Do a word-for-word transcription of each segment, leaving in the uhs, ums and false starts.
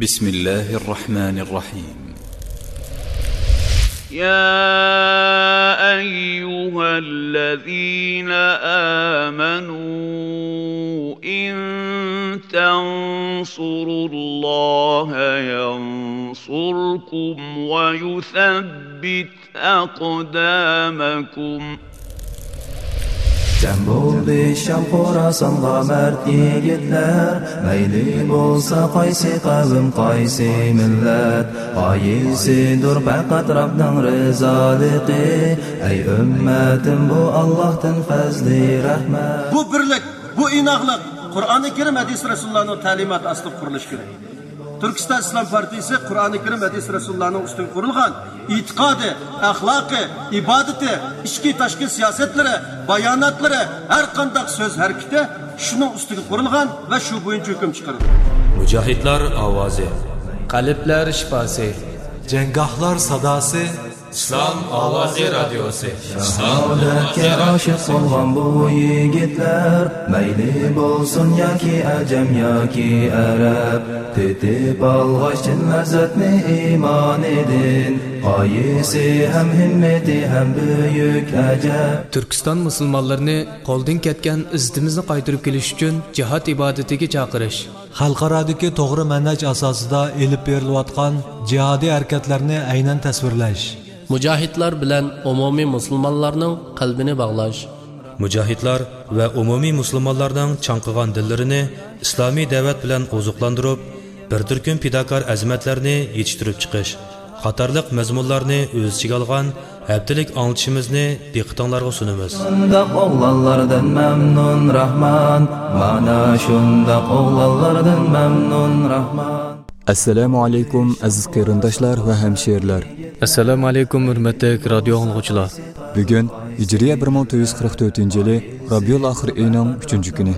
بسم الله الرحمن الرحيم. يا أيها الذين آمنوا إن تنصروا الله ينصركم ويثبت أقدامكم. جەم بولدى شام خوراسانغا مەرد يىگىتلەر، مەيلى بولسا قايسى قەۋم، قايسى مىللەت، غايىسىدۇر پەقەت رەبنىڭ رىزالىقى. ئەي ئۈممەتىم، بۇ ئاللاھتىن پەزلى رەھمەت. بۇ بىرلىك، بۇ ئىناقلىق قۇرئانى كەرىم، ھەدىس رەسۇلۇللانىڭ تەلىماتى ئاستىدا قۇرۇلۇشى كېرەك. تۈركىستان ئىسلام پارتىيىسى قۇرئانى كەرىم، ھەدىس رەسۇلۇللانىڭ ئۈستىگە قۇرۇلغان ئېتىقادى، ئەخلاقى، ئىبادىتى، ئىچكى، تاشقى سىياسەتلىرى، باياناتلىرى، ھەر قانداق سۆز ھەرىكىتى شۇنىڭ ئۈستىگە قۇرۇلغان ۋە شۇ بويىچە ھۆكۈم چىقىرىدۇ. مۇجاھىدلار ئاۋازى. قەلبلەر شىپاسى. جەڭگاھلار ساداسى. ئىسلام ئاۋازى رادىيوسى. شاھادەتكە ئاشىق بولغان بۇ يىگىتلەر، مەيلى بولسۇن ياكى ئەجەم ياكى ئەرەب، تېتىپ ئالغاچ چىن لەززەتنى ئىمانىدىن، غايىسى ھەم ھىممىتى ھەم بۈيۈك ئەجەب. تۈركىستان مۇسۇلمانلىرىنى قولدىن كەتكەن ئىززىتىمىزنى قايتۇرۇپ كېلىش ئۈچۈن جىھاد ئىبادىتىگە چاقىرىش. خەلقئارادىكى توغرا مەنھەج ئاساسىدا ئېلىپ بېرىلىۋاتقان جىھادىي ھەرىكەتلەرنى ئەينەن تەسۋىرلەش. مۇجاھىدلار بىلەن ئومۇمىي مۇسۇلمانلارنىڭ قەلبىنى باغلاش. مۇجاھىدلار ۋە ئومۇمىي مۇسۇلمانلارنىڭ چاڭقىغان دىللىرىنى ئىسلامىي دەۋەت بىلەن ئوزۇقلاندۇرۇپ، بىر تۈركۈم پىداكار ئەزىمەتلەرنى يېتىشتۈرۈپ چىقىش قاتارلىق مەزمۇنلارنى ئۆز ئىچىگە ئالغان ھەپتىلىك ئاڭلىتىشىمىزنى دىققىتىڭلارغا سۇنىمىز. شۇنداق ئوغلانلاردىن مەمنۇن راھمان، مانا شۇنداق ئوغلانلاردىن مەمنۇن راھمان. ئەسسالامۇ ئەلەيكۇم، ئەزىز قېرىنداشلار ۋە ھەمشىرىلەر. ئەسسالامۇ ئەلەيكۇم، ھۆرمەتلىك رادىيو ئاڭلىغۇچىلار. بۈگۈن ھىجرىيە بىر مىڭ تۆت يۈز قىرىق تۆتىنچى يىلى رابىئۇل ئاخىر ئېيىنىڭ ئۈچىنچى كۈنى،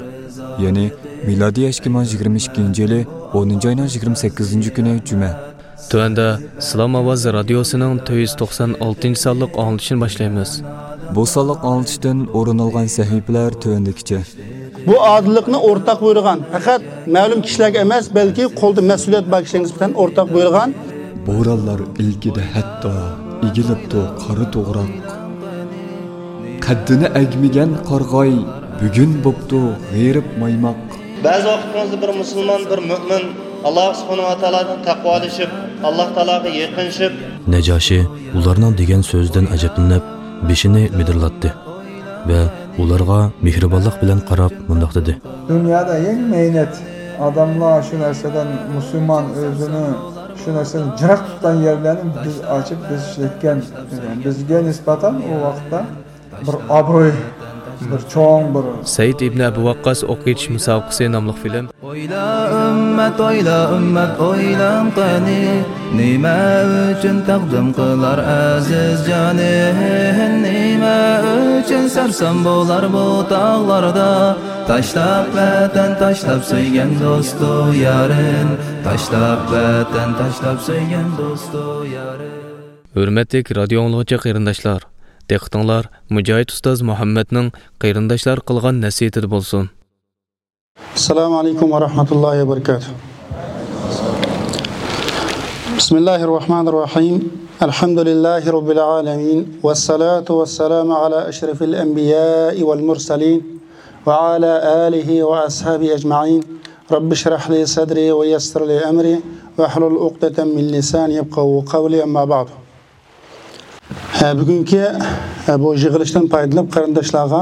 يەنى مىلادىي ئىككى مىڭ يىگىرمە ئىككىنچى يىلى ئونىنچى ئاينىڭ يىگىرمە سەككىزىنچى كۈنى جۈمە. تۆۋەندە ئىسلام ئاۋازى رادىيوسىنىڭ تۆت يۈز توقسان ئالتىنچى سانلىق ئاڭلىتىشىنى باشلايمىز. بۇ سانلىق ئاڭلىتىشتىن ئورۇن ئالغان سەھىپىلەر تۆۋەندىكىچە. بۇ ئادىللىقنى ئورتاق بۇيرۇغان پەقەت مەلۇم كىشىلەرگە ئەمەس، بەلكى قولىدا مەسئۇلىيەت بار كىشىلەرگە نىسبەتەن ئورتاق بۇيرۇغان. بورانلار ئىلكىدە ھەتتا ئېگىلىپتۇ قارا توغراق. قەددىنى ئەگمىگەن قارىغاي بۈگۈن بوپتۇ غېرىب مايماق. بەزى ۋاقىتىڭىزدا بىر مۇسۇلمان، بىر مۆمىن ئاللا سۇبھانەھۇ ۋە تائالادىن تەقۋالىشىپ، ئاللا تائالاغا يېقىنلىشىپ. نەجاشى ئۇلارنىڭ دېگەن سۆزىدىن ئەجەبلىنىپ، بېشىنى مىدىرلاتتى ۋە ئۇلارغا مېھرىبانلىق بىلەن قاراپ مۇنداق دېدى. دۇنيادا ئەڭ مەينەت ئادەملەر شۇ نەرسىدىن، مۇسۇلمان ئۆزىنى شۇ نەرسىدىن جىراق تۇتقان يەرلەرنى بىز ئاچىپ، بىز ئىشلەتكەن. بىزگە نىسبەتەن ئۇ ۋاقىتتا بىر ئابرۇي، بىر چوڭ، بىر. سەئىد ئىبنى ئەبۇ ۋەققاس ئوق ئېتىش مۇسابىقىسى ناملىق فىلىم. ئويلا ئۈممەت، ئويلا ئۈممەت، ئويلاڭ قېنى، نېمە ئۈچۈن تەقدىم قىلار ئەزىز جانى؟ نېمە ئۈچۈن سەرسان بولار بۇ تاغلاردا؟ تاشلاپ ۋەتەن، تاشلاپ سۆيگەن دوستۇ يارىن، تاشلاپ ۋەتەن، تاشلاپ سۆيگەن دوستۇ يارىن. ھۆرمەتلىك رادىيو ئاڭلىغۇچى قېرىنداشلار، دىققىتىڭلار مۇجاھىد ئۇستاز مۇھەممەدنىڭ قېرىنداشلارغا قىلغان نەسىھىتىدە بولسۇن. السلام عليكم ورحمة الله وبركاته. بسم الله الرحمن الرحيم. الحمد لله رب العالمين، والصلاة والسلام على أشرف الأنبياء والمرسلين، وعلى آله وأصحابه أجمعين. رب اشرح لي صدري ويسر لي أمري واحلل عقدة من لساني يفقهوا قولي، أما بعد. ھە، بۈگۈنكى، ھە، بۇ يىغىلىشتىن پايدىلىنىپ، قېرىنداشلارغا،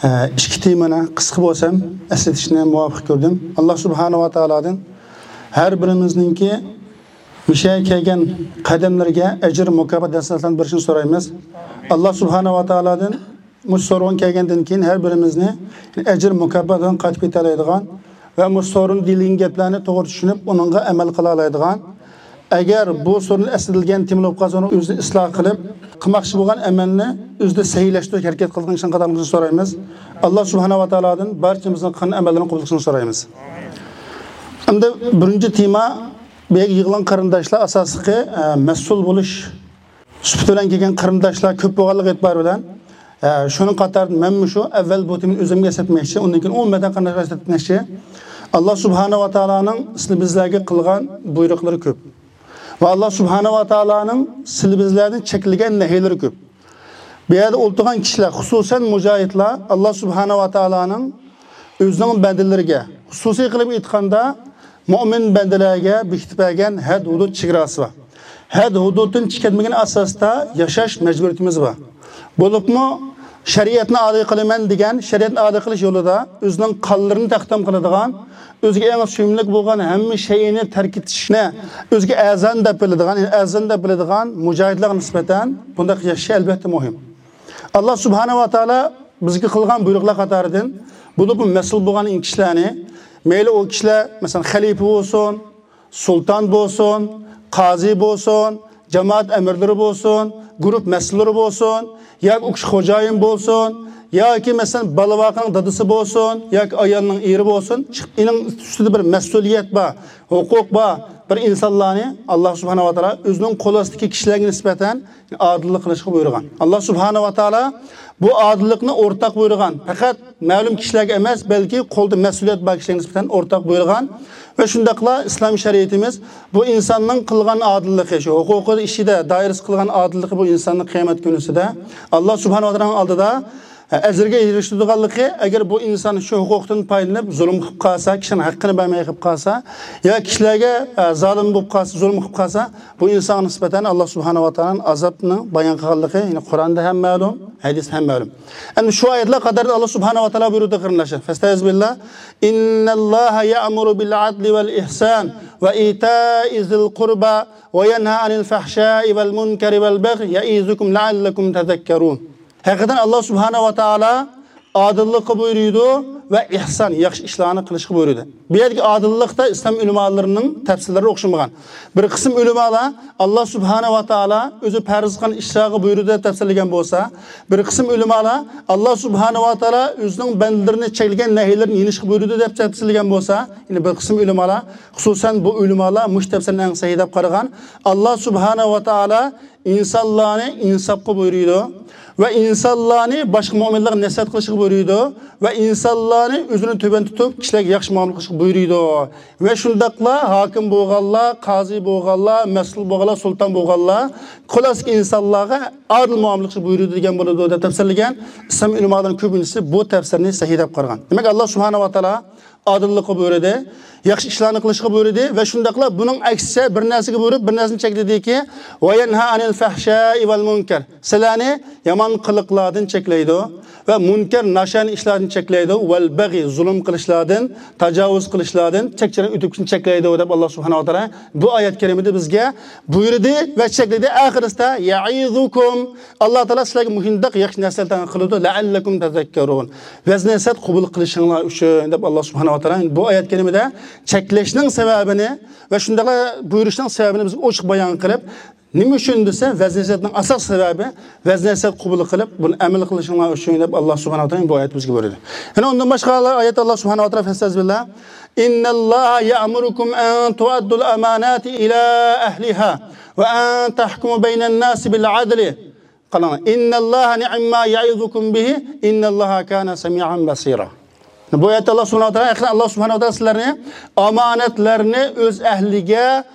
ھە، ئىككى تېمىنى قىسقا بولسام ئەسلىتىشنى مۇۋاپىق كۆردۈم. ئاللا سۇبھانەھۇ ۋە تائالادىن ھەر بىرىمىزنىڭكى مۇشۇ يەرگە كەلگەن قەدەملىرىگە ئەجىر، مۇكاپات، ھەسەناتلارنى بېرىشىنى سورايمىز. ئاللا سۇبھانەھۇ ۋە تائالادىن مۇشۇ سورۇنغا كەلگەندىن كېيىن ھەر بىرىمىزنى ئەجىر مۇكاپاتىدىن قايتىپ كېتەلەيدىغان ۋە مۇشۇ سورۇندا دېيىلگەن گەپلەرنى توغرا چۈشىنىپ، ئۇنىڭغا ئەمەل قىلالايدىغان، ئەگەر بۇ سورۇن ئەسلىتىلگەن تېما بولۇپ قالسا، ئۇنى ئۆزىنى ئىسلاھ قىلىپ، قىلماقچى بولغان ئەمەلنى ئۆزىدە سەھىھلەشتۈرۈش ھەرىكەت قىلىدىغان كىشىنىڭ قاتارىدا بولۇشىنى سورايمىز. ئاللا سۇبھانەھۇ ۋە تائالادىن بارچىمىزنىڭ قىلغان ئەمەللىرىنى قوبۇل قىلىشىنى سورايمىز. ئەمدى بىرىنچى تېما، بۇ يەرگە يىغىلغان قېرىنداشلار ئاساسلىقى، ئە، مەسئۇل بولۇش سۈپىتى بىلەن كەلگەن قېرىنداشلار كۆپ بولغانلىقى ئېتىبارى بىلەن، ئە، شۇنىڭ قاتارىدا مەنمۇ شۇ ئەۋۋەل بۇ تېمىنى ئۆزۈمگە ئەسلەتمەكچى، ئۇندىن كېيىن ئومۇمەن قېرىنداشلارغا ئەسلەتمەكچى. ئاللا سۇبھانەھۇ ۋە تائالانىڭ سىلى بىزلەرگە قىلغان بۇيرۇقلىرى كۆپ. ۋە ئاللا سۇبھانەھۇ ۋە تائالانىڭ سىلى بىزلەردىن چەكلىگەن نەھىلىرى كۆپ. بۇ يەردە ئولتۇرغان كىشىلەر، خۇسۇسەن مۇجاھىدلار، ئاللا سۇبھانەھۇ ۋە تائالانىڭ ئۆزىنىڭ بەندىلىرىگە، خۇسۇسىي قىلىپ ئېيتقاندا، مۆمىن بەندىلەرگە بېكىتىپ بەرگەن ھەد-ھۇدۇد چېگراسى بار. ھەد-ھۇدۇدتىن چىقىپ كەتمىگەن ئاساستا ياشاش مەجبۇرىيىتىمىز بار. بولۇپمۇ شەرىئەتنى ئادا قىلىمەن دېگەن، شەرىئەتنى ئادا قىلىش يولىدا ئۆزىنىڭ قانلىرىنى تەقدىم قىلىدىغان، ئۆزىگە ئەڭ سۆيۈملۈك بولغان ھەممە شەيئىنى تەرك ئېتىشنى ئۆزىگە ئەرزان دەپ بىلىدىغان، يەنى ئەرزان دەپ بىلىدىغان مۇجاھىدلارغا نىسبەتەن بۇنداق ياشاش ئەلۋەتتە مۇھىم. ئاللا سۇبھانەھۇ ۋە تائالا بىزگە قىلغان بۇيرۇقلار قاتارىدىن، بولۇپمۇ مەسئۇل بولغان كىشىلەرنى، مەيلى ئۇ كىشىلەر، مەسىلەن، خەلىپە بولسۇن، سۇلتان بولسۇن، قازى بولسۇن، جامائەت ئەمىرلىرى بولسۇن، گۇرۇھ مەسئۇللىرى بولسۇن، ياكى ئۇ كىشى خوجايىن بولسۇن، ياكى، مەسىلەن، بالا-ۋاقىنىڭ دادىسى بولسۇن، ياكى ئايالنىڭ ئېرى بولسۇن، ئېنىڭ ئۈستىدە بىر مەسئۇلىيەت بار، ھوقۇق بار بىر ئىنسانلارنى ئاللا سۇبھانەھۇ ۋە تائالا ئۆزىنىڭ قول ئاستىدىكى كىشىلەرگە نىسبەتەن ئادىللىق قىلىشقا بۇيرۇغان. ئاللا سۇبھانەھۇ ۋە تائالا بۇ ئادىللىقنى ئورتاق بۇيرۇغان. پەقەت مەلۇم كىشىلەرگە ئەمەس، بەلكى قولدا مەسئۇلىيەت بار كىشىلەرگە نىسبەتەن ئورتاق بۇيرۇغان. ۋە شۇنداقلا ئىسلام شەرىئىتىمىز بۇ ئىنساننىڭ قىلغان ئادىللىقى، شۇ ھوقۇقى ئىچىدە دائىرىسى قىلغان ئادىللىقى بۇ ئىنساننىڭ قىيامەت كۈنىسىدە ئاللا سۇبھانەھۇ ۋە تائالانىڭ ئالدىدا ئەجىرگە ئېرىشىدىغانلىقى، ئەگەر بۇ ئىنسان شۇ ھوقۇقتىن پايدىلىنىپ زۇلۇم قىلىپ قالسا، كىشىنىڭ ھەققىنى بەرمەي قىلىپ قالسا، يا كىشىلەرگە، ئە، زالىم بولۇپ قالسا، زۇلۇم قىلىپ قالسا، بۇ ئىنسانغا نىسبەتەن ئاللا سۇبھانەھۇ ۋە تائالانىڭ ئازابىنىڭ بايان قىلغانلىقى، يەنى قۇرئاندا ھەم مەلۇم، ھەدىستە ھەم مەلۇم. ئەمدى شۇ ئايەتلەر قاتارىدا ئاللا سۇبھانەھۇ ۋە تائالا بۇيرۇدى، قېرىنداشلار. فەستەئىزبىللا. إن الله يأمر بالعدل والإحسان وإيتاء ذي القربى وينهى عن الفحشاء والمنكر والبغي يعظكم لعلكم تذكرون. ھەقىقەتەن ئاللا سۇبھانەھۇ ۋە تائالا ئادىللىققا بۇيرۇيدۇ ۋە ئىھسان، ياخشى ئىشلارنى قىلىشقا بۇيرۇيدۇ. بۇ يەردىكى ئادىللىقتا ئىسلام ئۆلىمالىرىنىڭ تەپسىرلىرى ئوخشىمىغان. بىر قىسىم ئۆلىمالار ئاللا سۇبھانەھۇ ۋە تائالا ئۆزى پەرز قىلغان ئىشلارغا بۇيرۇدى دەپ تەپسىرلىگەن بولسا، بىر قىسىم ئۆلىمالار ئاللا سۇبھانەھۇ ۋە تائالا ئۆزىنىڭ بەندىلىرىنى چەكلىگەن نەھىلىرىنى يېنىشقا بۇيرۇدى دەپ تەپسىرلىگەن بولسا، يەنى بىر قىسىم ئۆلىمالار، خۇسۇسەن بۇ ئۆلىمالار مۇشۇ تەپسىرنى ئەڭ سەھىھ دەپ قارىغان، ئاللا سۇبھانەھۇ ۋە تائالا ئىنسانلارنى ئىنساپقا بۇيرۇيدۇ ۋە ئىنسانلارنى باشقا مۆمىنلەرگە نەسىھەت قىلىشقا بۇيرۇيدۇ ۋە ئىنسانلارنى ئۆزىنى تۆۋەن تۇتۇپ، كىشىلەرگە ياخشى مۇئامىلە قىلىشقا بۇيرۇيدۇ. ۋە شۇنداقلا ھاكىم بولغانلار، قازى بولغانلار، مەسئۇل بولغانلار، سۇلتان بولغانلار، خۇلاسىكى ئىنسانلارغا ئادىل مۇئامىلە قىلىشقا بۇيرۇيدۇ دېگەن بولىدۇ دەپ تەپسىرلىگەن ئىسلام ئۆلىمالىرىنىڭ كۆپىنچىسى بۇ تەپسىرنى سەھىھ دەپ قارىغان. دېمەك، ئاللا سۇبھانەھۇ ۋە تائالا ئادىللىققا بۇيرۇدى، ياخشى ئىشلارنى قىلىشقا بۇيرۇدى ۋە شۇنداقلا بۇنىڭ ئەكسىچە بىر نەرسىگە بۇيرۇپ، بىر نەرسىنى چەكلىدىكى، ۋە يەنھا ئەنىل فەھشائى ۋەل مۇنكەر، سىلەرنى يامان قىلىقلاردىن چەكلەيدۇ ۋە مۇنكەر، ناشايان ئىشلاردىن چەكلەيدۇ، ۋەل بەغي، زۇلۇم قىلىشلاردىن، تاجاۋۇز قىلىشلاردىن، چەكچىدىن ئۆتۈپ كېتىشنى چەكلەيدۇ دەپ ئاللا سۇبھانەھۇ ۋە تائالا بۇ ئايەت كەرىمىدە بىزگە بۇيرۇدى ۋە چەكلىدى. ئاخىرىسىدا يەئىزۇكۇم، ئاللا تائالا سىلەرگە مۇشۇنداق ياخشى نەسىھەتلەرنى قىلىدۇ، لەئەللەكۇم تەزەككەرۇن، ۋەز نەسىھەت قوبۇل قىلىشىڭلار ئۈچۈن دەپ ئاللا سۇبھانەھۇ ۋە تائالا بۇ ئايەت كەرىمىدە چەكلەشنىڭ سەۋەبىنى ۋە شۇنداقلا بۇيرۇشنىڭ سەۋەبىنى بىزگە ئوچۇق بايان قىلىپ، نېمە ئۈچۈن دېسە، ۋەز نەسىھەتنىڭ ئاساسىي سەۋەبى ۋەز نەسىھەت قوبۇل قىلىپ، بۇنى ئەمەل قىلىشىڭلار ئۈچۈن دەپ ئاللا سۇبھانەھۇ ۋە تائالا بۇ ئايەت بىزگە بۇيرۇدى. يەنە ئۇندىن باشقا ئايەت ئاللا سۇبھانەھۇ ۋە تائالا فەستەئىز بىللا، إن الله يأمركم أن تؤدوا الأمانات إلى أهلها وأن تحكموا بين الناس بالعدل. قاراڭلار، إن الله نعم ما يعظكم به إن الله كان سميعا بصيرا. بۇ ئايەتتە ئاللا سۇبھانەھۇ ۋە تائالا، يەنى ئاللا سۇبھانەھۇ ۋە تائالا سىلەرنى ئامانەتلەرنى ئۆز ئەھلىگە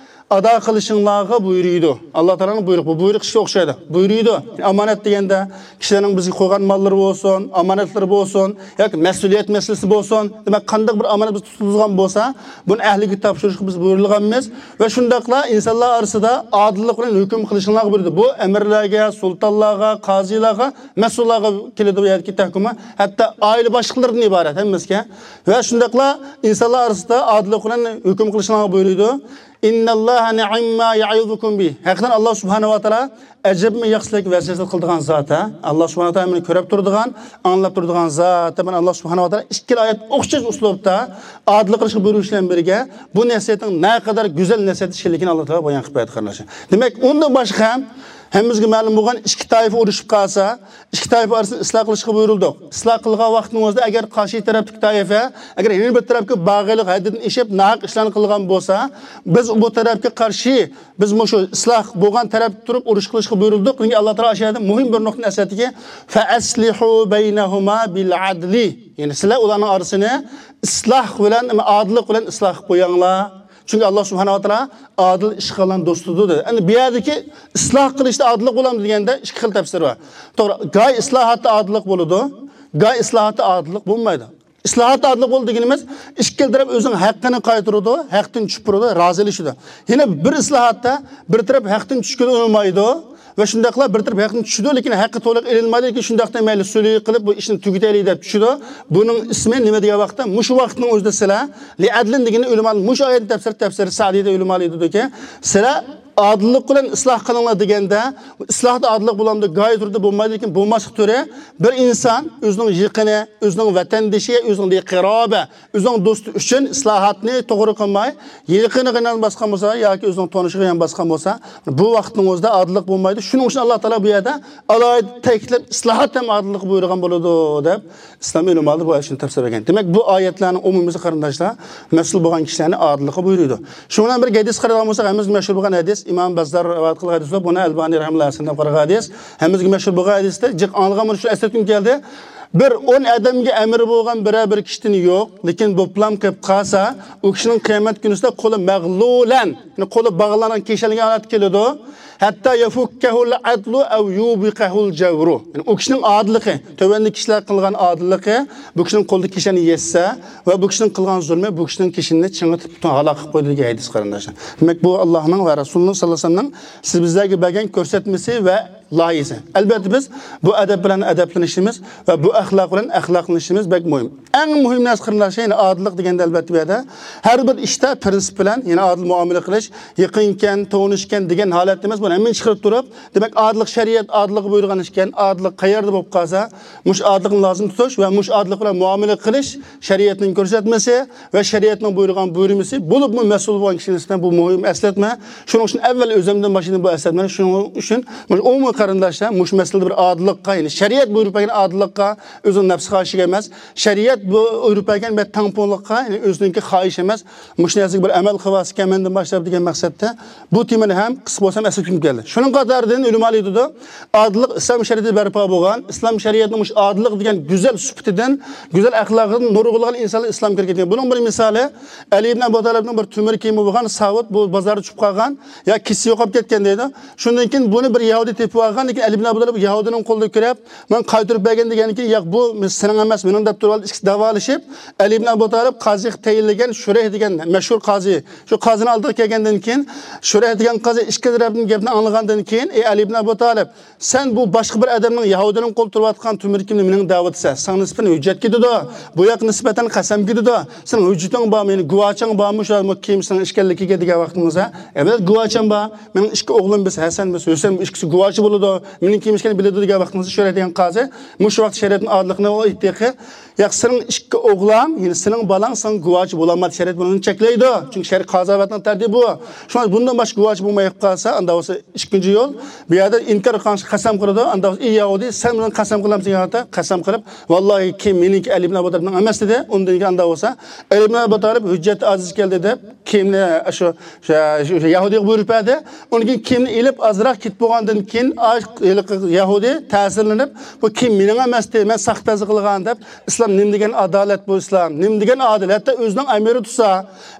ئادا قىلىشىڭلارغا بۇيرۇيدۇ. ئاللا تائالانىڭ بۇيرۇقى، بۇ بۇيرۇق ئىشقا ئوخشايدۇ. بۇيرۇيدۇ. ئامانەت دېگەندە كىشىلەرنىڭ بىزگە قويغان ماللىرى بولسۇن، ئامانەتلىرى بولسۇن، ياكى مەسئۇلىيەت مەسىلىسى بولسۇن، دېمەك، قانداق بىر ئامانەت بىز تۇتۇلغان بولسا، بۇنى ئەھلىگە تاپشۇرۇشقا بىز بۇيرۇلغانمىز. ۋە شۇنداقلا ئىنسانلار ئارىسىدا ئادىللىق بىلەن ھۆكۈم قىلىشىڭلارغا بۇيرۇيدۇ. بۇ ئەمىرلەرگە، سۇلتانلارغا، قازىلارغا، مەسئۇللارغا كېلىدۇ بۇ يەردىكى تەھكىمى. ھەتتا ئائىلە باشلىقلىرىدىن ئىبارەت ھەممىسىگە. ۋە شۇنداقلا ئىنسانلار ئارىسىدا ئادىللىق بىلەن ھۆكۈم قىلىشىڭلارغا بۇيرۇيدۇ. إن الله نعم ما يعظكم به. ھەقىقەتەن ئاللا سۇبھانەھۇ ۋە تائالا ئەجەبمۇ ياخشىلىق ۋەسىيەت قىلىدىغان زات، ھە؟ ئاللا سۇبھانەھۇ ۋە تائالا مېنى كۆرۈپ تۇرىدىغان، ئاڭلاپ تۇرىدىغان زات. مانا ئاللا سۇبھانەھۇ ۋە تائالا ئىككىلا ئايەت ئوخشاش ئۇسلۇبتا ئادىللىق قىلىشقا بۇيرۇش بىلەن بىرگە بۇ نەسىھەتنىڭ نەقەدەر گۈزەل نەسىھەت ئىكەنلىكىنى ئاللا تائالا بايان قىلىپ بەردى، قېرىنداشلار. دېمەك، ئۇندىن باشقا ھەم ھەممىمىزگە مەلۇم بولغان، ئىككى تائىپە ئۇرۇشۇپ قالسا، ئىككى تائىپە ئارىسىنى ئىسلاھ قىلىشقا بۇيرۇلدۇق. ئىسلاھ قىلغان ۋاقتىڭىزدا ئەگەر قارشى تەرەپتىكى تائىپە، ئەگەر يەنە بىر تەرەپكە باغىيلىق ھەددىدىن ئېشىپ، ناھەق ئىشلارنى قىلغان بولسا، بىز بۇ تەرەپكە قارشى، بىز مۇشۇ ئىسلاھ بولغان تەرەپتە تۇرۇپ ئۇرۇش قىلىشقا بۇيرۇلدۇق. چۈنكى ئاللا تائالا ئاشۇ يەردە مۇھىم بىر نۇقتىنى ئەسلەتتىكى، فَأَصْلِحُوا بَيْنَهُمَا بِالْعَدْلِ. يەنى سىلەر ئۇلارنىڭ ئارىسىنى ئىسلاھ بىلەن، ئادىللىق بىلەن ئىسلاھ قىلىپ قويۇڭلار. چۈنكى ئاللا سۇبھانەھۇ ۋە تائالا ئادىل ئىش قىلغان دوستىدۇر، دېدى. ئەمدى بۇ يەردىكى ئىسلاھ قىلىشتا ئادىللىق بولامدۇ دېگەندە، ئىككى خىل تەپسىر بار. توغرا، گاي ئىسلاھاتتا ئادىللىق بولىدۇ، گاي ئىسلاھاتتا ئادىللىق بولمايدۇ. ئىسلاھاتتا ئادىللىق بولىدۇ دېگىنىمىز، ئىككىلا تەرەپ ئۆزىنىڭ ھەققىنى قايتۇرىدۇ، ھەقتىن چۈشۈپ تۇرىدۇ، رازىلىشىدۇ. يەنە بىر ئىسلاھاتتا بىر تەرەپ ھەقتىن چۈشكىلى ئۇنىمايدۇ ۋە شۇنداقلا بىر تەرەپ ھەقتىن چۈشىدۇ، لېكىن ھەققى تولۇق ئېلىنمايدۇ، لېكىن شۇنداقتا مەيلى سۈلھى قىلىپ بۇ ئىشنى تۈگىتەيلى دەپ چۈشىدۇ. بۇنىڭ ئىسمى نېمە دېگەن ۋاقىتتا، مۇشۇ ۋاقىتنىڭ ئۆزىدە سىلەر لىئەدلىن دېگىنى ئۆلىمالار، مۇشۇ ئايەتنى تەپسىر، تەپسىر سەئدىدە ئۆلىمالار ئېيتىدۇكى، سىلەر ئادىللىق بىلەن ئىسلاھ قىلىڭلار دېگەندە، ئىسلاھدا ئادىللىق بولامدۇ؟ گايى تۈردە بولمايدۇ، لېكىن بولماسلىق تۈرى، بىر ئىنسان ئۆزىنىڭ يېقىنى، ئۆزىنىڭ ۋەتەندىشى، ئۆزىنىڭ قەرابە، ئۆزىنىڭ دوستى ئۈچۈن ئىسلاھاتنى توغرا قىلماي، يېقىنىغا يان باسقان بولسا ياكى ئۆزىنىڭ تونۇشىغا يان باسقان بولسا، بۇ ۋاقىتنىڭ ئۆزىدە ئادىللىق بولمايدۇ. شۇنىڭ ئۈچۈن ئاللا تائالا بۇ يەردە ئالاھىدە تەكىتلەپ، ئىسلاھات ھەم ئادىللىققا بۇيرۇغان بولىدۇ، دەپ ئىسلام ئۆلىمالىرى بۇ ئايەتنى تەپسىر بەرگەن. دېمەك، بۇ ئايەتلەرنىڭ ئومۇمىيسى، قېرىنداشلار، مەسئۇل بولغان كىشىلەرنى ئادىللىققا بۇيرۇيدۇ. شۇنىڭ بىلەن بىر ھەدىس قارىغان بولساق، ھەممىمىزگە مەشھۇر بولغان ھەدىس، ئىمام بەززار رىۋايەت قىلغان ھەدىس بولۇپ، بۇنى ئەلبانى رەھىمۇللاھ ھەسەن دەپ قارىغان ھەدىس. ھەممىمىزگە مەشھۇر بولغان ھەدىستە جىق ئاڭلىغان بولۇش ئۈچۈن ئەسلەتكۈم كەلدى. بىر ئون ئادەمگە ئەمرى بولغان بىرەر بىر كىشىدىن يوق، لېكىن بوپلام قېلىپ قالسا، ئۇ كىشىنىڭ قىيامەت كۈنىسىدە قولى مەغلۇلەن، يەنى قولى باغلانغان، كىشەنلىگەن ھالەتتە كېلىدۇ. ھەتتا يەفۇككەھۇل ئەدلۇ ئەۋ يۇبىقەھۇل جەۋرۇ. يەنى ئۇ كىشىنىڭ ئادىللىقى، تۆۋەندىكى كىشىلەر قىلغان ئادىللىقى بۇ كىشىنىڭ قولىدا كىشەننى يەتسە ۋە بۇ كىشىنىڭ قىلغان زۇلمى بۇ كىشىنىڭ كىشىنىنى چىڭىتىپ پۈتۈن ھالاك قىلىپ قويىدۇ دېگەن ھەدىس، قېرىنداشلار. دېمەك، بۇ ئاللانىڭ ۋە رەسۇلىنىڭ ساللاللاھۇ ئەلەيھى ۋەسەللەمنىڭ سىز بىزلەرگە بەرگەن كۆرسەتمىسى ۋە لايىھىسى. ئەلبەتتە، بىز بۇ ئەدەپ بىلەن ئەدەپلىنىشىمىز ۋە بۇ ئەخلاق بىلەن ئەخلاقلىنىشىمىز بەك مۇھىم. ئەڭ مۇھىم نەرسە، قېرىنداشلار، يەنى ئادىللىق دېگەندە، ئەلبەتتە، بۇ يەردە ھەر بىر ئىشتا پىرىنسىپ بىلەن، يەنى ئادىل مۇئامىلە قىلىش، يېقىنكەن، تونۇشكەن دېگەن ھالەتتە ئەمەس، بۇنى ھەممىنى چىقىرىپ تۇرۇپ، دېمەك، ئادىللىق شەرىئەت ئادىللىققا بۇيرۇغان ئىكەن، ئادىللىق قەيەردە بولۇپ قالسا، مۇشۇ ئادىللىقنى لازىم تۇتۇش ۋە مۇشۇ ئادىللىق بىلەن مۇئامىلە قىلىش شەرىئەتنىڭ كۆرسەتمىسى ۋە شەرىئەتنىڭ بۇيرۇغان بۇيرۇمىسى، بولۇپمۇ مەسئۇل بولغان كىشىنىڭ ئۈستىدە بۇ مۇھىم ئەسلەتمە. شۇنىڭ ئۈچۈن ئەۋۋەل ئۆزۈمدىن باشلىدىم بۇ ئەسلەتمىنى. شۇنىڭ ئۈچۈن مۇشۇ ئومۇمىي قېرىنداشلار مۇشۇ مەسىلىدە بىر ئادىللىققا، يەنى شەرىئەت بۇيرۇپ بەرگەن ئادىللىققا، ئۆزىنىڭ نەپسى خاھىشىگە ئەمەس، شەرىئەت بۇ بۇيرۇپ بەرگەن بىر تەڭپۇڭلۇققا، يەنى ئۆزىنىڭكى خاھىشى ئەمەس، مۇشۇ نەرسىگە بىر ئەمەل قىلىۋالسىكەن مەندىن باشلاپ دېگەن مەقسەتتە بۇ تېمىنى ھەم قىسقا بولسا ھەم ئەسلىتىپ كەلدى. شۇنىڭ قاتارىدىن ئۆلىمالار ئېيتىدۇ، ئادىللىق ئىسلام شەرىئىتىدە بەرپا بولغان، ئىسلام شەرىئىتىنىڭ مۇشۇ ئادىللىق دېگەن گۈزەل سۈپىتىدىن، گۈزەل ئەخلاقىدىن نۇرغۇنلىغان ئىنسانلار ئىسلام كىرگەن. بۇنىڭ بىر مىسالى، ئەلى ئىبن ئەبۇ تالىپنىڭ بىر تۆمۈر كىيىمى بولغان ساۋۇت، بۇ بازاردا چۈشۈپ قالغان، يا كېسىسى يوقاپ كەتكەن دەيدۇ. شۇندىن كېيىن بۇنى بىر يەھۇدىي تېپىپ ئالغان، لېكىن ئەلى ئىبن ئەبۇ تالىپ يەھۇدىينىڭ قولىدا كۆرۈپ، ماڭا قايتۇرۇپ بەرگىن دېگەندىن كېيىن، ياق، بۇ سېنىڭ ئەمەس، مېنىڭ دەپ تۇرۇپ ئىككىسى داۋالىشىپ، ئەلى ئىبن ئەبۇ تالىپ قازىغا تەيىنلىگەن شۇرەيھ دېگەن مەشھۇر قازى، شۇ قازىنىڭ ئالدىغا كەلگەندىن كېيىن، شۇرەيھ دېگەن قازى ئىككى تەرەپنىڭ گېپىنى ئاڭلىغاندىن كېيىن، ئەي ئەلى ئىبن ئەبۇ تالىپ، سەن بۇ باشقا بىر ئادەمنىڭ، يەھۇدىينىڭ قولىدا تۇرۇۋاتقان تۆمۈر كىيىمنى مېنىڭ دەۋاتىسەن، ساڭا نىسبەتەن ھۆججەت كېتىدۇ، بۇ ياققا نىسبەتەن قەسەم كېتىدۇ، سېنىڭ ھۆججىتىڭ بارمۇ، يەنى گۇۋاچىڭ بارمۇ، شۇ كىيىم سېنىڭ ئىكەنلىكىگە دېگەن ۋاقتىمىزدا، ئەۋەت، گۇۋاچىم بار، مېنىڭ ئىككى ئوغلۇم، بىز ھەسەن، بىز ھۈسەن، بۇ ئىككىسى گۇۋاچى بولىدۇ، مېنىڭ كىيىم ئىكەنلىكىنى بىلىدۇ دېگەن ۋاقتىمىزدا، شۇرەيھ دېگەن قازى مۇشۇ ۋاقىت شەرىئەتنىڭ ئادىللىقىنى ئېيتتى. ياق، سېنىڭ ئىككى ئوغلۇڭ، يەنى سېنىڭ بالاڭ ساڭا گۇۋاچى بولالمايدۇ، شەرىئەت بۇنى چەكلەيدۇ. چۈنكى شەرىئەت قازاۋەتنىڭ تەرتىپى بۇ. شۇڭا بۇندىن باشقا گۇۋاچى بولمايدىغان قالسا، ئاندا بولسا ئىككىنچى يول، بۇ يەردە ئىنكار قىلغان قەسەم قىلىدۇ. ئاندا بولسا، ئى يەھۇدىي، سەن مېنىڭ قەسەم قىلامسەن دېگەن ۋاقىتتا، قەسەم قىلىپ، ۋاللاھى، كىيىم مېنىڭكى، ئەلى ئىبن ئەبۇ تالىپنىڭ ئەمەس دېدى. ئۇندىن كېيىن ئاندا بولسا، ئەلى ئىبن ئەبۇ تالىپ ھۆججەت ئاجىز كەلدى دەپ، كىيىمنى شۇ، شۇ، شۇ يەھۇدىيغا بۇيرۇپ بەردى. ئۇنىڭ كېيىن كىيىمنى ئېلىپ، ئازراق كېتىپ بولغاندىن كېيىن، ئا، ھېلىقى يەھۇدىي تەسىرلىنىپ، بۇ كىيىم مېنىڭ ئەمەستى، مەن ساختىپەزلىك قىلغان دەپ، ئىسلام نېمە دېگەن ئادالەت بۇ ئىسلام، نېمە دېگەن ئادىل، ھەتتا ئۆزىنىڭ ئەمىرى تۇرسا،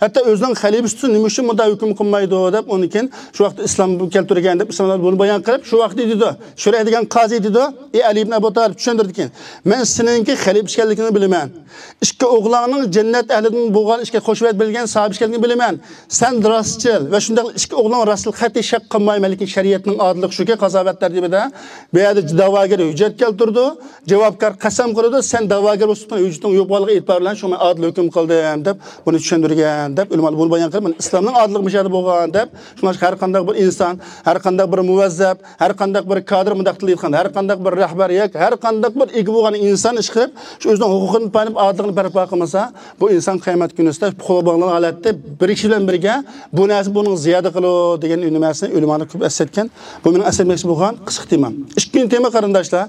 ھەتتا ئۆزىنىڭ خەلىپىسى تۇرسا، نېمە ئۈچۈن بۇنداق ھۆكۈم قىلمايدۇ دەپ، ئۇنىڭ كېيىن شۇ ۋاقىتتا ئىسلام كەلتۈرگەن دەپ، ئىسلام بۇنى بايان قىلىپ، شۇ ۋاقىتتا دېدى، شۇرەيھ دېگەن قازى دېدى، ئى ئەلى ئىبن ئەبۇ تالىپ، چۈشەندۈردى كېيىن، مەن سېنىڭكى خەلىپە ئىكەنلىكىڭنى بىلىمەن. ئىككى ئوغلۇڭنىڭ جەننەت ئەھلىدىن بولغان، ئىككى خۇشۋەت بىلگەن ساھابە ئىكەنلىكىنى بىلىمەن. سەن راستچىل ۋە شۇنداقلا ئىككى ئوغلۇڭ راستچىل، قەتئىي شەك قىلمايمەن، لېكىن شەرىئەتنىڭ ئادىللىقى شۇكى، قازاۋەت تەرتىپىدە بۇ يەردە دەۋاگەر ھۆججەت كەلتۈرىدۇ، جاۋابكار قەسەم قىلىدۇ، سەن دەۋاگەر سۈپىتىنىڭ ھۆججىتىنىڭ يوق بارلىقى ئېتىبارى بىلەن شۇڭا مەن ئادىل ھۆكۈم قىلدىم دەپ بۇنى چۈشەندۈرگەن دەپ ئۆلىمالار بۇنى بايان قىلىپ، مانا ئىسلامنىڭ ئادىللىقى مۇشۇ يەردە بولغان دەپ، شۇڭا ھەر قانداق بىر ئىنسان، ھەر قانداق بىر مۇۋەززەپ، ھەر قانداق بىر كادىر مۇنداق تىلدا ئېيتقاندا، ھەر قانداق بىر رەھبەر ياكى ھەر قانداق بىر ئىگە بولغان ئىنسان ئىشقىلىپ، شۇ ئۆزىنىڭ ھوقۇقىنى پايدىلىنىپ ئادىللىقنى بەرپا قىلمىسا، بۇ ئىنسان قىيامەت كۈنىسىدە قولغا باغلانغان ھالەتتە بىر كىشى بىلەن بىرگە بۇ نەرسە بۇنىڭ زىيادە قىلىدۇ دېگەن نەرسىنى ئۆلىمالار كۆپ ئەسلەتكەن. بۇ مېنىڭ ئەسلەتمەكچى بولغان قىسقا تېمام. ئىككىنچى تېما، قېرىنداشلار،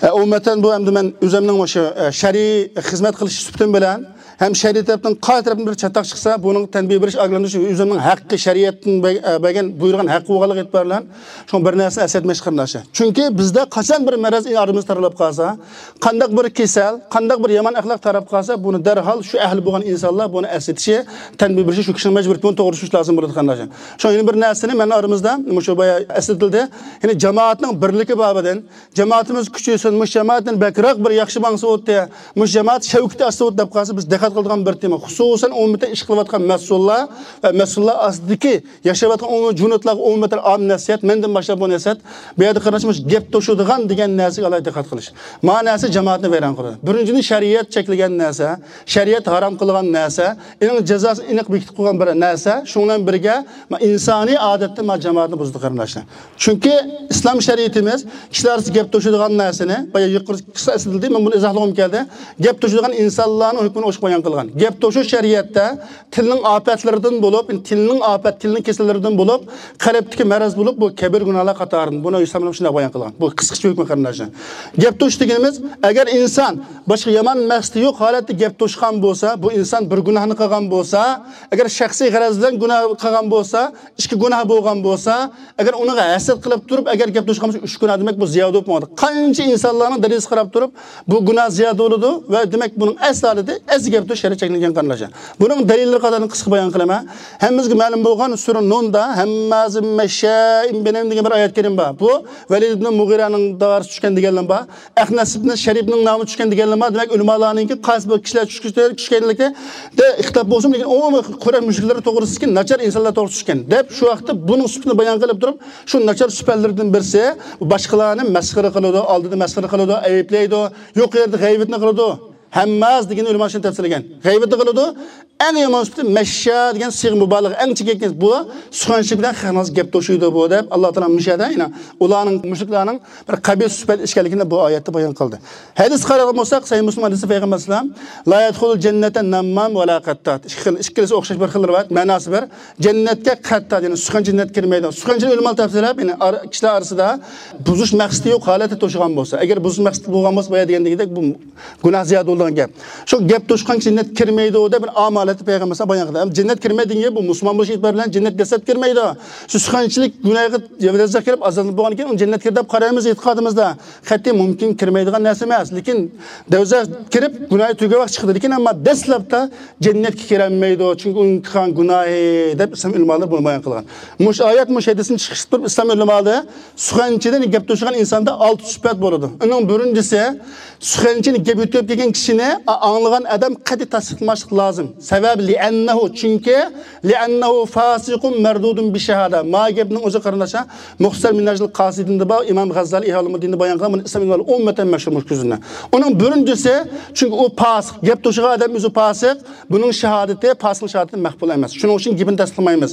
ئە، ئومۇمەن بۇ ئەمدى مەن ئۆزۈمنىڭ مۇشۇ، ئە، شەرئىي خىزمەت قىلىش سۈپىتىم بىلەن ھەم شەرئىي تەرەپتىن قايسى تەرەپتىن بىر چاتاق چىقسا، بۇنىڭ تەنبىھ بېرىش، ئاگاھلاندۇرۇش ئۆزۈمنىڭ ھەققى، شەرىئەتتىن بە-، ئە، بەرگەن، بۇيرۇغان ھەققى بولغانلىقى ئېتىبارى بىلەن شۇڭا بىر نەرسىنى ئەسلەتمەكچى، قېرىنداشلار. چۈنكى بىزدە قاچان بىر مەرەز ئارىمىزدا تارىلاپ قالسا، قانداق بىر كېسەل، قانداق بىر يامان ئەخلاق تارىلاپ قالسا، بۇنى دەرھال شۇ ئەھلى بولغان ئىنسانلار بۇنى ئەسلىتىشى، تەنبىھ بېرىشى شۇ كىشىنىڭ مەجبۇرىيىتى، بۇنى توغرا چۈشىنىش لازىم بولىدۇ، قېرىنداشلار. شۇڭا يەنە بىر نەرسىنى مەن ئارىمىزدا مۇشۇ بايا ئەسلىتىلدى. يەنى جامائەتنىڭ بىرلىكى بابىدىن، جامائىتىمىز كۈچەيسۇن، مۇشۇ جامائەتتىن بەكرەك بىر ياخشى ماڭسا بولاتتى، مۇشۇ جامائەت شەۋكىتى ئاشسا بولاتتى دەپ قالسا، بىز دىققەت قىلىدىغان بىر تېما. خۇسۇسەن ئومۇمەن ئىش قىلىۋاتقان مەسئۇللار ۋە مەسئۇللار ئاستىدىكى ياشاۋاتقان ئومۇمەن جۇنۇتلارغا ئومۇمەن ئام نەسىھەت، مەندىن باشلاپ بۇ نەسىھەت. بۇ يەردە قېرىنداش مۇشۇ گەپ توشىدىغان دېگەن نەرسىگە ئالاھىدە دىققەت قىلىش. ما نەرسە جامائەتنى ۋەيران قىلىدۇ. بىرىنچىدىن، شەرىئەت چەكلىگەن نەرسە، شەرىئەت ھارام قىلغان نەرسە، ئېنىق جازاسىنى ئېنىق بېكىتىپ قويغان بىر نەرسە، شۇنىڭ بىلەن بىرگە، ما، ئىنسانىي ئادەتتە ما جامائەتنى بۇزىدۇ، قېرىنداشلار. چۈنكى ئىسلام شەرىئىتىمىز كىشىلەر ئارىسىدا گەپ توشىدىغان نەرسىنى، بايا يۇقىرىدا قىسقا ئەسلىتىلدى، مەن بۇنى ئىزاھلىغۇم كەلدى، گەپ توشىدىغان ئىنسانلارنىڭ ھۆكمىنى ئوچۇق بايان قىلغان. گەپ توشۇش شەرىئەتتە تىلنىڭ ئاپەتلىرىدىن بولۇپ، تىلنىڭ ئاپەت، تىلنىڭ كېسەللىرىدىن بولۇپ، قەلبتىكى مەرەز بولۇپ، بۇ كەبىرە گۇناھلار قاتارىدىن. بۇنى ئۆز تەمىنىڭ شۇنداق بايان قىلغان. بۇ قىسقىچە ھۆكمى، قېرىنداشلار. گەپ توشۇش دېگىنىمىز، ئەگەر ئىنسان باشقا يامان مەقسىتى يوق ھالەتتە گەپ توشقان بولسا، بۇ ئىنسان بىر گۇناھنى قىلغان بولسا، ئەگەر شەخسىي غەرەز بىلەن گۇناھ قىلغان بولسا، ئىككى گۇناھ بولغان بولسا، ئەگەر ئۇنىڭغا ھەسەت قىلىپ تۇرۇپ، ئەگەر گەپ توشقان بولسا، ئۈچ گۇناھ دېمەك، بۇ زىيادە بولۇپ ماڭىدۇ. قانچە ئىنسانلارنىڭ دەرىجىسىگە قاراپ تۇرۇپ، بۇ گۇناھ زىيادە بولىدۇ ۋە دېمەك، بۇنىڭ ئەسلى ھالىتى ئەسلى گەپ توشۇش شەرت چەكلەنگەن، قېرىنداشلار. بۇنىڭ دەلىللىرى قاتارىدىن قىسقا بايان قىلىمەن. ھەممىمىزگە مەلۇم بولغان سۈرە نۇندا، ھەممازىن مەششائىن بىنەمىم دېگەن بىر ئايەت كەرىم بار. بۇ ۋەلىد ئىبن مۇغىرەنىڭ دائىرىسىگە چۈشكەن دېگەنلەر بار. ئەخنەس ئىبن شەرىپنىڭ نامى چۈشكەن دېگەنلەر بار. دېمەك، ئۆلىمالارنىڭكى قايسى بىر كىشىلەر چۈشكەنلىكتە ئىختىلاپ بولسىمۇ، لېكىن ئومۇمەن قۇرەيش مۇشرىكلىرى توغرىسىدىكى ناچار ئىنسانلار توغرىسىدا چۈشكەن دەپ، شۇ ۋاقىتتا بۇنىڭ سۈپىتىنى بايان قىلىپ تۇرۇپ، شۇ ناچار سۈپەتلىرىدىن بىرسى، باشقىلارنى مەسخىرە قىلىدۇ، ئالدىدا مەسخىرە قىلىدۇ، ئەيىبلەيدۇ، يۇقىرىدا غەيۋىتىنى قىلىدۇ. ھەمماز دېگەن ئۆلىما شۇنى تەپسىرلىگەن. غەيۋىتى قىلىدۇ. ئەڭ يامان سۈپىتى مەششا دېگەن سىيغە مۇبالىغە، ئەڭ چېكىنىش. بۇ سۇخەنچىلىك بىلەن خەلقىڭىز گەپ توشۇيدۇ بۇ دەپ، ئاللا تائالا مۇشۇ يەردە يەنە ئۇلارنىڭ، مۇشرىكلارنىڭ بىر قەبىھ سۈپەت ئىكەنلىكىنى بۇ ئايەتتە بايان قىلدى. ھەدىسكە قارايدىغان بولساق، سەھىھ مۇسلىم ھەدىسى، پەيغەمبەر ئەلەيھىسسالام، لا يەدخۇلۇل جەننەتە نەممام ۋە لا قەتتات. ئىككىلىسى ئوخشاش بىر خىل رىۋايەت، مەناسى بىر. جەننەتكە قەتتات، يەنى سۇخەنچى جەننەتكە كىرمەيدۇ. سۇخەنچىنى ئۆلىمالار تەپسىرلەپ، يەنى ئارا-، كىشىلەر ئارىسىدا بۇزۇش مەقسىتى يوق ھالەتتە توشىغان بولسا، ئەگەر بۇزۇش مەقسىتى بولغان بولسا، بايا دېگەندەك بۇ گۇناھ زىيادە بولىدىغان گەپ. شۇ گەپ توشقان جەننەتكە كىرمەيدۇ دەپ بىر ئام ھالەتتە پەيغەمبەر ئەلەيھىسسالام بايان قىلدى. ئەمما جەننەتكە كىرمەيدۇ دېگەن گەپ بۇ مۇسۇلمان بولۇش ئېتىبارى بىلەن جەننەتكە دەسلەپ كىرمەيدۇ. شۇ سۇخەنچىلىك گۇناھىغا دەسلەپ كىرىپ ئازابلىنىپ بولغاندىن كېيىن ئۇنى جەننەتكە كىردى دەپ قارايمىز ئېتىقادىمىزدا. قەتئىي مۇمكىن، كىرمەيدىغان نەرسە ئەمەس. لېكىن دوزاخقا كىرىپ گۇناھى تۈگەۋاق چىقىدۇ. لېكىن ئەمما دەسلەپتە جەننەتكە كىرەلمەيدۇ. چۈنكى ئۇنىڭ قىلغان گۇناھى دەپ ئىسلام ئۆلىمالىرى بۇنى بايان قىلغان. مۇشۇ ئايەت، مۇشۇ ھەدىستىن چىقىش قىلىپ ئىسلام ئۆلىمالىرى سۇخەنچىدىن گەپ توشىغان ئىنساندا ئالتە سۈپەت بولىدۇ. ئۇنىڭ بىرىنچىسى، سۇخەنچىنى گەپ يۆتكەپ كەلگەن كىشىنى ئا-، ئاڭلىغان ئادەم قەتئىي تەستىقلىماسلىق لازىم. سەۋەبى، لىئەننەھۇ، چۈنكى، لىئەننەھۇ فاسىقۇن مەردۇدۇن بىششاھادە. ما گەپنىڭ ئۆزى، قېرىنداشلار، مۇختەسەر مىنھاجۇل قاسىدىندا بار، ئىمام غەززالى ئىھيا ئۇلۇمۇددىندا بايان قىلغان، بۇنى ئىسلام ئۆلىمالىرى ئومۇمەن مەشھۇر مۇشۇ كۆزىنى. ئۇنىڭ بىرىنچىسى، چۈنكى ئۇ پاسىق، گەپ توشۇغان ئادەم ئۆزى پاسىق، بۇنىڭ شاھادىتى، پاسىقنىڭ شاھادىتى مەقبۇل ئەمەس. شۇنىڭ ئۈچۈن گېپىنى تەستىقلىمايمىز.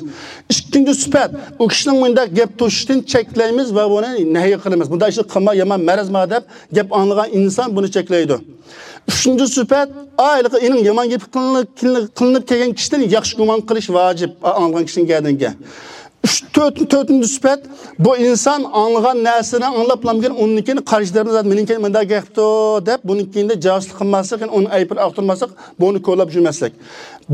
ئىككىنچى سۈپەت، ئۇ كىشىنىڭ مۇنداق گەپ توشۇشتىن چەكلەيمىز ۋە بۇنى نەھي قىلىمىز. بۇنداق ئىشنى قىلما، يامان مەرەز ما دەپ گەپ ئاڭلىغان ئىنسان بۇنى چەكلەيدۇ. ئۈچىنچى سۈپەت، ئا، ھېلىقى ئېنىڭ يامان گېپى قىلىنىپ، قىلىنىپ كەلگەن كىشىدىن ياخشى گۇمان قىلىش ۋاجىپ، ئا، ئاڭلىغان كىشىنىڭ گەدىنىگە. ئۈچ، تۆت، تۆتىنچى سۈپەت، بۇ ئىنسان ئاڭلىغان نەرسىنى ئاڭلاپلامكىن، ئۇنىڭ كېيىن قارشى تەرەپنى زادى مېنىڭ كېيىن مۇنداق گەپتۇ دەپ، بۇنىڭ كېيىندە جاسۇسلۇق قىلماسلىق، يەنى ئۇنىڭ ئەيىبىنى ئاختۇرماسلىق، بۇنى كولاپ يۈرمەسلىك.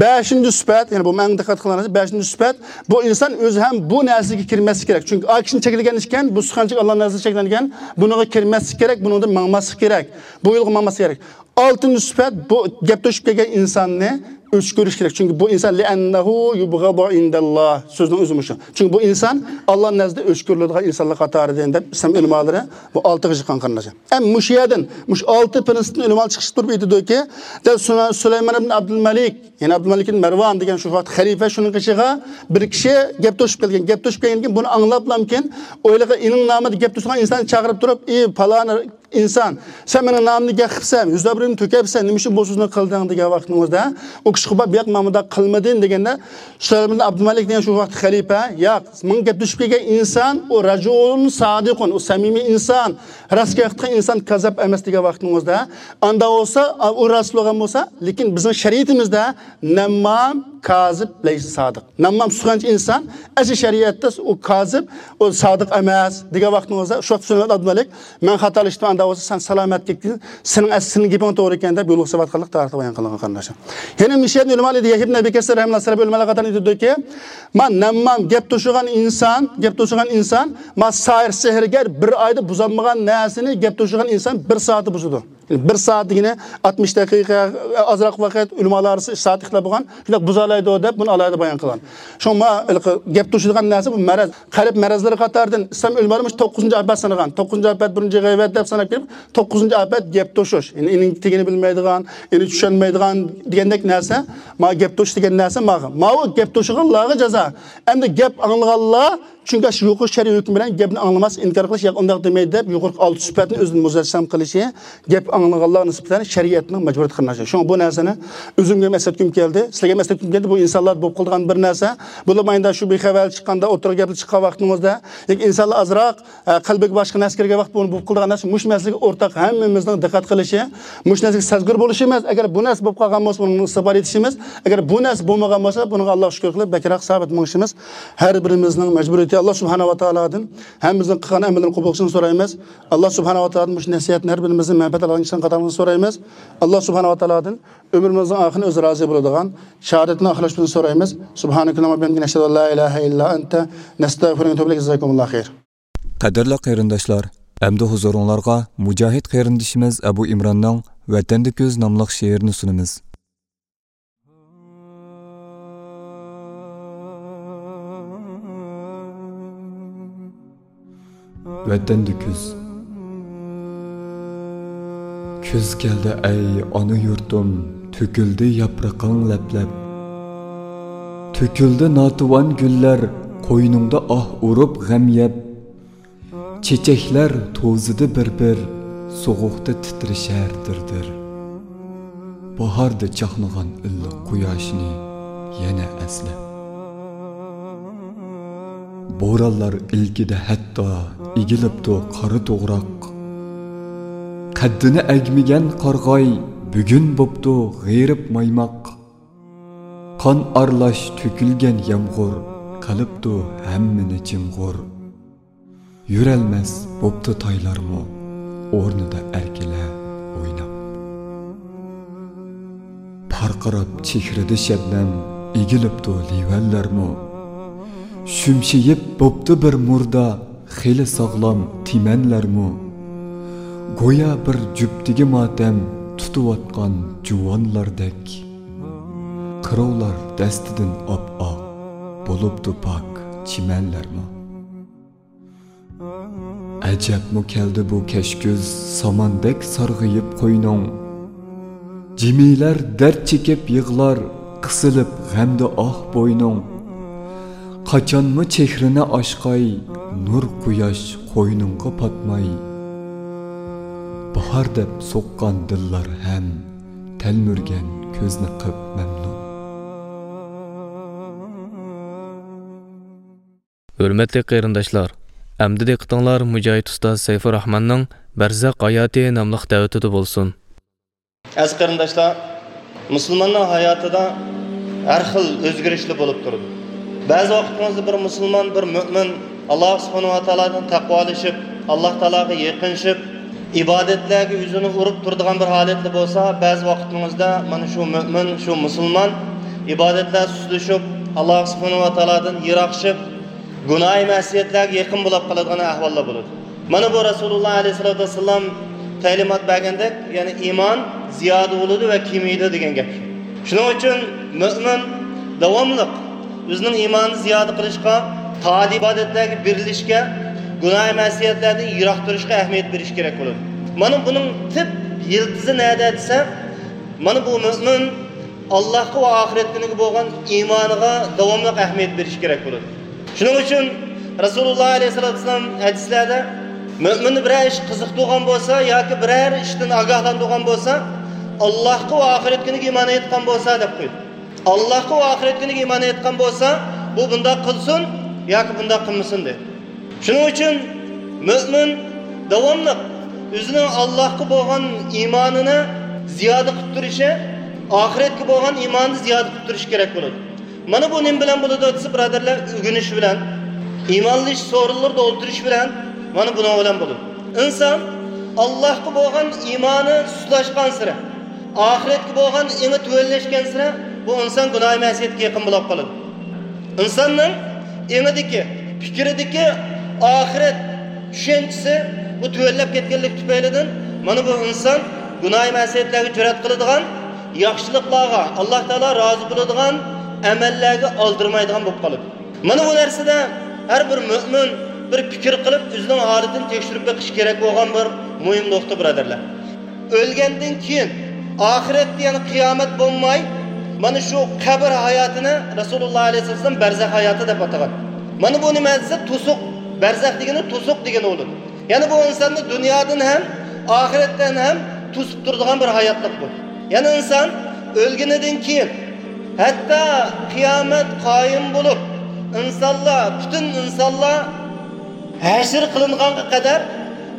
بەشىنچى سۈپەت، يەنى بۇ مەن دىققەت قىلغان نەرسە، بەشىنچى سۈپەت، بۇ ئىنسان ئۆزى ھەم بۇ نەرسىگە كىرمەسلىكى كېرەك. چۈنكى ئا كىشىنى چەكلىگەن ئىكەن، بۇ سۇخەنچىلىك ئاللا نەزىرىدە چەكلەنگەن، بۇنىڭغا كىرمەسلىك كېرەك، بۇنىڭدىن ماڭماسلىق كېرەك، بۇ يولغا ماڭماسلىق كېرەك. ئالتىنچى سۈپەت، بۇ گەپ توشۇپ كەلگەن ئىنساننى ئۆچ كۆرۈش كېرەك. چۈنكى بۇ ئىنسان لىئەننەھۇ يۇبغەزۇ ئىندەللا. سۆزنىڭ ئۆزى مۇشۇ. چۈنكى بۇ ئىنسان ئاللا نەزىدە ئۆچ كۆرۈلىدىغان ئىنسانلار قاتارىدىن دەپ ئىسلام ئۆلىمالىرى بۇ ئالتىغا چىققان، قېرىنداشلار. ئەمما مۇشۇ يەردىن، مۇشۇ ئالتە پىرىنسىپتىن ئۆلىمالار چىقىش تۇرۇپ ئېيتىدۇكى، دە سۇلەيمان ئىبن ئابدۇلمەلىك، يەنى ئابدۇلمەلىك ئىبن مەرۋان دېگەن شۇ ۋاقىت خەلىپە، شۇنىڭ قېشىغا بىر كىشى گەپ توشۇپ كەلگەن. گەپ توشۇپ كەلگەندىن كېيىن بۇنى ئاڭلاپلامكىن، ئويلىغان ئېنىڭ نامىدا گەپ توشۇغان ئىنساننى چاقىرىپ تۇرۇپ، ئى پالان ئىنسان، سەن مېنىڭ نامىمنى گەپ قىپسەن، يۈز ئابرۇيۇمنى تۆكەپسەن، نېمە ئۈچۈن بۇ سۆزنى قىلدىڭ دېگەن ۋاقتىڭىزدا، ئۇ كىشى قوپۇپ، ياق، مەن مۇنداق قىلمىدىم دېگەندە، سۇلايمان ئىبن ئابدۇمەلىك دېگەن شۇ ۋاقىت خەلىپە، ياق، ماڭا گەپ توشۇپ كەلگەن ئىنسان، ئۇ رەجۇلۇن سادىقۇن، ئۇ سەمىمىي ئىنسان، راست گەپ قىلغان ئىنسان، كاززاپ ئەمەس دېگەن ۋاقتىڭىزدا، ئاندا بولسا، ئۇ راست بولغان بولسا، لېكىن بىزنىڭ شەرىئىتىمىزدە نەممام، كازىب، لەيسە سادىق. نەممام سۇخەنچى ئىنسان، ئەسلى شەرىئەتتە ئۇ كازىب، ئۇ سادىق ئەمەس دېگەن ۋاقتىڭىزدا، شۇ ۋاقىت سۇلايمان ئابدۇمەلىك، مەن خاتالىشىپتىمەن، ئاندا بولسا سەن سالامەت كەتكىن، سېنىڭ ئەس-، سېنىڭ گېپىڭ توغرا ئىكەن دەپ يولۇقسىۋاتقانلىقى تارىختا بايان قىلىنغان، قېرىنداشلار. يەنە مىشەن ئۆلىمالىرى، يەھيا ئىبن ئەبى كەسىر رەھىمەھۇللاھ سەلەف ئۆلىمالار قاتارىدا ئېيتىدۇكى، ما نەممام، گەپ توشۇغان ئىنسان، گەپ توشۇغان ئىنسان، ما ساھىر، سېھىرگەر بىر ئايدا بۇزالمىغان نەرسىنى گەپ توشۇغان ئىنسان بىر سائەتتە بۇزىدۇ. يەنى بىر سائەت دېگىنى ئاتمىش دەقىقە، ئازراق ۋاقىت، ئۆلىمالار ئارىسىدا ئىككى سائەت ئىختىلاپ بولغان، شۇنداق بۇزالايدۇ دەپ بۇنى ئالاھىدە بايان قىلغان. شۇڭا ما ھېلىقى گەپ توشىدىغان نەرسە بۇ مەرەز. قەلب مەرەزلىرى قاتارىدىن ئىسلام ئۆلىمالىرى مۇشۇ توققۇزىنچى ئاپەت سانىغان. توققۇزىنچى ئاپەت، بىرىنچى غەيۋەت دەپ ساناپ كېلىپ، توققۇزىنچى ئاپەت گەپ توشۇش. يەنى ئېنىڭ تېگىنى بىلمەيدىغان، ئېنى چۈشەنمەيدىغان دېگەندەك نەرسە. ما گەپ توشۇش دېگەن نەرسە ماغا. ماۋۇ گەپ توشۇغانلارغا جازا. ئەمدى گەپ ئاڭلىغانلار، چۈنكى شۇ يۇقىرى شەرئىي ھۆكۈم بىلەن گەپنى ئاڭلىماس، ئىنكار قىلىش، ياق ئۇنداق دېمەيدۇ دەپ يۇقىرىقى ئالتە سۈپەتنى ئۆزىدىن مۇجەسسەم قىلىشى، گەپ ئاڭلىغانلارغا نىسبەتەن شەرىئەتنىڭ مەجبۇرىيىتى، قېرىنداشلار. شۇڭا بۇ نەرسىنى ئۆزۈمگە ھەم ئەسلەتكۈم كەلدى، سىلەرگە ھەم ئەسلەتكۈم كەلدى. بۇ ئىنسانلاردا بولۇپ قالىدىغان بىر نەرسە. بولۇپمۇ ئاينىدا شۇ بىخەۋەرلىك چىققاندا، ئوتتۇرىغا گەپلەر چىققان ۋاقتىڭىزدا، ياكى ئىنسانلار ئازراق، ئە، قەلبىگە باشقا نەرسە كىرگەن ۋاقىت بۇ بولۇپ قالىدىغان نەرسە. مۇشۇ مەسىلىگە ئورتاق ھەممىمىزنىڭ دىققەت قىلىشى، مۇشۇ نەرسىگە سەزگۈر بولۇشىمىز. ئەگەر بۇ نەرسە بولۇپ قالغان بولسا، بۇنىڭدىن ئىستىغپار ئېيتىشىمىز. ئەگەر بۇ نەرسە بولمىغان بولسا، بۇنىڭغا ئاللاھقا شۈكۈر قىلىپ، بەكرەك سابىت مېڭىشىمىز ھەر بىرىمىزنىڭ مەجبۇرىيىتى. ئاللاھ سۇبھانەھۇ ۋە تائالادىن ھەممىمىزنىڭ قىلغان ئەمەللىرىنى قوبۇل قىلىشىنى سورايمىز. ئاللاھ سۇبھانەھۇ ۋە تائالادىن مۇشۇ نەسىھەتنى ھەر بىرىمىزدىن مەنپەئەت ئالغان كىشىلەرنىڭ قاتارىدا سورايمىز. ئاللاھ سۇبھانەھۇ ۋە تائالادىن ئۆمرىمىزنىڭ ئاخىرىنى ئۆزى رازى بولىدىغان شاھادەتنى ئاخىرلاشتۇرۇشنى سورايمىز. سۇبھانەكەللاھۇممە ۋە بىھەمدىكە، نەشھەدۇ ئەن لا ئىلاھە ئىللا ئەنتە، نەستەغفىرۇكە ۋە نەتۇبۇ ئىلەيك. جازاكۇمۇللاھۇ خەير. قەدىرلىك قېرىنداشلار، ئەمدى ھۇزۇرۇڭلارغا مۇجاھىد قېرىندىشىمىز ئەبۇ ئىمراننىڭ ۋەتەندە كۈز ناملىق شېئىرىنى سۇنىمىز. ۋەتەندە كۈز. كۈز كەلدى ئەي ئانا يۇرتۇم، تۆكۈلدى ياپرىقىڭ لەپ-لەپ. تۆكۈلدى ناتىۋان گۈللەر، قوينۇڭدا ئاھ ئۇرۇپ غەم يەپ. چېچەكلەر توزىدى بىر-بىر، سوغۇقتا تىترىشەر دىر-دىر. باھاردا چاقنىغان ئىللىق قۇياشنى يەنە ئەسلەپ. بورانلار ئىلكىدە ھەتتا ئېگىلىپتۇ قارا توغراق. قەددىنى ئەگمىگەن قارىغاي بۈگۈن بوپتۇ غېرىب مايماق. قان ئارىلاش تۆكۈلگەن يامغۇر قىلىپتۇ ھەممىنى جىمغۇر. يۈرەلمەس بوپتۇ تايلارمۇ، ئورنىدا ئەركىلەپ ئويناپ. پارقىراپ چېھرىدە شەبنەم، ئېگىلىپتۇ لىۋەنلەرمۇ. شۈمشىيىپ بوپتۇ بىر مۇردا، خېلى ساغلام تىمەنلەرمۇ. گويا بىر جۈپتىگە ماتەم تۇتۇۋاتقان جۇۋانلاردەك. قىروۋلار دەستىدىن ئاپئاق، بولۇپتۇ پاك چىمەنلەرمۇ. ئەجەبمۇ كەلدى بۇ كەچ كۈز، ساماندەك سارغىيىپ قوينۇڭ. جىمىلەر دەرد چېكىپ يىغلار، قىسىلىپ غەمدە ئاھ بوينۇڭ. قاچانمۇ چېھرىنى ئاچقاي، نۇر قۇياش قوينۇڭغا پاتماي. باھار دەپ سوققان دىللار ھەم، تەلمۈرگەن كۆزنى قىپ مەمنۇن. ھۆرمەتلىك قېرىنداشلار، ئەمدى دىققىتىڭلار مۇجاھىد ئۇستاز سەيپۇرراھماننىڭ بەرزەخ ھاياتى ناملىق دەۋىتىدە بولسۇن. ئەزىز قېرىنداشلار، مۇسۇلماننىڭ ھاياتىدا ھەر خىل ئۆزگىرىشلەر بولۇپ تۇرىدۇ. بەزى ۋاقىتىڭىزدا بىر مۇسۇلمان، بىر مۆمىن ئاللاھ سۇبھانەھۇ ۋە تائالادىن تەقۋالىشىپ، ئاللاھ تائالاغا يېقىنلىشىپ، ئىبادەتلەرگە ئۆزىنى ئۇرۇپ تۇرىدىغان بىر ھالەتتە بولسا، بەزى ۋاقىتىڭىزدا مانا شۇ مۆمىن، شۇ مۇسۇلمان ئىبادەتلەر سۇسلىشىپ، ئاللاھ سۇبھانەھۇ ۋە تائالادىن يىراقلىشىپ، گۇناھى مەسىيەتلەرگە يېقىن بولۇپ قالىدىغان ئەھۋاللار بولىدۇ. مانا بۇ رەسۇلۇللاھ ئەلەيھىسسالاتۇ ۋەسسالام تەلىمات بەرگەندەك، يەنى ئىمان زىيادە بولىدۇ ۋە كېمىيىدۇ دېگەن گەپ. شۇنىڭ ئۈچۈن مۆمىن داۋاملىق ئۆزىنىڭ ئىمانىنى زىيادە قىلىشقا، تائەت ئىبادەتلەرگە بېرىلىشكە، گۇناھ مەسىيەتلەردىن يىراق تۇرۇشقا ئەھمىيەت بېرىش كېرەك بولىدۇ. مانا بۇنىڭ تۈپ يىلتىزى نەدە دېسە، مانا بۇ مۆمىن ئاللاھقا ۋە ئاخىرەت كۈنىگە بولغان ئىمانىغا داۋاملىق ئەھمىيەت بېرىش كېرەك بولىدۇ. شۇنىڭ ئۈچۈن رەسۇلۇللاھ ئەلەيھىسسالاتۇ ۋەسسالام ھەدىسلەردە مۆمىننى بىرەر ئىش قىزىقتۇرغان بولسا ياكى بىرەر ئىشتىن ئاگاھلاندۇرغان بولسا، ئاللاھقا ۋە ئاخىرەت كۈنىگە ئىمان ئېيتقان بولسا دەپ قويدى. ئاللاھقا ۋە ئاخىرەت كۈنىگە ئىمان ئېيتقان بولسا، بۇ بۇنداق قىلسۇن ياكى بۇنداق قىلمىسۇن دېدى. شۇنىڭ ئۈچۈن مۆمىن داۋاملىق ئۆزىنىڭ ئاللاھقا بولغان ئىمانىنى زىيادە قىلىپ تۇرۇشى، ئاخىرەتكە بولغان ئىمانىنى زىيادە قىلىپ تۇرۇشى كېرەك بولىدۇ. مانا بۇ نېمە بىلەن بولىدۇ دېسە، بۇرادەرلەر، ئۆگىنىش بىلەن، ئىمانلىشىش سورۇنلىرىدا ئولتۇرۇش بىلەن، مانا بۇنىڭ بىلەن بولىدۇ. ئىنسان ئاللاھقا بولغان ئىمانى سۇسلاشقانسېرى، ئاخىرەتكە بولغان ئېڭى تۆۋەنلەشكەنسېرى، بۇ ئىنسان گۇناھ مەسىيەتكە يېقىن بولۇپ قالىدۇ. ئىنساننىڭ ئېڭىدىكى، پىكرىدىكى ئاخىرەت چۈشەنچىسى بۇ تۆۋەنلەپ كەتكەنلىكى تۈپەيلىدىن، مانا بۇ ئىنسان گۇناھ مەسىيەتلەرگە جۈرئەت قىلىدىغان، ياخشىلىقلارغا، ئاللاھ تائالا رازى بولىدىغان ئەمەللەرگە ئالدىرىمايدىغان بولۇپ قالىدۇ. مانا بۇ نەرسىدە ھەر بىر مۆمىن بىر پىكىر قىلىپ، ئۆزىنىڭ ھالىتىنى تەكشۈرۈپ بېقىش كېرەك بولغان بىر مۇھىم نۇقتا، بۇرادەرلەر. ئۆلگەندىن كېيىن ئاخىرەتتە، يەنى قىيامەت بولماي، مانا شۇ قەبرە ھاياتىنى رەسۇلۇللاھ ئەلەيھىسسالام بەرزەخ ھاياتى دەپ ئاتىغان. مانا بۇ نېمە دېسە، توسۇق. بەرزەخ دېگىنى توسۇق دېگەن بولىدۇ. يەنى بۇ ئىنساننى دۇنيادىن ھەم، ئاخىرەتتىن ھەم توسۇپ تۇرىدىغان بىر ھاياتلىق بۇ. يەنى ئىنسان ئۆلگىنىدىن كېيىن، ھەتتا قىيامەت قايىم بولۇپ، ئىنسانلار، پۈتۈن ئىنسانلار ھەشر قىلىنغانغا قەدەر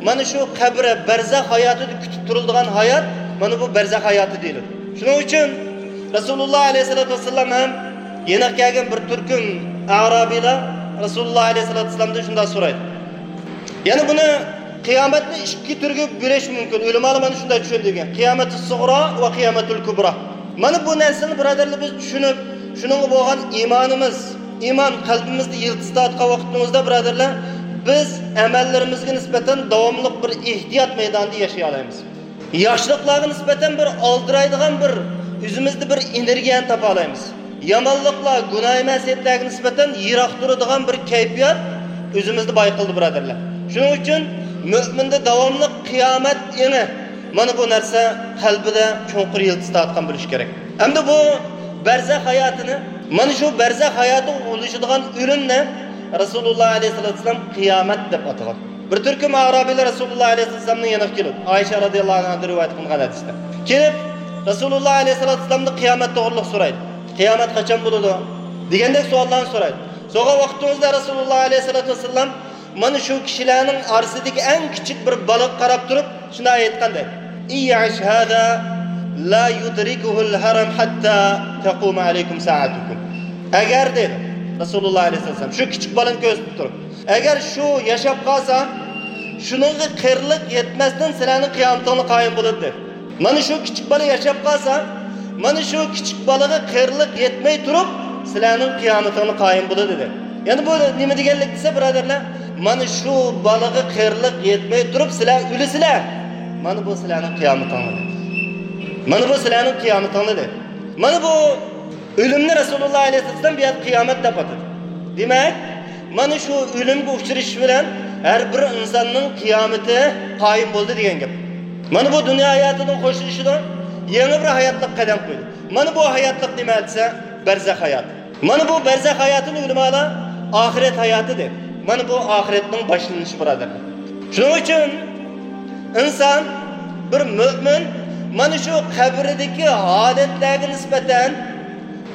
مانا شۇ قەبرە، بەرزەخ ھاياتىدا كۈتۈپ تۇرۇلىدىغان ھايات، مانا بۇ بەرزەخ ھاياتى دېيىلىدۇ. شۇنىڭ ئۈچۈن رەسۇلۇللاھ ئەلەيھىسسالاتۇ ۋەسسالام ھەم يېنىغا كەلگەن بىر تۈركۈم ئەرابىيلار رەسۇلۇللاھ ئەلەيھىسسالاتۇ ۋەسسالامدىن شۇنداق سورايدۇ. يەنى بۇنى، قىيامەتنى ئىككى تۈرگە بۆلۈش مۇمكىن. ئۆلىمالار مانا شۇنداق چۈشەندۈرگەن. قىيامەتۇ سۇغرا ۋە قىيامەتۇل كۇبرا. مانا بۇ نەرسىنى، بۇرادەرلەر، بىز چۈشىنىپ، شۇنىڭغا بولغان ئىمانىمىز، ئىمان قەلبىمىزدە يىلتىز تارتقان ۋاقتىمىزدا، بۇرادەرلەر، بىز ئەمەللىرىمىزگە نىسبەتەن داۋاملىق بىر ئېھتىيات مەيدانىدا ياشىيالايمىز. ياخشىلىقلارغا نىسبەتەن بىر ئالدىرايدىغان بىر ئۆزىمىزدە بىر ئېنېرگىيەنى تاپالايمىز. يامانلىقلار، گۇناھ مەسىيەتلەرگە نىسبەتەن يىراق تۇرىدىغان بىر كەيپىيات ئۆزىمىزنى بايقىلىدۇ، بۇرادەرلەر. شۇنىڭ ئۈچۈن مۆمىندە داۋاملىق قىيامەت ئېڭى، مانا بۇ نەرسە قەلبىدە چوڭقۇر يىلتىز تارتقان بولۇشى كېرەك. ئەمدى بۇ بەرزەخ ھاياتىنى، مانا شۇ بەرزەخ ھاياتىغا ئۇلىشىدىغان ئۆلۈمنى رەسۇلۇللاھ ئەلەيھىسسالاتۇ ۋەسسالام قىيامەت دەپ ئاتىغان. بىر تۈركۈم ئارابىيلار رەسۇلۇللاھ ئەلەيھىسسالامنىڭ يېنىغا كېلىدۇ. ئائىشە رازىياللاھۇ ئەنھادىن رىۋايەت قىلىنغان ھەدىستە. كېلىپ، رەسۇلۇللاھ ئەلەيھىسسالاتۇ ۋەسسالامدىن قىيامەت توغرىلىق سورايدۇ. قىيامەت قاچان بولىدۇ؟ دېگەندەك سوئاللارنى سورايدۇ. سوئال ۋاقتىمىزدا رەسۇلۇللاھ ئەلەيھىسسالاتۇ ۋەسسالام مانا شۇ كىشىلەرنىڭ ئارىسىدىكى ئەڭ كىچىك بىر بالىغا قاراپ تۇرۇپ شۇنداق ئېيتقان دەيدۇ: «إن يعش هذا لا يدركه الهرم حتى تقوم عليكم ساعتكم.» ئەگەر، دەيدۇ رەسۇلۇللاھ ئەلەيھىسسالام شۇ كىچىك بالىنى كۆرسىتىپ تۇرۇپ، ئەگەر شۇ ياشاپ قالسا، شۇنىڭغا قېرىلىق يەتمەستىن سىلەرنىڭ قىيامىتىڭلار قايىم بولىدۇ، دەيدۇ. مانا شۇ كىچىك بالا ياشاپ قالسا، مانا شۇ كىچىك بالىغا قېرىلىق يەتمەي تۇرۇپ، سىلەرنىڭ قىيامىتىڭلار قايىم بولىدۇ، دېدى. يەنى بۇ نېمە دېگەنلىك دېسە، بۇرادەرلەر، مانا شۇ بالىغا قېرىلىق يەتمەي تۇرۇپ سىلەر ئۆلىسىلەر، مانا بۇ سىلەرنىڭ قىيامىتىڭلار، دېدى. مانا بۇ سىلەرنىڭ قىيامىتىڭلار، دېدى. مانا بۇ ئۆلۈمنى رەسۇلۇللاھ ئەلەيھىسسالام بۇ يەردە قىيامەت دەپ ئاتىدى. دېمەك، مانا شۇ ئۆلۈمگە ئۇچرىشىش بىلەن ھەر بىر ئىنساننىڭ قىيامىتى قايىم بولدى دېگەن گەپ. مانا بۇ دۇنيا ھاياتىدىن خوشلىشىدۇ، يېڭى بىر ھاياتلىققا قەدەم قويىدۇ. مانا بۇ ھاياتلىق نېمە دېسە، بەرزەخ ھاياتى. مانا بۇ بەرزەخ ھاياتىنى ئۆلىمالار ئاخىرەت ھاياتى دەيدۇ. مانا بۇ ئاخىرەتنىڭ باشلىنىشى، بۇرادەرلەر. شۇنىڭ ئۈچۈن ئىنسان، بىر مۆمىن مانا شۇ قەبرىدىكى ھالەتلەرگە نىسبەتەن،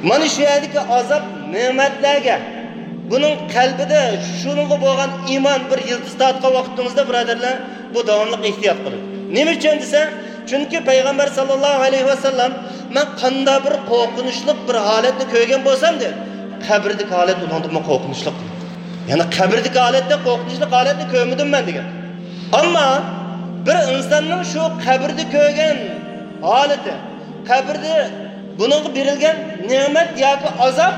مانا شۇ يەردىكى ئازاب نېمەتلەرگە، بۇنىڭ قەلبىدە شۇنىڭغا بولغان ئىمان بىر يىلتىز تارتقان ۋاقتىمىزدا، بۇرادەرلەر، بۇ داۋاملىق ئېھتىيات قىلىدۇ. نېمە ئۈچۈن دېسە، چۈنكى پەيغەمبەر ساللاللاھۇ ئەلەيھى ۋەسەللەم، مەن قانداق بىر قورقۇنچلۇق بىر ھالەتنى كۆرگەن بولسام، دېدى، قەبرىدىكى ھالەت ئۇنىڭدىنمۇ قورقۇنچلۇق، دېدى. يەنى قەبرىدىكى ھالەتتەك قورقۇنچلۇق ھالەتنى كۆرمىدىم مەن، دېگەن. ئەمما بىر ئىنساننىڭ شۇ قەبرىدە كۆرگەن ھالىتى، قەبرىدە بۇنىڭغا بېرىلگەن نېمەت ياكى ئازاب،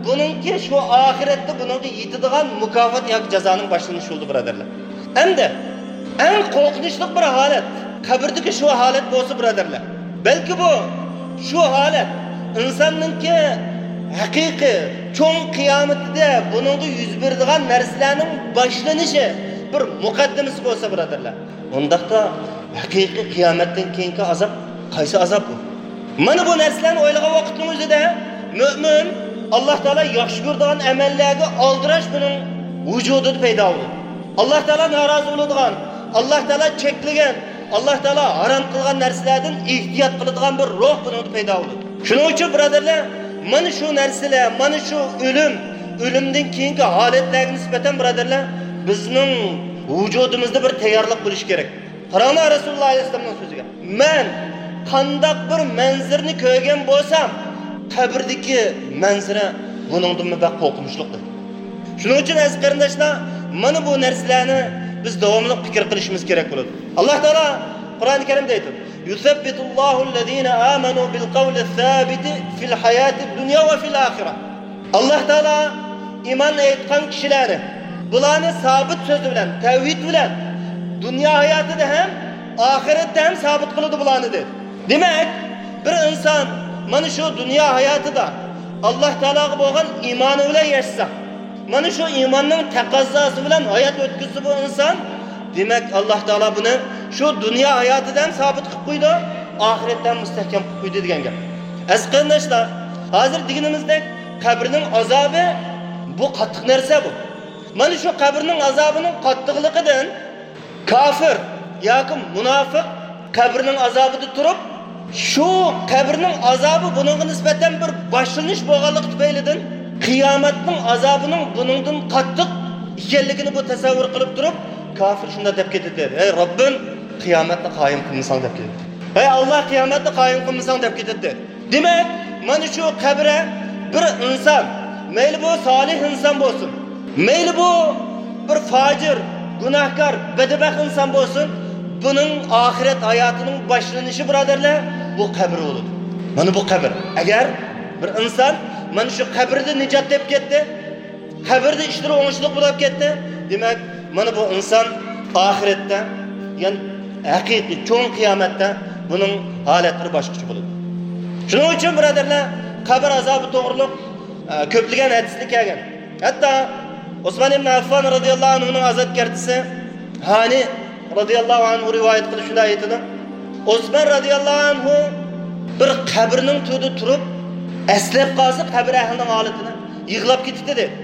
بۇنىڭكى شۇ ئاخىرەتتە بۇنىڭغا يېتىدىغان مۇكاپات ياكى جازانىڭ باشلىنىشى بولىدۇ، بۇرادەرلەر. ئەمدى ئەڭ قورقۇنچلۇق بىر ھالەت، قەبرىدىكى شۇ ھالەت بولسا، بۇرادەرلەر، بەلكى بۇ، شۇ ھالەت ئىنساننىڭكى ھەقىقىي چوڭ قىيامىتىدە بۇنىڭغا يۈز بېرىدىغان نەرسىلەرنىڭ باشلىنىشى، بىر مۇقەددىمىسى بولسا، بۇرادەرلەر، ئۇنداقتا ھەقىقىي قىيامەتتىن كېيىنكى ئازاب قايسى ئازاب بۇ؟ مانا بۇ نەرسىلەرنى ئويلىغان ۋاقىتنىڭ ئۆزىدە مۆمىن ئاللاھ تائالا ياخشى كۆرىدىغان ئەمەللەرگە ئالدىراش بۇنىڭ ۋۇجۇدىدا پەيدا بولىدۇ. ئاللا تائالا نارازى بولىدىغان، ئاللا تائالا چەكلىگەن، ئاللا تائالا ھارام قىلغان نەرسىلەردىن ئېھتىيات قىلىدىغان بىر روھ بۇنىڭدا پەيدا بولىدۇ. شۇنىڭ ئۈچۈن، بۇرادەرلەر، مانا شۇ نەرسىلەر، مانا شۇ ئۆلۈم، ئۆلۈمدىن كېيىنكى ھالەتلەرگە نىسبەتەن، بۇرادەرلەر، بىزنىڭ ۋۇجۇدىمىزدا بىر تەييارلىق بولۇشى كېرەك. قاراڭلار رەسۇلۇللا ئەلەيھىسسالامنىڭ سۆزىگە. مەن قانداق بىر مەنزىرىنى كۆرگەن بولسام، قەبرىدىكى مەنزىرە بۇنىڭدىنمۇ بەك قورقۇنچلۇق دېدى. شۇنىڭ ئۈچۈن ئەزىز قېرىنداشلار، مانا بۇ نەرسىلەرنى بىز داۋاملىق پىكىر قىلىشىمىز كېرەك بولىدۇ. ئاللا تائالا قۇرئانى كەرىمدە ئېيتىدۇ، يثبت الله الذين آمنوا بالقول الثابت في الحياة الدنيا وفي الآخرة. ئاللا تائالا ئىمان ئېيتقان كىشىلەرنى، بۇلارنى سابىت سۆزى بىلەن، تەۋھىد بىلەن دۇنيا ھاياتىدا ھەم ئاخىرەتتە ھەم سابىت قىلىدۇ بۇلارنى دېدى. دېمەك، بىر ئىنسان مانا شۇ دۇنيا ھاياتىدا ئاللا تائالاغا بولغان ئىمانى بىلەن ياشىسا، مانا شۇ ئىماننىڭ تەقەززاسى بىلەن ھايات ئۆتكۈزسە بۇ ئىنسان، دېمەك، ئاللا تائالا بۇنى شۇ دۇنيا ھاياتىدا ھەم سابىت قىلىپ قويىدۇ، ئاخىرەتتە ھەم مۇستەھكەم قىلىپ قويىدۇ دېگەن گەپ. ئەزىز قېرىنداشلار، ھازىر دېگىنىمىزدەك قەبرىنىڭ ئازابى بۇ قاتتىق نەرسە بۇ. مانا شۇ قەبرىنىڭ ئازابىنىڭ قاتتىقلىقىدىن كاپىر ياكى مۇناپىق قەبرىنىڭ ئازابىدا تۇرۇپ، شۇ قەبرىنىڭ ئازابى بۇنىڭغا نىسبەتەن بىر باشلىنىش بولغانلىقى تۈپەيلىدىن، قىيامەتنىڭ ئازابىنىڭ بۇنىڭدىن قاتتىق ئىكەنلىكىنى بۇ تەسەۋۋۇر قىلىپ تۇرۇپ، كاپىر شۇنداق دەپ كېتىدۇ، ھەي رەببىم، قىيامەتنى قايىم قىلمىساڭ دەپ كېتىدۇ. ھەي ئاللا، قىيامەتنى قايىم قىلمىساڭ دەپ كېتىدۇ. دېمەك، مانا شۇ قەبرە بىر ئىنسان، مەيلى بۇ سالىھ ئىنسان بولسۇن، مەيلى بۇ بىر فاجىر، گۇناھكار، بەدبەخت ئىنسان بولسۇن، بۇنىڭ ئاخىرەت ھاياتىنىڭ باشلىنىشى، بۇرادەرلەر، بۇ قەبرە بولىدۇ. مانا بۇ قەبرە. ئەگەر بىر ئىنسان مانا شۇ قەبرىدە نىجات تېپىپ كەتتى، قەبرىدە ئىشلىرى ئوڭۇشلۇق بولۇپ كەتتى، دېمەك، مانا بۇ ئىنسان ئاخىرەتتە، يەنى ھەقىقىي چوڭ قىيامەتتە بۇنىڭ ھالەتلىرى باشقىچە بولىدۇ. شۇنىڭ ئۈچۈن، بۇرادەرلەر، قەبرە ئازابى توغرۇلۇق، ئە، كۆپلىگەن ھەدىسلەر كەلگەن. ھەتتا ئوسمان ئىبن ئەففان رازىياللاھۇ ئەنھۇنىڭ ئازاد كەرتىسى ھانى رازىياللاھۇ ئەنھۇ رىۋايەت قىلىپ شۇنداق ئېيتىدۇ، ئوسمان رازىياللاھۇ ئەنھۇ بىر قەبرىنىڭ تۈۋىدە تۇرۇپ، ئەسلەپ قالسا قەبرە ئەھلىنىڭ ھالىتىنى، يىغلاپ كېتىتتى دەيدۇ.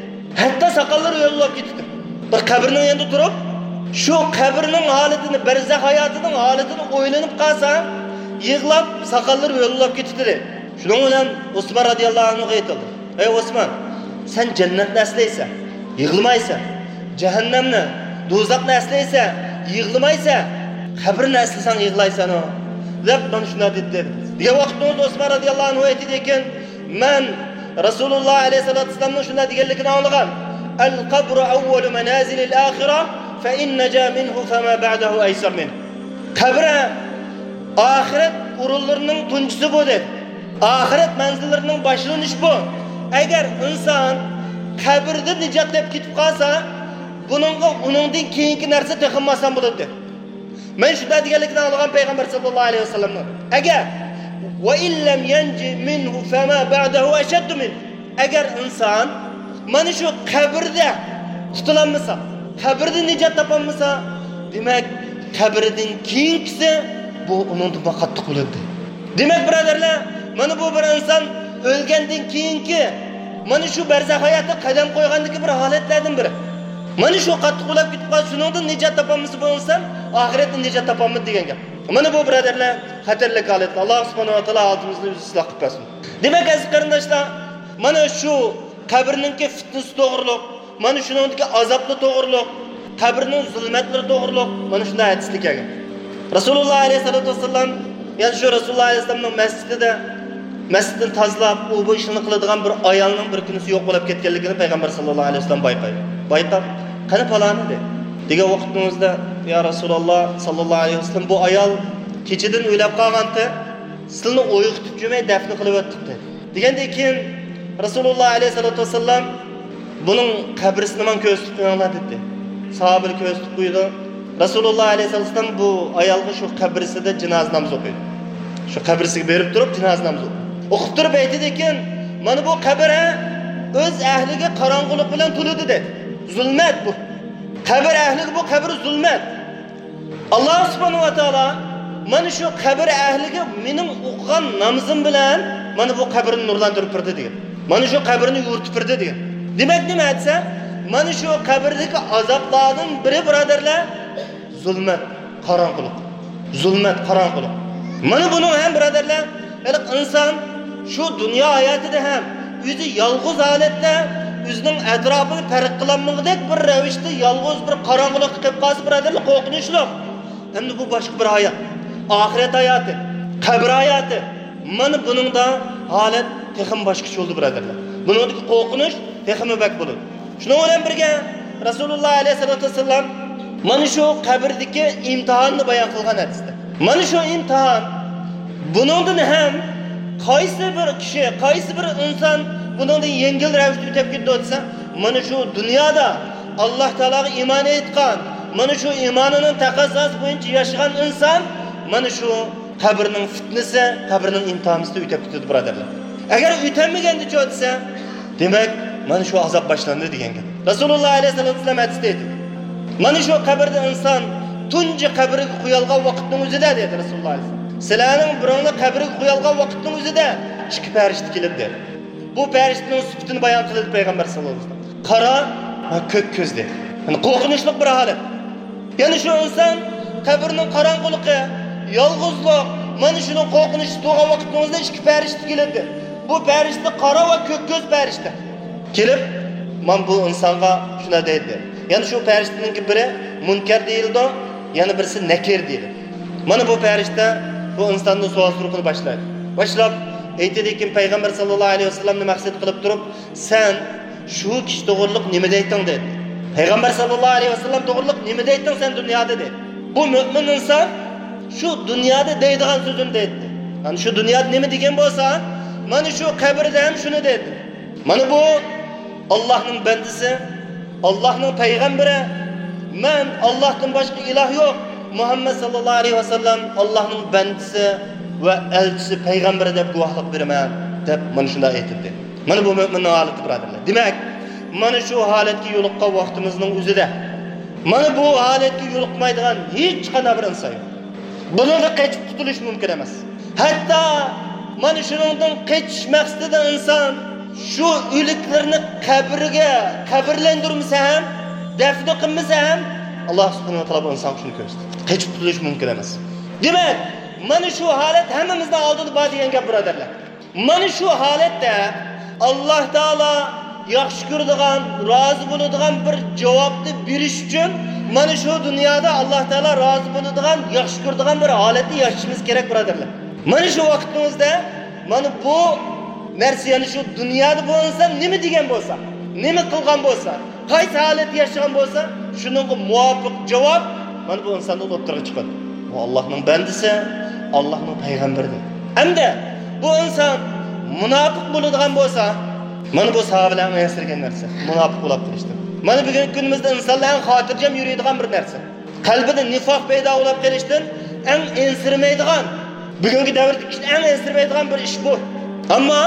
ھەتتا ساقاللىرى يۆلىنىپ كېتىتتى. بىر قەبرىنىڭ يېنىدا تۇرۇپ، شۇ قەبرىنىڭ ھالىتىنى، بەرزەخ ھاياتىنىڭ ھالىتىنى ئويلىنىپ قالسا، يىغلاپ، ساقاللىرى يۆلىنىپ كېتىتتى دەيدۇ. شۇنىڭ بىلەن ئوسمان رازىياللاھۇ ئەنھۇغا ئېيتىلدى، ئەي ئوسمان، سەن جەننەتنى ئەسلەيسەن، يىغلىمايسەن. جەھەننەمنى، دوزاخنى ئەسلەيسەن، يىغلىمايسەن. قەبرىنى ئەسلىسەڭ يىغلايسەنۇ، دەپ مانا شۇنداق دېدى. دېگەن ۋاقىتتا ئوسمان رازىياللاھۇ ئەنھۇ ئېيتىدىكەن، مەن رەسۇلۇللا ئەلەيھىسسالاتۇ ۋەسسالامنىڭ شۇنداق دېگەنلىكىنى ئاڭلىغان. القبر أول منازل الآخرة، فإن نجا منه فما بعده أيسر منه. قەبرە ئاخىرەت ئورۇنلىرىنىڭ تۇنجىسى بۇ دەيدۇ. ئاخىرەت مەنزىللىرىنىڭ باشلىنىشى بۇ. ئەگەر ئىنسان قەبرىدە نىجات تېپىپ كېتىپ قالسا، بۇنىڭغا ئۇنىڭدىن كېيىنكى نەرسە تېخىمۇ ئاسان بولىدۇ. مەن شۇنداق دېگەنلىكىنى ئاڭلىغان پەيغەمبەر ساللاللاھۇ ئەلەيھى ۋەسەللەمنىڭ، ئەگەر، وإن لم ينج منه فما بعده أشد منه. ئەگەر ئىنسان مانا شۇ قەبرىدە قۇتۇلالمىسا، قەبرىدە نىجات تاپالمىسا، دېمەك، قەبرىدىن كېيىنكىسى بۇ ئۇنىڭدىنمۇ قاتتىق بولىدۇ. دېمەك، بۇرادەرلەر، مانا بۇ بىر ئىنسان ئۆلگەندىن كېيىنكى، مانا شۇ بەرزەخ ھاياتىغا قەدەم قويغاندىكى بىر ھالەتلەردىن بىرى. مانا شۇ قاتتىق بولۇپ كېتىپ قالسا، شۇنىڭدىن نىجات تاپالمىسا بۇ ئىنسان، ئاخىرەتتە نىجات تاپالمىدى دېگەن گەپ. مانا بۇ، بۇرادەرلەر، خەتەرلىك ھالەت. ئاللا سۇبھانەھۇ ۋە تائالا ھالىتىمىزنى ئۆزى ئىسلاھ قىلىپ بەرسۇن. دېمەك، ئەزىز قېرىنداشلار، مانا شۇ قەبرىنىڭكى پىتنىسى توغرۇلۇق، مانا شۇنىڭدىكى ئازابلار توغرۇلۇق، قەبرىنىڭ زۇلمەتلىرى توغرۇلۇق مانا شۇنداق ھەدىسلەر كەلگەن. رەسۇلۇللا ئەلەيھىسسالاتۇ ۋەسسالام، يەنى شۇ رەسۇلۇللا ئەلەيھىسسالامنىڭ مەسچىتىدە، مەسچىتنى تازىلاپ، ئۇ بۇ ئىشلارنى قىلىدىغان بىر ئايالنىڭ بىر كۈنىسى يوق بولۇپ كەتكەنلىكىنى پەيغەمبەر ساللاللاھۇ ئەلەيھى ۋەسەللەم بايقايدۇ. بايقاپ، قېنى پالانى دەيدۇ. دېگەن ۋاقتىمىزدا، يا رەسۇلاللا ساللاللاھۇ ئەلەيھى ۋەسەللەم، بۇ ئايال كېچىدىن ئۆلۈپ قالغانتى، سىلىنى ئويغىتىپ جۈمەي دەپنە قىلىۋەتتۇق دېدى. دېگەندىن كېيىن رەسۇلۇللا ئەلەيھىسسالاتۇ ۋەسسالام، بۇنىڭ قەبرىسىنى ماڭا كۆرسىتىپ قويۇڭلار دېدى. ساھابىلەر كۆرسىتىپ قويىدۇ. رەسۇلۇللا ئەلەيھىسسالاتۇ ۋەسسالام بۇ ئايالغا شۇ قەبرىسىدە جىنازا نامىزى ئوقۇيدۇ. شۇ قەبرىسىگە بېرىپ تۇرۇپ جىنازا نامىزى ئوقۇيدۇ. ئوقۇپ تۇرۇپ ئېيتىدىكەن، مانا بۇ قەبرە ئۆز ئەھلىگە قاراڭغۇلۇق بىلەن تولىدۇ دېدى. زۇلمەت بۇ. قەبرە ئەھلىگە بۇ قەبرە زۇلمەت. ئاللا سۇبھانەھۇ ۋە تائالا مانا شۇ قەبرە ئەھلىگە مېنىڭ ئوقۇغان نامىزىم بىلەن مانا بۇ قەبرىنى نۇرلاندۇرۇپ بەردى دېگەن. مانا شۇ قەبرىنى يورۇتۇپ بەردى دېگەن. دېمەك نېمە دېسە، مانا شۇ قەبرىدىكى ئازابلاردىن بىرى، بۇرادەرلەر، زۇلمەت، قاراڭغۇلۇق. زۇلمەت، قاراڭغۇلۇق. مانا بۇنىڭ ھەم، بۇرادەرلەر، ھېلىقى ئىنسان شۇ دۇنيا ھاياتىدا ھەم ئۆزى يالغۇز ھالەتتە، ئۆزىنىڭ ئەتراپىنى پەرق قىلالمىغۇدەك بىر رەۋىشتە يالغۇز بىر قاراڭغۇلۇققا كىرىپ قالسا، بۇرادەرلەر، قورقۇنچلۇق. ئەمدى بۇ باشقا بىر ھايات. ئاخىرەت ھاياتى، قەبرە ھاياتى. مانا بۇنىڭدا ھالەت تېخىمۇ باشقىچە بولىدۇ، بۇرادەرلەر. بۇنىڭدىكى قورقۇنچ تېخىمۇ بەك بولىدۇ. شۇنىڭ بىلەن بىرگە، رەسۇلۇللا ئەلەيھىسسالاتۇ ۋەسسالام مانا شۇ قەبرىدىكى ئىمتىھاننى بايان قىلغان ھەدىستە. مانا شۇ ئىمتىھان، بۇنىڭدىن ھەم قايسى بىر كىشى، قايسى بىر ئىنسان بۇنىڭدىن يەڭگىل رەۋىشتە ئۆتۈپ كېتىدۇ دېسە، مانا شۇ دۇنيادا ئاللا تائالاغا ئىمان ئېيتقان، مانا شۇ ئىمانىنىڭ تەقەززاسى بويىچە ياشىغان ئىنسان مانا شۇ قەبرىنىڭ پىتنىسى، قەبرىنىڭ ئىمتىھانىسىدا ئۆتۈپ كېتىدۇ، بۇرادەرلەر. ئەگەر ئۆتەلمىگەندىچۇ دېسە، دېمەك، مانا شۇ ئازاب باشلاندى دېگەن گەپ. رەسۇلۇللا ئەلەيھىسسالاتۇ ۋەسسالام ھەدىستە ئېيتىدۇ، مانا شۇ قەبرىدە ئىنسان تۇنجى قەبرىگە قويۇلغان ۋاقىتنىڭ ئۆزىدە، دېدى رەسۇلۇللا ئەلەيھىسسالام، سىلەرنىڭ بىرىڭلار قەبرىگە قويۇلغان ۋاقىتنىڭ ئۆزىدە ئىككى پەرىشتە كېلىپ، دېدى. بۇ پەرىشتىنىڭ سۈپىتىنى بايان قىلدى پەيغەمبەر ساللاللاھۇ ئەلەيھى ۋەسەللەم. قارا ۋە كۆك كۆز، دېدى. يەنى قورقۇنچلۇق بىر ھالەت. يەنى شۇ ئىنسان قەبرىنىڭ قاراڭغۇلۇقى، يالغۇزلۇق، مانا شۇنىڭ قورقۇنچلۇق بولغان ۋاقىتنىڭ ئۆزىدە ئىككى پەرىشتە كېلىدۇ. بۇ پەرىشتە قارا ۋە كۆك كۆز پەرىشتە. كېلىپ، مانا بۇ ئىنسانغا شۇنداق دەيدۇ. يەنى شۇ پەرىشتىنىڭكى بىرى مۇنكەر دېيىلىدۇ، يەنە بىرسى نەكىر دېيىلىدۇ. مانا بۇ پەرىشتە بۇ ئىنساندىن سوئال سورىقىنى باشلايدۇ. باشلاپ ئېيتىدىكى، پەيغەمبەر ساللاللاھۇ ئەلەيھى ۋەسەللەمنى مەقسەت قىلىپ تۇرۇپ، سەن شۇ كىشى توغرىلىق نېمە دەيتتىڭ؟ دېدى. پەيغەمبەر ساللاللاھۇ ئەلەيھى ۋەسەللەم توغرىلىق نېمە دەيتتىڭ سەن دۇنيادا؟ دېدى. بۇ مۆمىن ئىنسان شۇ دۇنيادا دەيدىغان سۆزىنى دەيتتى. يەنى شۇ دۇنيادا نېمە دېگەن بولسا، مانا شۇ قەبرىدە ھەم شۇنى دەيدۇ. مانا بۇ ئاللاھنىڭ بەندىسى، ئاللاھنىڭ پەيغەمبىرى، مەن ئاللاھتىن باشقا ئىلاھ يوق، مۇھەممەد ساللاللاھۇ ئەلەيھى ۋەسەللەم ئاللاھنىڭ بەندىسى ۋە ئەلچىسى، پەيغەمبىرى دەپ گۇۋاھلىق بېرىمەن، دەپ مانا شۇنداق ئېيتىلدى. مانا بۇ مۆمىننىڭ ھالىتى، بۇرادەرلەر. دېمەك، مانا شۇ ھالەتكە يولۇققان ۋاقتىمىزنىڭ ئۆزىدە، مانا بۇ ھالەتكە يولۇقمايدىغان ھېچقانداق بىر ئىنسان يوق. بۇنىڭدىن قېچىپ قۇتۇلۇش مۇمكىن ئەمەس. ھەتتا مانا شۇنىڭدىن قېچىش مەقسىتىدە ئىنسان شۇ ئۆلۈكلىرىنى قەبرىگە قەبرىلەندۈرمىسە ھەم، دەفنى قىلمىسا ھەم، ئاللا سۇبھانەھۇ ۋە تائالا بۇ ئىنسانغا شۇنى كۆرسىتىدۇ. قېچىپ قۇتۇلۇش مۇمكىن ئەمەس. دېمەك، مانا شۇ ھالەت ھەممىمىزنىڭ ئالدىدا بار دېگەن گەپ، بۇرادەرلەر. مانا شۇ ھالەتتە ئاللا تائالا ياخشى كۆرىدىغان، رازى بولىدىغان بىر جاۋابنى بېرىش ئۈچۈن، مانا شۇ دۇنيادا ئاللا تائالا رازى بولىدىغان، ياخشى كۆرىدىغان بىر ھالەتتە ياشىشىمىز كېرەك، بۇرادەرلەر. مانا شۇ ۋاقىتنىڭ ئۆزىدە مانا بۇ نەرسە، يەنى شۇ دۇنيادا بۇ ئىنسان نېمە دېگەن بولسا، نېمە قىلغان بولسا، قايسى ھالەتتە ياشىغان بولسا، شۇنىڭغا مۇۋاپىق جاۋاب مانا بۇ ئىنساندا ئوتتۇرىغا چىقىدۇ. بۇ ئاللاھنىڭ بەندىسى، ئاللاھنىڭ پەيغەمبىرى. ھەمدە بۇ ئىنسان مۇناپىق بولىدىغان بولسا، مانا بۇ ساھابىلەر ئەڭ ئەنسىرىگەن نەرسە، مۇناپىق بولۇپ قېلىشتىن. مانا بۈگۈنكى كۈنىمىزدە ئىنسانلار ئەڭ خاتىرجەم يۈرىدىغان بىر نەرسە. قەلبىدە نىفاق پەيدا بولۇپ قېلىشتىن ئەڭ ئەنسىرىمەيدىغان، بۈگۈنكى دەۋردىكى كىشىلەر ئەڭ ئەنسىرىمەيدىغان بىر ئىش بۇ. ئەمما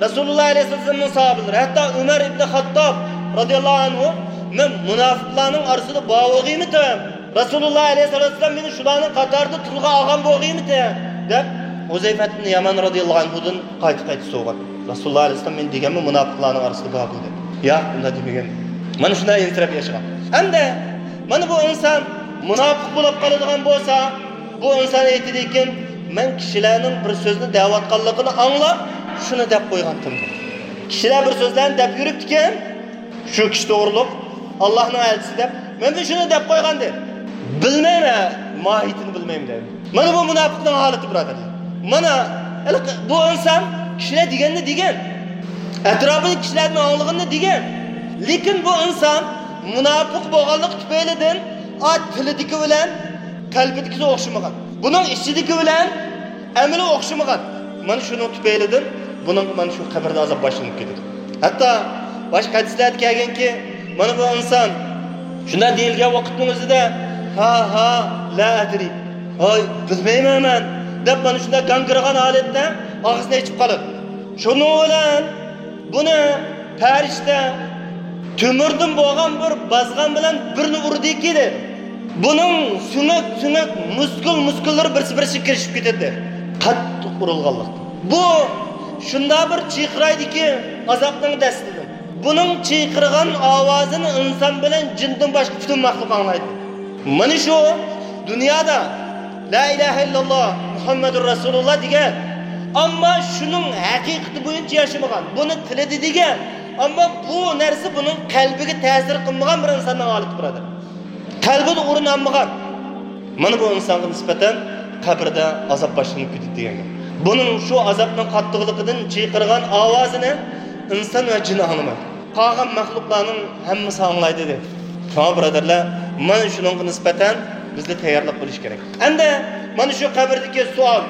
رەسۇلۇللا ئەلەيھىسسالامنىڭ ساھابىلىرى، ھەتتا ئۆمەر ئىبنى خاتتاب رازىياللاھۇ ئەنھۇ، مەن مۇناپىقلارنىڭ ئارىسىدا بار بولغىيمىتىم؟ رەسۇلۇللا ئەلەيھىسسالاتۇ ۋەسسالام مېنى شۇلارنىڭ قاتارىدا تىلغا ئالغان بولغىيمىتى؟ دەپ، ھۇزەيفەت ئىبنى يامان رازىياللاھۇ ئەنھۇدىن قايتا-قايتا سورىغان. رەسۇلۇللا ئەلەيھىسسالام مېنى دېگەنمۇ مۇناپىقلارنىڭ ئارىسىدا بار بۇ دەپ. ياق، ئۇنداق دېمىگەن. مانا شۇنداق ئەنسىرەپ ياشىغان. ئەمدى مانا بۇ ئىنسان مۇناپىق بولۇپ قالىدىغان بولسا، بۇ ئىنسان ئېيتىدىكەن، مەن كىشىلەرنىڭ بىر سۆزنى دەۋاتقانلىقىنى ئاڭلاپ، شۇنى دەپ قويغانتىم. كىشىلەر بىر سۆزلەرنى دەپ يۈرۈپتىكەن، شۇ كىشى توغرۇلۇق، ئاللاھنىڭ ئەلچىسى دەپ، مەن شۇنى دەپ قويغانىدىم. بىلمەيمەن، ماھىيىتىنى بىلمەيمەن دەيدۇ. مانا بۇ مۇناپىقنىڭ ھالىتى، بۇرادەرلەر. مانا ھېلىقى بۇ ئىنسان كىشىلەر دېگەننى دېگەن، ئەتراپىدىكى كىشىلەردىن ئاڭلىغىنىنى دېگەن. لېكىن بۇ ئىنسان مۇناپىق بولغانلىقى تۈپەيلىدىن، ئا، تىلىدىكى بىلەن قەلبىدىكىسى ئوخشىمىغان. بۇنىڭ ئىچىدىكى بىلەن ئەمىلى ئوخشىمىغان. مانا شۇنىڭ تۈپەيلىدىن بۇنىڭغا مانا شۇ قەبرىدە ئازاب باشلىنىپ كېتىدۇ. ھەتتا باشقا ھەدىسلەردە كەلگەنكى، مانا بۇ ئىنسان شۇنداق دېيىلگەن ۋاقىتنىڭ ئۆزىدە، ھا، ھا، لا ئەدرى، ھاي، بىلمەيمەن مەن، دەپ مانا شۇنداق گاڭگىرىغان ھالەتتە ئاغزىنى ئېچىپ قالىدۇ. شۇنىڭ بىلەن بۇنى پەرىشتە تۆمۈردىن بولغان بىر بازغان بىلەن بىرنى ئۇردىكى، دەيدۇ. بۇنىڭ سۆڭەك، سۆڭەك، مۇسكۇل، مۇسكۇللىرى بىرسى بىرسىگە كىرىشىپ كېتىدۇ، دەيدۇ. قاتتىق ئۇرۇلغانلىقتىن. بۇ شۇنداق بىر چىرقىرايدىكى ئازابنىڭ دەستىدىن. بۇنىڭ چىقىرغان ئاۋازىنى ئىنسان بىلەن جىندىن باشقا پۈتۈن مەخلۇق ئاڭلايدۇ. مانا شۇ دۇنيادا لا ئىلاھە ئىللاللا مۇھەممەدۇر رەسۇلۇللا دېگەن، ئەمما شۇنىڭ ھەقىقىتى بويىچە ياشىمىغان، بۇنى تىلىدا دېگەن، ئەمما بۇ نەرسە بۇنىڭ قەلبىگە تەسىر قىلمىغان بىر ئىنساننىڭ ھالىتى، بۇرادەر. قەلبىدە ئورۇن ئالمىغان. مانا بۇ ئىنسانغا نىسبەتەن قەبرىدە ئازاب باشلىنىپ كېتىدۇ دېگەن گەپ. بۇنىڭ شۇ ئازابنىڭ قاتتىقلىقىدىن چىقىرغان ئاۋازىنى ئىنسان ۋە جىن ئاڭلىمايدۇ. قالغان مەخلۇقلارنىڭ ھەممىسى ئاڭلايدۇ دەيدۇ. شۇڭا بۇرادەرلەر، مانا شۇنىڭغا نىسبەتەن بىزدە تەييارلىق بولۇش كېرەك. ئەمدى مانا شۇ قەبرىدىكى سوئال.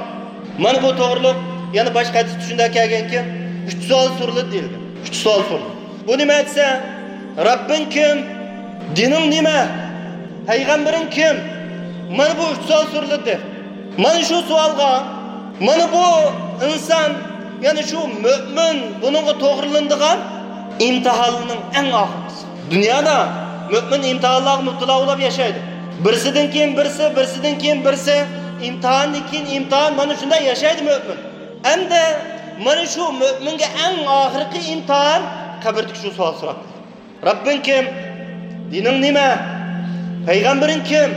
مانا بۇ توغرۇلۇق يەنە باشقا ھەدىستە شۇنداق كەلگەنكى، ئۈچ سوئال سورىلىدۇ دېيىلگەن. ئۈچ سوئال سورىلىدۇ. بۇ نېمە دېسە، رەببىڭ كىم؟ دىنىڭ نېمە؟ پەيغەمبىرىڭ كىم؟ مانا بۇ ئۈچ سوئال سورىلىدۇ. مانا شۇ سوئالغا، مانا بۇ ئىنسان، يەنى شۇ مۆمىن بۇنىڭغا توغرىلىنىدىغان ئىمتىھاننىڭ ئەڭ ئاخىرقىسى. دۇنيادا مۆمىن ئىمتىھانلارغا مۇپتىلا بولۇپ ياشايدۇ. بىرسىدىن كېيىن بىرسى، بىرسىدىن كېيىن بىرسى، ئىمتىھاندىن كېيىن ئىمتىھان، مانا شۇنداق ياشايدۇ مۆمىن. ئەمدى مانا شۇ مۆمىنگە ئەڭ ئاخىرقى ئىمتىھان قەبرىدىكى شۇ سوئال سوراق. رەببىڭ كىم؟ دىنىڭ نېمە؟ پەيغەمبىرىڭ كىم؟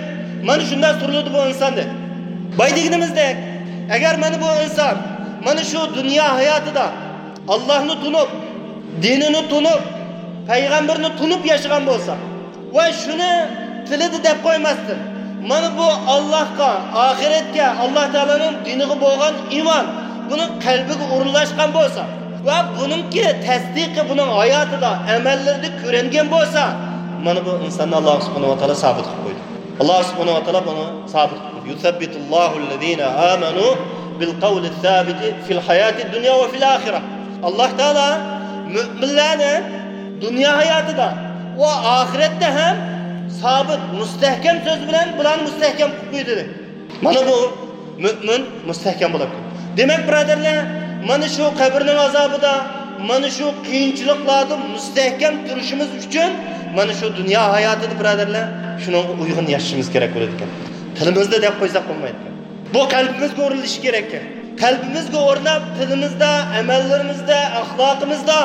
مانا شۇنداق سورىلىدۇ بۇ ئىنساندىن. بايا دېگىنىمىزدەك، ئەگەر مانا بۇ ئىنسان مانا شۇ دۇنيا ھاياتىدا ئاللاھنى تونۇپ، دىنىنى تونۇپ، پەيغەمبىرىنى تونۇپ ياشىغان بولسا، ۋە شۇنى تىلىدا دەپ قويماستىن، مانا بۇ ئاللاھقا، ئاخىرەتكە، ئاللاھ تائالانىڭ دىنىغا بولغان ئىمان بۇنىڭ قەلبىگە ئورۇنلاشقان بولسا ۋە بۇنىڭكى تەستىقى بۇنىڭ ھاياتىدا، ئەمەللىرىدە كۆرۈنگەن بولسا، مانا بۇ ئىنساننى ئاللاھ سۇبھانەھۇ ۋە تائالا سابىت قىلىپ قويدى. ئاللاھ سۇبھانەھۇ ۋە تائالا بۇنى سابىت قىلدى. يۇسەببىتۇللاھۇللەزىنە ئامەنۇ بىلقەۋلىسسابىتى فىل ھاياتىد دۇنيا ۋە فىل ئاخىرە. ئاللاھ تائالا مۆمىنلەرنى دۇنيا ھاياتىدا ۋە ئاخىرەتتە ھەم سابىت، مۇستەھكەم سۆز بىلەن بۇلارنى مۇستەھكەم قىلىپ قويدى. مانا بۇ مۆمىن مۇستەھكەم بولۇپ كېتىدۇ. دېمەك، بۇرادەرلەر، مانا شۇ قەبرىنىڭ ئازابىدا، مانا شۇ قىيىنچىلىقلاردا مۇستەھكەم تۇرۇشىمىز ئۈچۈن، مانا شۇ دۇنيا ھاياتىدا، بۇرادەرلەر، شۇنىڭغا ئۇيغۇن ياشىشىمىز كېرەك بولىدىكەن. تىلىمىزدا دەپ قويساق بولمايدىكەن. بۇ قەلبىمىزگە ئورۇنلىشىشى كېرەككەن. قەلبىمىزگە ئورناپ، تىلىمىزدا، ئەمەللىرىمىزدە، ئەخلاقىمىزدا،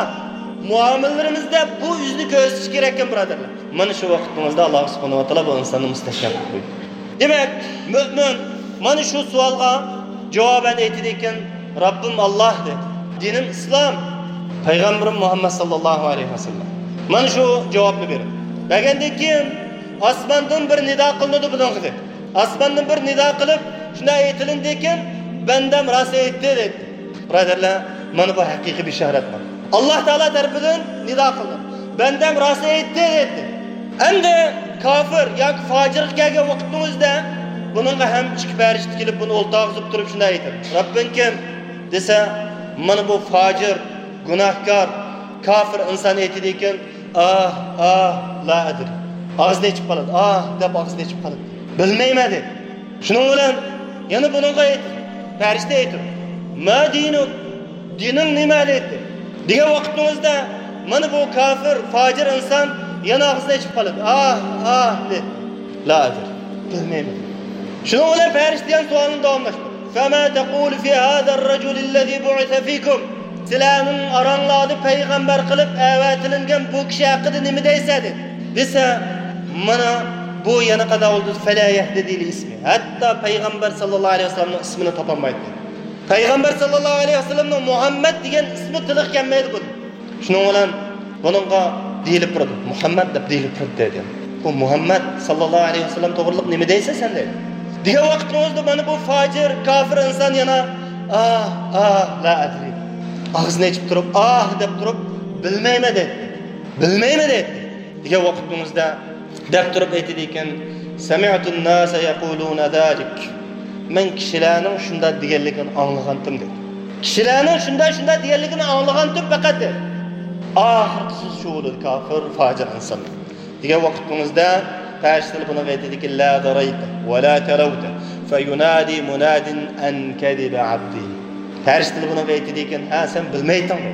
مۇئامىلىلىرىمىزدە بۇ يۈزنى كۆرسىتىشى كېرەككەن، بۇرادەرلەر. مانا شۇ ۋاقىتىمىزدا ئاللاھ سۇبھانەھۇ ۋە تائالا بۇ ئىنساننى مۇستەھكەم قىلىپ قويدى. دېمەك، مۆمىن مانا شۇ سوئالغا جاۋابەن ئېيتىدىكەن، رەببىم ئاللاھ دەيدۇ. دىنىم ئىسلام، پەيغەمبىرىم مۇھەممەد ساللاللاھۇ ئەلەيھى ۋەسەللەم. مانا شۇ جاۋابنى بېرىدۇ. بەرگەندىن كېيىن ئاسماندىن بىر نىدا قىلىنىدۇ بۇنىڭغا دەيدۇ. ئاسماندىن بىر نىدا قىلىپ، شۇنداق ئېيتىلىندىكىن، بەندەم راست ئېيتتى دەيدۇ. بۇرادەرلەر، مانا بۇ ھەقىقىي بېشارەت بار. ئاللاھ تائالا تەرىپىدىن نىدا قىلدى. بەندەم راست ئېيتتى دەيدۇ. ئەمدى كاپىر ياكى فاجىرغا كەلگەن ۋاقىتنىڭ ئۆزىدە بۇنىڭغا ھەم ئىككى پەرىشتە كېلىپ بۇنى ئولتۇرغۇزۇپ تۇرۇپ شۇنداق ئېيتىدۇ. رەببىڭ كىم؟ دېسە، مانا بۇ فاجىر، گۇناھكار، كاپىر ئىنسان ئېيتىدىكەن، ئاھ، ئاھ، لا ئەدرى. ئاغزىنى ئېچىپ قالىدۇ. ئاھ دەپ ئاغزىنى ئېچىپ قالىدۇ. بىلمەيمەن دەيدۇ. شۇنىڭ بىلەن يەنە بۇنىڭغا ئېيتىدۇ. پەرىشتە ئېيتىدۇ. ما دىنۇك؟ دىنىڭ نېمە دەيدۇ. دېگەن ۋاقىتنىڭ ئۆزىدە مانا بۇ كاپىر، فاجىر ئىنسان يەنە ئاغزىنى ئېچىپ قالىدۇ. ئاھ، ئاھ دەيدۇ. لا ئەدرى. بىلمەيمەن. شۇنىڭ بىلەن پەرىشتە يەنە سوئالنى داۋاملاشتۇرىدۇ. فما تقول في هذا الرجل الذي بعث فيكم؟ سىلەرنىڭ ئاراڭلاردا پەيغەمبەر قىلىپ ئەۋەتىلىنگەن بۇ كىشى ھەققىدە نېمە دەيسەن؟ دېسە، مانا بۇ يەنە قانداق بولدى؟ فلا يهتدي لاسمه. ھەتتا پەيغەمبەر ساللاللاھۇ ئەلەيھى ۋەسەللەمنىڭ ئىسمىنى تاپالمايدۇ. پەيغەمبەر ساللاللاھۇ ئەلەيھى ۋەسەللەمنىڭ مۇھەممەد دېگەن ئىسمى تىلغا كەلمەيدۇ بۇنىڭ. شۇنىڭ بىلەن بۇنىڭغا دېيىلىپ تۇرىدۇ، مۇھەممەد دەپ دېيىلىپ تۇرىدۇ دەيدۇ. بۇ مۇھەممەد ساللاللاھۇ ئەلەيھى ۋەسەللەم توغرىلىق نېمە دەيسەن سەن دەيدۇ. دېگەن ۋاقىتنىڭ ئۆزىدە مانا بۇ فاجىر، كاپىر ئىنسان يەنە ئاھ، ئاھ، لا ئەدرى. ئاغزىنى ئېچىپ تۇرۇپ، ئاھ دەپ تۇرۇپ، بىلمەيمەن دەيدۇ. بىلمەيمەن دەيدۇ. دېگەن ۋاقىتنىڭ ئۆزىدە دەپ تۇرۇپ ئېيتىدىكەن، سمعت الناس يقولون ذلك. مەن كىشىلەرنىڭ شۇنداق دېگەنلىكىنى ئاڭلىغانتىم دەيدۇ. كىشىلەرنىڭ شۇنداق، شۇنداق دېگەنلىكىنى ئاڭلىغانتىم پەقەت دەيدۇ. ئاخىرقى سۆز شۇ بولىدۇ، كاپىر، فاجىر ئىنسان. دېگەن ۋاقىتنىڭ ئۆزىدە پەرىشتىلەر بۇنىڭغا ئېيتىدىكەن، لا دريت ولا تلوت فينادي مناد أن كذب عبدي. پەرىشتىلەر بۇنىڭغا ئېيتىدىكەن، ھە، سەن بىلمەيتتىڭمۇ؟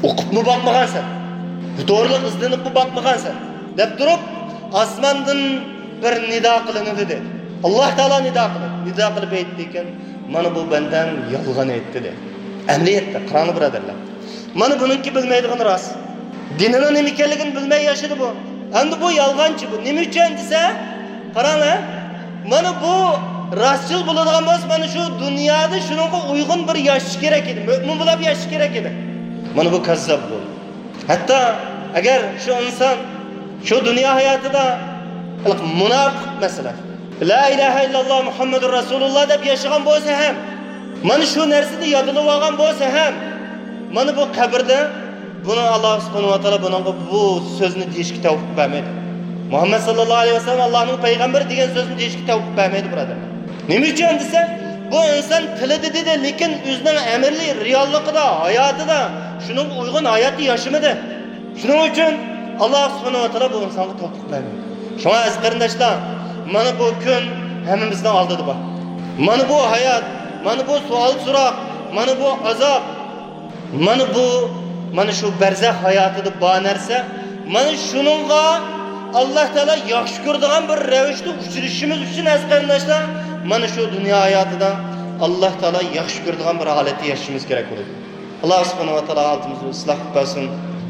ئوقۇپمۇ باقمىغانسەن. بۇ توغرىلىق ئىزدىنىپمۇ باقمىغانسەن. دەپ تۇرۇپ، ئاسماندىن بىر نىدا قىلىنىدۇ دەيدۇ. ئاللاھ تائالا نىدا قىلىدۇ. نىدا قىلىپ ئېيتىدىكەن، مانا بۇ بەندەڭ يالغان ئېيتتى دەيدۇ. ئەمەلىيەتتە، قاراڭلار بۇرادەرلەر. مانا بۇنىڭكى بىلمەيدىغىنى راست. دىنىنىڭ نېمە ئىكەنلىكىنى بىلمەي ياشىدى بۇ. ئەمدى بۇ يالغانچى بۇ. نېمە ئۈچۈن دېسە، قاراڭلار، مانا بۇ راستچىل بولىدىغان بولسا، مانا شۇ دۇنيادا شۇنىڭغا ئۇيغۇن بىر ياشىشى كېرەك ئىدى، مۆمىن بولاپ ياشىشى كېرەك ئىدى. مانا بۇ كاززاپ بۇ. ھەتتا ئەگەر شۇ ئىنسان شۇ دۇنيا ھاياتىدا مۇناپىق، مەسىلەن، لا ئىلاھە ئىللاللا مۇھەممەدۇر رەسۇلۇللا دەپ ياشىغان بولسا ھەم، مانا شۇ نەرسىنى يادلىۋالغان بولسا ھەم، مانا بۇ قەبرىدە بۇنى ئاللا سۇبھانەھۇ ۋە تائالا بۇنىڭغا بۇ سۆزنى دېيىشكە تەۋپىق بەرمەيدۇ. مۇھەممەد ساللاللاھۇ ئەلەيھى ۋەسەللەم ئاللانىڭ پەيغەمبىرى دېگەن سۆزنى دېيىشكە تەۋپىق بەرمەيدۇ، بۇرادەر. نېمە ئۈچۈن دېسە، بۇ ئىنسان تىلىدا دېدى، لېكىن ئۆزىنىڭ ئەمەلىي رېئاللىقىدا، ھاياتىدا شۇنىڭغا ئۇيغۇن ھاياتنى ياشىمىدى. شۇنىڭ ئۈچۈن ئاللا سۇبھانەھۇ ۋە تائالا بۇ ئىنسانغا تەۋپىق بەرمىدى. شۇڭا ئەزىز قېرىنداشلار، مانا بۇ كۈن ھەممىمىزنىڭ ئالدىدا بار. مانا بۇ ھايات، مانا بۇ سوئال-سوراق، مانا بۇ ئازاب، مانا بۇ، مانا شۇ بەرزەخ ھاياتىدا بار نەرسە، مانا شۇنىڭغا ئاللا تائالا ياخشى كۆرىدىغان بىر رەۋىشتە ئۇچرىشىشىمىز ئۈچۈن، ئەزىز قېرىنداشلار، مانا شۇ دۇنيا ھاياتىدا ئاللا تائالا ياخشى كۆرىدىغان بىر ھالەتتە ياشىشىمىز كېرەك بولىدۇ. ئاللا سۇبھانەھۇ ۋە تائالا ھالىتىمىزنى ئىسلاھ قىلىپ بەرسۇن.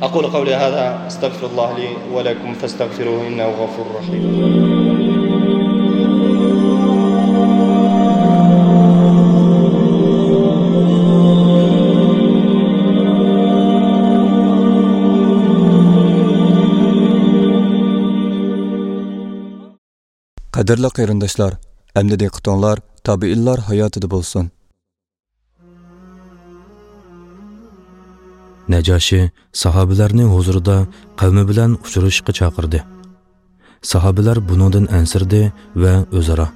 أقول قولي هذا، أستغفر الله لي ولكم، فاستغفروه إنه غفور رحيم. قەدىرلىك قېرىنداشلار، ئەمدى دىققىتىڭلار تابىئىنلار ھاياتىدا بولسۇن. نەجاشى ساھابىلەرنى ھۇزۇرىدا قەۋمى بىلەن ئۇچرىشىشقا چاقىردى. ساھابىلەر بۇنىڭدىن ئەنسىرىدى ۋە ئۆزئارا،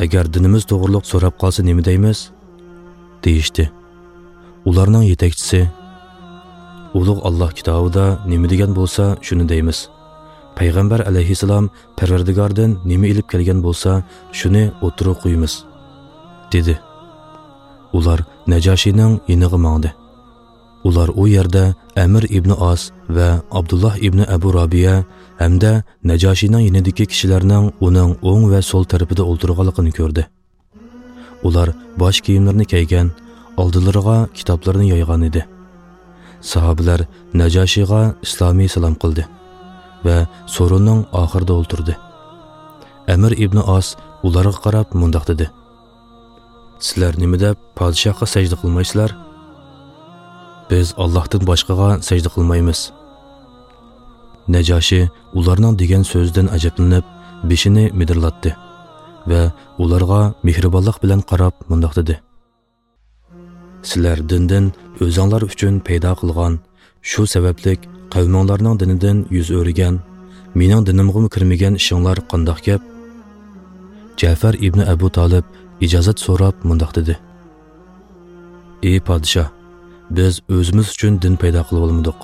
«ئەگەر دىنىمىز توغرۇلۇق سوراپ قالسا نېمە دەيمىز؟» دېيىشتى. ئۇلارنىڭ يېتەكچىسى، «ئۇلۇغ ئاللا كىتابىدا نېمە دېگەن بولسا، شۇنى دەيمىز. پەيغەمبەر ئەلەيھىسسالام پەرۋەردىگاردىن نېمە ئېلىپ كەلگەن بولسا، شۇنى ئوتتۇرىغا قويىمىز» دېدى. ئۇلار نەجاشىنىڭ يېنىغا ماڭدى. ئۇلار ئۇ يەردە ئەمىر ئىبنى ئاس ۋە ئابدۇللاھ ئىبنى ئەبۇ رابىيە ھەمدە نەجاشىنىڭ يېنىدىكى كىشىلەرنىڭ ئۇنىڭ ئوڭ ۋە سول تەرىپىدە ئولتۇرغانلىقىنى كۆردى. ئۇلار باش كىيىملىرىنى كىيگەن، ئالدىلىرىغا كىتابلىرىنى يايغان ئىدى. ساھابىلەر نەجاشىغا ئىسلامىي سالام قىلدى ۋە سورۇننىڭ ئاخىرىدا ئولتۇردى. ئەمىر ئىبنى ئاس ئۇلارغا قاراپ مۇنداق دېدى: «سىلەر نېمە دەپ پادىشاھقا سەجدە قىلمايسىلەر؟» «بىز ئاللاھتىن باشقىغا سەجدە قىلمايمىز.» نەجاشى ئۇلارنىڭ دېگەن سۆزىدىن ئەجەبلىنىپ، بېشىنى مىدىرلاتتى ۋە ئۇلارغا مېھرىبانلىق بىلەن قاراپ مۇنداق دېدى: «سىلەر دىندىن ئۆزۈڭلار ئۈچۈن پەيدا قىلغان، شۇ سەۋەبلىك قەۋمىڭلارنىڭ دىنىدىن يۈز ئۆرۈگەن، مېنىڭ دىنىمغىمۇ كىرمىگەن ئىشىڭلار قانداق گەپ؟» جەفەر ئىبنى ئەبۇ تالىپ ئىجازەت سوراپ مۇنداق دېدى: «ئى پادىشاھ، بىز ئۆزىمىز ئۈچۈن دىن پەيدا قىلىۋالمىدۇق.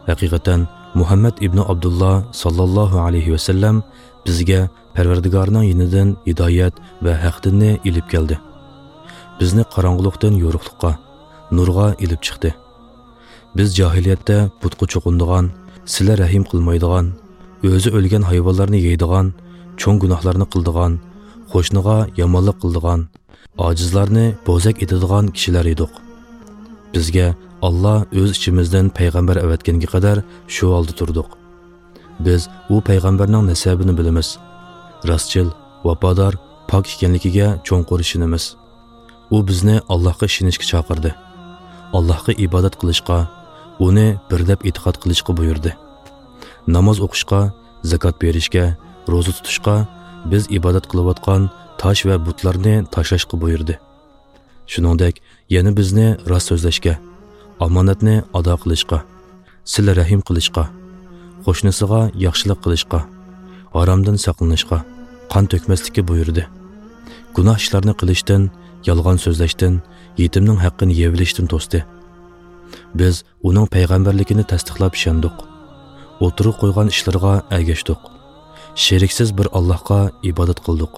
ھەقىقەتەن، مۇھەممەد ئىبنى ئابدۇللا ساللاللاھۇ ئەلەيھى ۋەسەللەم بىزگە پەرۋەردىگارنىڭ يېنىدىن ھىدايەت ۋە ھەق دىننى ئېلىپ كەلدى. بىزنى قاراڭغۇلۇقتىن يورۇقلۇققا، نۇرغا ئېلىپ چىقتى. بىز جاھىلىيەتتە بۇتقا چوقۇنىدىغان، سىلە رەھىم قىلمايدىغان، ئۆزى ئۆلگەن ھايۋانلارنى يەيدىغان، چوڭ گۇناھلارنى قىلىدىغان، قوشنىغا يامانلىق قىلىدىغان، ئاجىزلارنى بوزەك ئېتىدىغان كىشىلەر ئىدۇق. بىزگە ئاللا ئۆز ئىچىمىزدىن پەيغەمبەر ئەۋەتكەنگە قەدەر شۇ ھالدا تۇردۇق. بىز ئۇ پەيغەمبەرنىڭ نەسەبىنى بىلىمىز، راستچىل، ۋاپادار، پاك ئىكەنلىكىگە چوڭقۇر ئىشىنىمىز. ئۇ بىزنى ئاللاھقا ئىشىنىشكە چاقىردى، ئاللاھقا ئىبادەت قىلىشقا، ئۇنى بىر دەپ ئېتىقاد قىلىشقا بۇيرۇدى. ناماز ئوقۇشقا، زاكات بېرىشكە، روزا تۇتۇشقا، بىز ئىبادەت قىلىۋاتقان تاش ۋە بۇتلارنى تاشلاشقا بۇيرۇدى. شۇنىڭدەك يەنە بىزنى راست سۆزلەشكە، ئامانەتنى ئادا قىلىشقا، سىلە رەھىم قىلىشقا، قوشنىسىغا ياخشىلىق قىلىشقا، ھارامدىن ساقلىنىشقا، قان تۆكمەسلىككە بۇيرۇدى. گۇناھ ئىشلارنى قىلىشتىن، يالغان سۆزلەشتىن، يېتىمنىڭ ھەققىنى يەۋېلىشتىن توستى. بىز ئۇنىڭ پەيغەمبەرلىكىنى تەستىقلاپ ئىشەندۇق. ئوتتۇرىغا قويغان ئىشلىرىغا ئەگەشتۇق. شېرىكسىز بىر ئاللاھقا ئىبادەت قىلدۇق.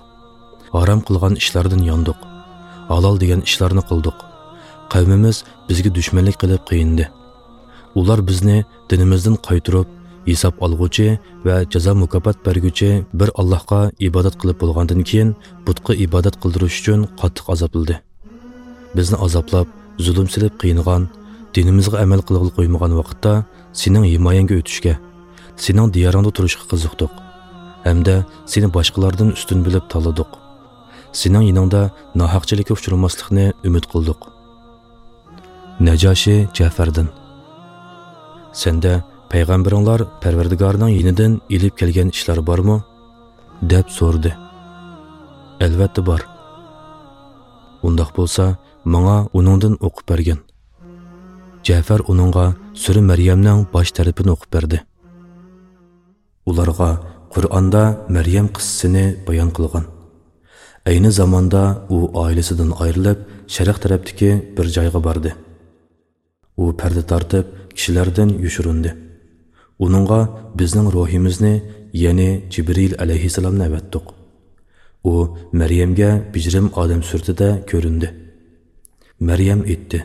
ھارام قىلغان ئىشلاردىن ياندۇق. ھالال دېگەن ئىشلارنى قىلدۇق. قەۋمىمىز بىزگە دۈشمەنلىك قىلىپ قىينىدى. ئۇلار بىزنى دىنىمىزدىن قايتۇرۇپ، ھېساب ئالغۇچى ۋە جازا مۇكاپات بەرگۈچى بىر ئاللاھقا ئىبادەت قىلىپ بولغاندىن كېيىن، بۇتقا ئىبادەت قىلدۇرۇش ئۈچۈن قاتتىق ئازابلىدى. بىزنى ئازابلاپ، زۇلۇم سېلىپ قىينىغان، دىنىمىزغا ئەمەل قىلغىلى قويمىغان ۋاقىتتا، سېنىڭ ھىمايەڭگە ئۆتۈشكە، سېنىڭ دىيارىڭدا تۇرۇشقا قىزىقتۇق ھەمدە سېنى باشقىلاردىن ئۈستۈن بىلىپ تاللىدۇق. سېنىڭ يېنىڭدا ناھەقچىلىككە ئۇچرىماسلىقنى ئۈمىد قىلدۇق. نەجاشى جەفەردىن: «سەندە پەيغەمبىرىڭلار پەرۋەردىگارىنىڭ يېنىدىن ئېلىپ كەلگەن ئىشلار بارمۇ؟» دەپ سورىدى. «ئەلۋەتتە بار.» «ئۇنداق بولسا، ماڭا ئۇنىڭدىن ئوقۇپ بەرگىن.» جەفەر ئۇنىڭغا سۈرە مەريەمنىڭ باش تەرىپىنى ئوقۇپ بەردى. ئۇلارغا قۇرئاندا مەريەم قىسسىسىنى بايان قىلغان. ئەينى زاماندا ئۇ ئائىلىسىدىن ئايرىلىپ، شەرق تەرەپتىكى بىر جايغا باردى. ئۇ پەردە تارتىپ، كىشىلەردىن يوشۇرۇندى. ئۇنىڭغا بىزنىڭ روھىمىزنى، يەنى جىبرىل ئەلەيھىسسالامنى ئەۋەتتۇق. ئۇ مەريەمگە بېجىرىم ئادەم سۈرىتىدە كۆرۈندى. مەريەم ئېيتتى: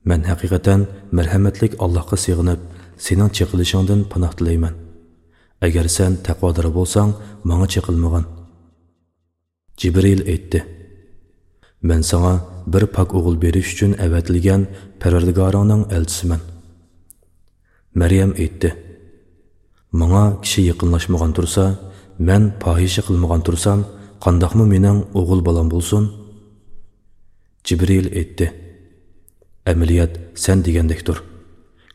«مەن ھەقىقەتەن مەرھەمەتلىك ئاللاھقا سېغىنىپ، سېنىڭ چېقىلىشىڭدىن پاناھ تىلەيمەن. ئەگەر سەن تەقۋادار بولساڭ، ماڭا چېقىلمىغىن.» جىبرىل ئېيتتى: «مەن ساڭا بىر پاك ئوغۇل بېرىش ئۈچۈن ئەۋەتىلگەن پەرۋەردىگارىڭنىڭ ئەلچىسىمەن.» مەريەم ئېيتتى: «ماڭا كىشى يېقىنلاشمىغان تۇرسا، مەن پاھىشە قىلمىغان تۇرسام، قانداقمۇ مېنىڭ ئوغۇل بالام بولسۇن؟» جىبرىل ئېيتتى: «ئەمەلىيەت سەن دېگەندەكتۇر.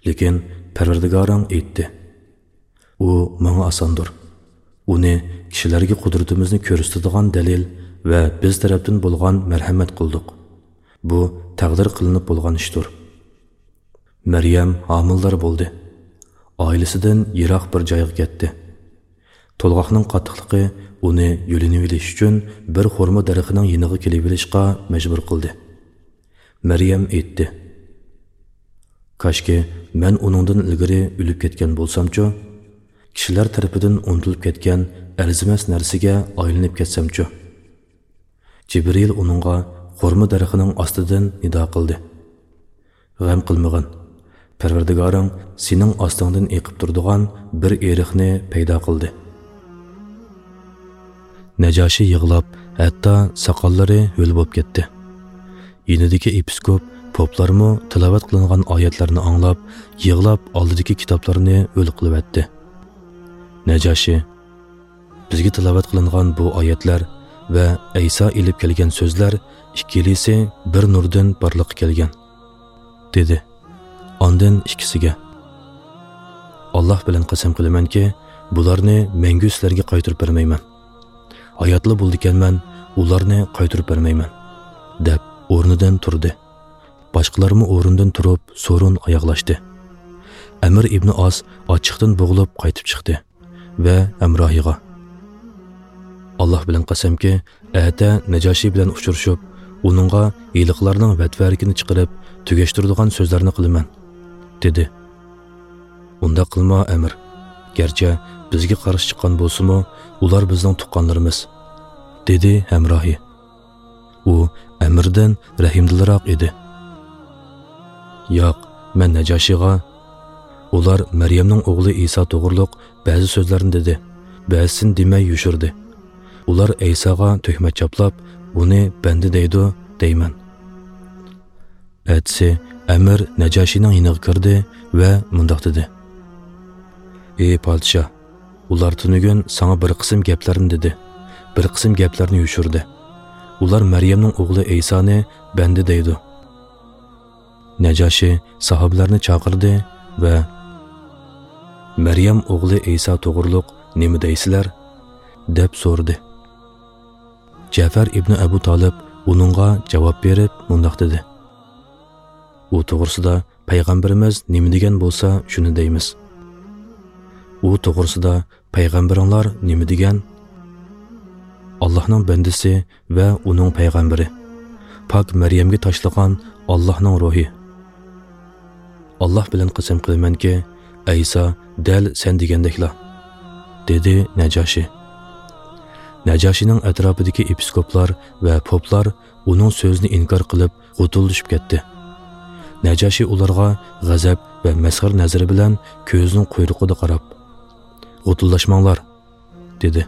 لېكىن پەرۋەردىگارىڭ ئېيتتى.» ئۇ ماڭا ئاساندۇر. ئۇنى كىشىلەرگە قۇدرىتىمىزنى كۆرسىتىدىغان دەلىل ۋە بىز تەرەپتىن بولغان مەرھەمەت قىلدۇق. بۇ تەقدىر قىلىنىپ بولغان ئىشتۇر. مەريەم ھامىلىدار بولدى. ئائىلىسىدىن يىراق بىر جايغا كەتتى. تولغاقنىڭ قاتتىقلىقى ئۇنى يۆلىنىۋېلىش ئۈچۈن بىر خورما دەرىخىنىڭ يېنىغا كېلىۋېلىشقا مەجبۇر قىلدى. مەريەم ئېيتتى: «كاشكى مەن ئۇنىڭدىن ئىلگىرى ئۆلۈپ كەتكەن بولسامچۇ؟ كىشىلەر تەرىپىدىن ئۇنتۇلۇپ كەتكەن ئەرزىمەس نەرسىگە ئايلىنىپ كەتسەمچۇ؟» جىبرىل ئۇنىڭغا خورما دەرىخىنىڭ ئاستىدىن نىدا قىلدى: «غەم قىلمىغىن. پەرۋەردىگارىڭ سېنىڭ ئاستىڭدىن ئېقىپ تۇرىدىغان بىر ئېرىقنى پەيدا قىلدى.» نەجاشى يىغلاپ، ھەتتا ساقاللىرى ھۆل بولۇپ كەتتى. يېنىدىكى ئېپىسكوپ، پوپلارمۇ تىلاۋەت قىلىنغان ئايەتلەرنى ئاڭلاپ، يىغلاپ ئالدىدىكى كىتابلارنى ھۆل قىلىۋەتتى. نەجاشى: «بىزگە تىلاۋەت قىلىنغان بۇ ئايەتلەر ۋە ئەيسا ئېلىپ كەلگەن سۆزلەر ئىككىلىسى بىر نۇردىن بارلىققا كەلگەن» دېدى. ئاندىن ئىككىسىگە: «ئاللاھ بىلەن قەسەم قىلىمەنكى، بۇلارنى مەڭگۈ سىلەرگە قايتۇرۇپ بەرمەيمەن. ھاياتلا بولىدىكەنمەن، ئۇلارنى قايتۇرۇپ بەرمەيمەن» دەپ ئورنىدىن تۇردى. باشقىلارمۇ ئورنىدىن تۇرۇپ سورۇن ئاياغلاشتى. ئەمىر ئىبنى ئاس ئاچچىقتىن بوغۇلۇپ قايتىپ چىقتى ۋە ھەمراھىغا: «ئاللاھ بىلەن قەسەمكى، ئەتە نەجاشى بىلەن ئۇچرىشىپ، ئۇنىڭغا ھېلىقىلارنىڭ ۋەتۋەرىكىنى چىقىرىپ، تۈگەشتۈرىدىغان سۆزلەرنى قىلىمەن» دېدى. «ئۇنداق قىلما، ئەمىر. گەرچە بىزگە قارشى چىققان بولسىمۇ، ئۇلار بىزنىڭ تۇغقانلىرىمىز» دېدى ھەمراھى. ئۇ ئەمىردىن رەھىمدىلراق ئىدى. «ياق، مەن نەجاشىغا، ئۇلار مەريەمنىڭ ئوغلى ئىسا توغرۇلۇق بەزى سۆزلەرنى دېدى، بەزىسىنى دېمەي يوشۇردى. ئۇلار ئەيساغا تۆھمەت چاپلاپ، ئۇنى بەندە دەيدۇ، دەيمەن.» ئەتىسى ئەمىر نەجاشىنىڭ يېنىغا كىردى ۋە مۇنداق دېدى: «ئى پادىشاھ، ئۇلار تۈنۈگۈن ساڭا بىر قىسىم گەپلەرنى دېدى، بىر قىسىم گەپلەرنى يوشۇردى. ئۇلار مەريەمنىڭ ئوغلى ئەيسانى بەندە دەيدۇ.» نەجاشى ساھابىلەرنى چاقىردى ۋە: «مەريەم ئوغلى ئەيسا توغرۇلۇق نېمە دەيسىلەر؟» دەپ سورىدى. جەفەر ئىبنى ئەبۇ تالىپ ئۇنىڭغا جاۋاب بېرىپ مۇنداق دېدى: «ئۇ توغرىسىدا پەيغەمبىرىمىز نېمە دېگەن بولسا، شۇنى دەيمىز. ئۇ توغرىسىدا پەيغەمبىرىڭلار نېمە دېگەن؟ ئاللاھنىڭ بەندىسى ۋە ئۇنىڭ پەيغەمبىرى، پاك مەريەمگە تاشلىغان ئاللاھنىڭ روھى. ئاللاھ بىلەن قەسەم قىلىمەنكى، ئەيسا دەل سەن دېگەندەكلا»، دېدى نەجاشى. نەجاشىنىڭ ئەتراپىدىكى ئېپىسكوپلار ۋە پوپلار ئۇنىڭ سۆزىنى ئىنكار قىلىپ، غۇتۇلدىشىپ كەتتى. نەجاشى ئۇلارغا غەزەپ ۋە مەسخىرە نەزىرى بىلەن كۆزىنىڭ قۇيرۇقىدا قاراپ: «غۇتۇلداشماڭلار!» دېدى.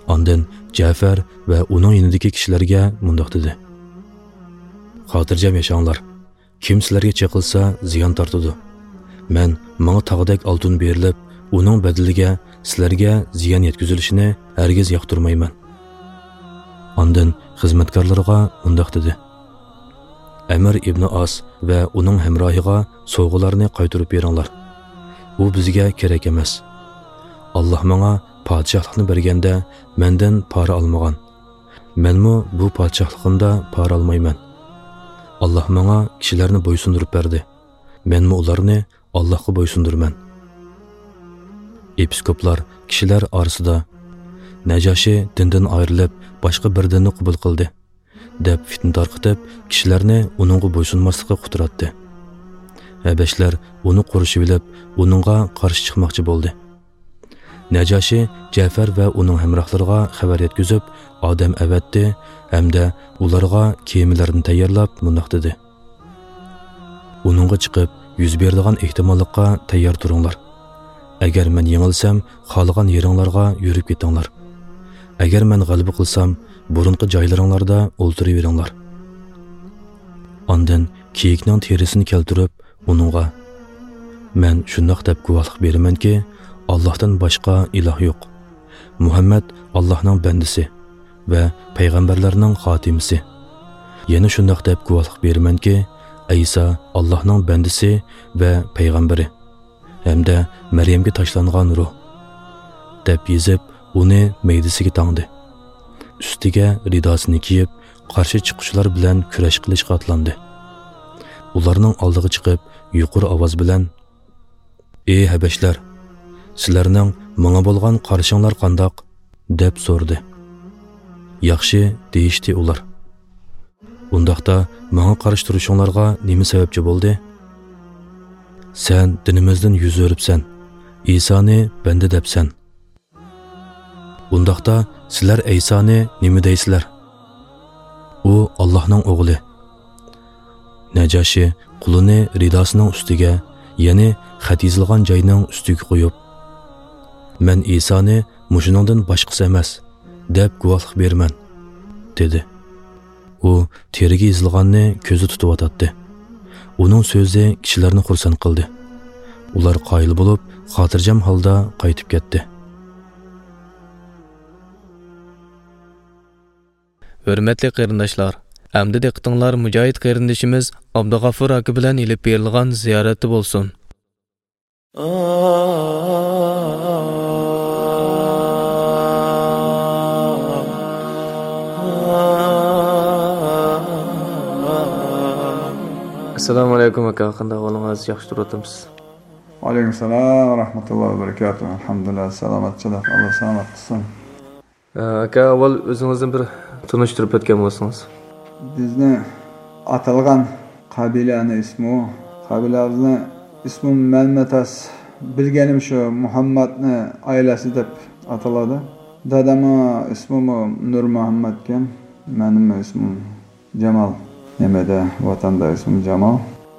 ئاندىن جەفەر ۋە ئۇنىڭ يېنىدىكى كىشىلەرگە مۇنداق دېدى: «خاتىرجەم ياشاڭلار. كىم سىلەرگە چېقىلسا، زىيان تارتىدۇ. مەن ماڭا تاغدەك ئالتۇن بېرىلىپ، ئۇنىڭ بەدىلىگە سىلەرگە زىيان يەتكۈزۈلۈشىنى ھەرگىز ياقتۇرمايمەن. ئاندىن خىزمەتكارلىرىغا مۇنداق دېدى: ئەمىر ئىبنى ئاس ۋە ئۇنىڭ ھەمراھىغا سوۋغىلارنى قايتۇرۇپ بېرىڭلار. ئۇ بىزگە كېرەك ئەمەس. ئاللاھ ماڭا پادىشاھلىقنى بەرگەندە مەندىن پارا ئالمىغان. مەنمۇ بۇ پادىشاھلىقىمدا پارا ئالمايمەن. ئاللاھ ماڭا كىشىلەرنى بويسۇندۇرۇپ بەردى. مەنمۇ ئۇلارنى ئاللاھقا بويسۇندۇرىمەن. ئېپىسكوپلار كىشىلەر ئارىسىدا، نەجاشى دىندىن ئايرىلىپ، باشقا بىر دىننى قوبۇل قىلدى، دەپ پىتنە تارقىتىپ، كىشىلەرنى ئۇنىڭغا بويسۇنماسلىققا قۇتراتتى. ھەبەشلەر ئۇنى قورشىۋېلىپ، ئۇنىڭغا قارشى چىقماقچى بولدى. نەجاشى جەفەر ۋە ئۇنىڭ ھەمراھلىرىغا خەۋەر يەتكۈزۈپ، ئادەم ئەۋەتتى ھەمدە ئۇلارغا كېمىلەرنى تەييارلاپ مۇنداق دېدى: ئۇنىڭغا چىقىپ، يۈز بېرىدىغان ئېھتىماللىققا تەييار تۇرۇڭلار. ئەگەر مەن يېڭىلسەم، خالىغان يېرىڭلارغا يۈرۈپ كېتىڭلار. ئەگەر مەن غەلىبە قىلسام، بۇرۇنقى جايلىرىڭلاردا ئولتۇرۇۋېرىڭلار. ئاندىن كېيىكنىڭ تېرىسىنى كەلتۈرۈپ، ئۇنىڭغا، مەن شۇنداق دەپ گۇۋاھلىق بېرىمەنكى، ئاللاھتىن باشقا ئىلاھ يوق. مۇھەممەد ئاللاھنىڭ بەندىسى ۋە پەيغەمبەرلەرنىڭ خاتىمىسى. يەنە شۇنداق دەپ گۇۋاھلىق بېرىمەنكى، ئەيسا ئاللاھنىڭ بەندىسى ۋە پەيغەمبىرى ھەمدە مەريەمگە تاشلانغان روھ، دەپ يېزىپ، ئۇنى مەيدىسىگە تاڭدى. ئۈستىگە رىداسىنى كىيىپ، قارشى چىققۇچىلار بىلەن كۈرەش قىلىشقا ئاتلاندى. ئۇلارنىڭ ئالدىغا چىقىپ، يۇقىرى ئاۋاز بىلەن، ئى ھەبەشلەر، سىلەرنىڭ ماڭا بولغان قارىشىڭلار قانداق؟ دەپ سورىدى. ياخشى، دېيىشتى ئۇلار. ئۇنداقتا ماڭا قارشى تۇرۇشۇڭلارغا نېمە سەۋەبچى بولدى؟ سەن دىنىمىزدىن يۈز ئۆرۈپسەن، ئىسانى بەندە دەپسەن. ئۇنداقتا سىلەر ئەيسانى نېمە دەيسىلەر؟ ئۇ ئاللاھنىڭ ئوغلى. نەجاشى قولىنى رىداسىنىڭ ئۈستىگە، يەنى خەت يېزىلغان جاينىڭ ئۈستىگە قويۇپ، مەن ئىسانى مۇشۇنىڭدىن باشقىسى ئەمەس، دەپ گۇۋاھلىق بېرىمەن، دېدى. ئۇ تېرىگە يېزىلغاننى كۆزى تۇتۇۋاتاتتى. ئۇنىڭ سۆزى كىشىلەرنى خۇرسەن قىلدى. ئۇلار قايىل بولۇپ، خاتىرجەم ھالدا قايتىپ كەتتى. ھۆرمەتلىك قېرىنداشلار، ئەمدى دىققىتىڭلار مۇجاھىد قېرىندىشىمىز ئابدۇغەپۇر ئاكا بىلەن ئېلىپ بېرىلغان زىيارەتتە بولسۇن. ئەسسالامۇ ئەلەيكۇم ئاكا، قانداق ئەھۋالىڭىز؟ ياخشى تۇرۇۋاتامسىز؟ ۋەئەلەيكۇمۇسسالام ۋە رەھمەتۇللاھى ۋە بەرىكاتۇھۇ. ئەلھەمدۇلىللا، سالامەتچىلىك. ئاللا سالامەت قىلسۇن. ئە، ئاكا، ئاۋۋال ئۆزىڭىزنى بىر تونۇشتۇرۇپ ئۆتكەن بولسىڭىز. بىزنى ئاتالغان قەبىلەنى ئىسمى، قەبىلەمىزنى ئىسمى مەلمەتاس، بىلگىنىم شۇ مۇھەممەدنى ئائىلىسى دەپ ئاتىلىدۇ. دادامنىڭ ئىسمىمۇ نۇر مۇھەممەدكەن، مېنىڭ ئىسمىم جامال. نېمىدە، ۋەتەندە ئىسمىم جامال.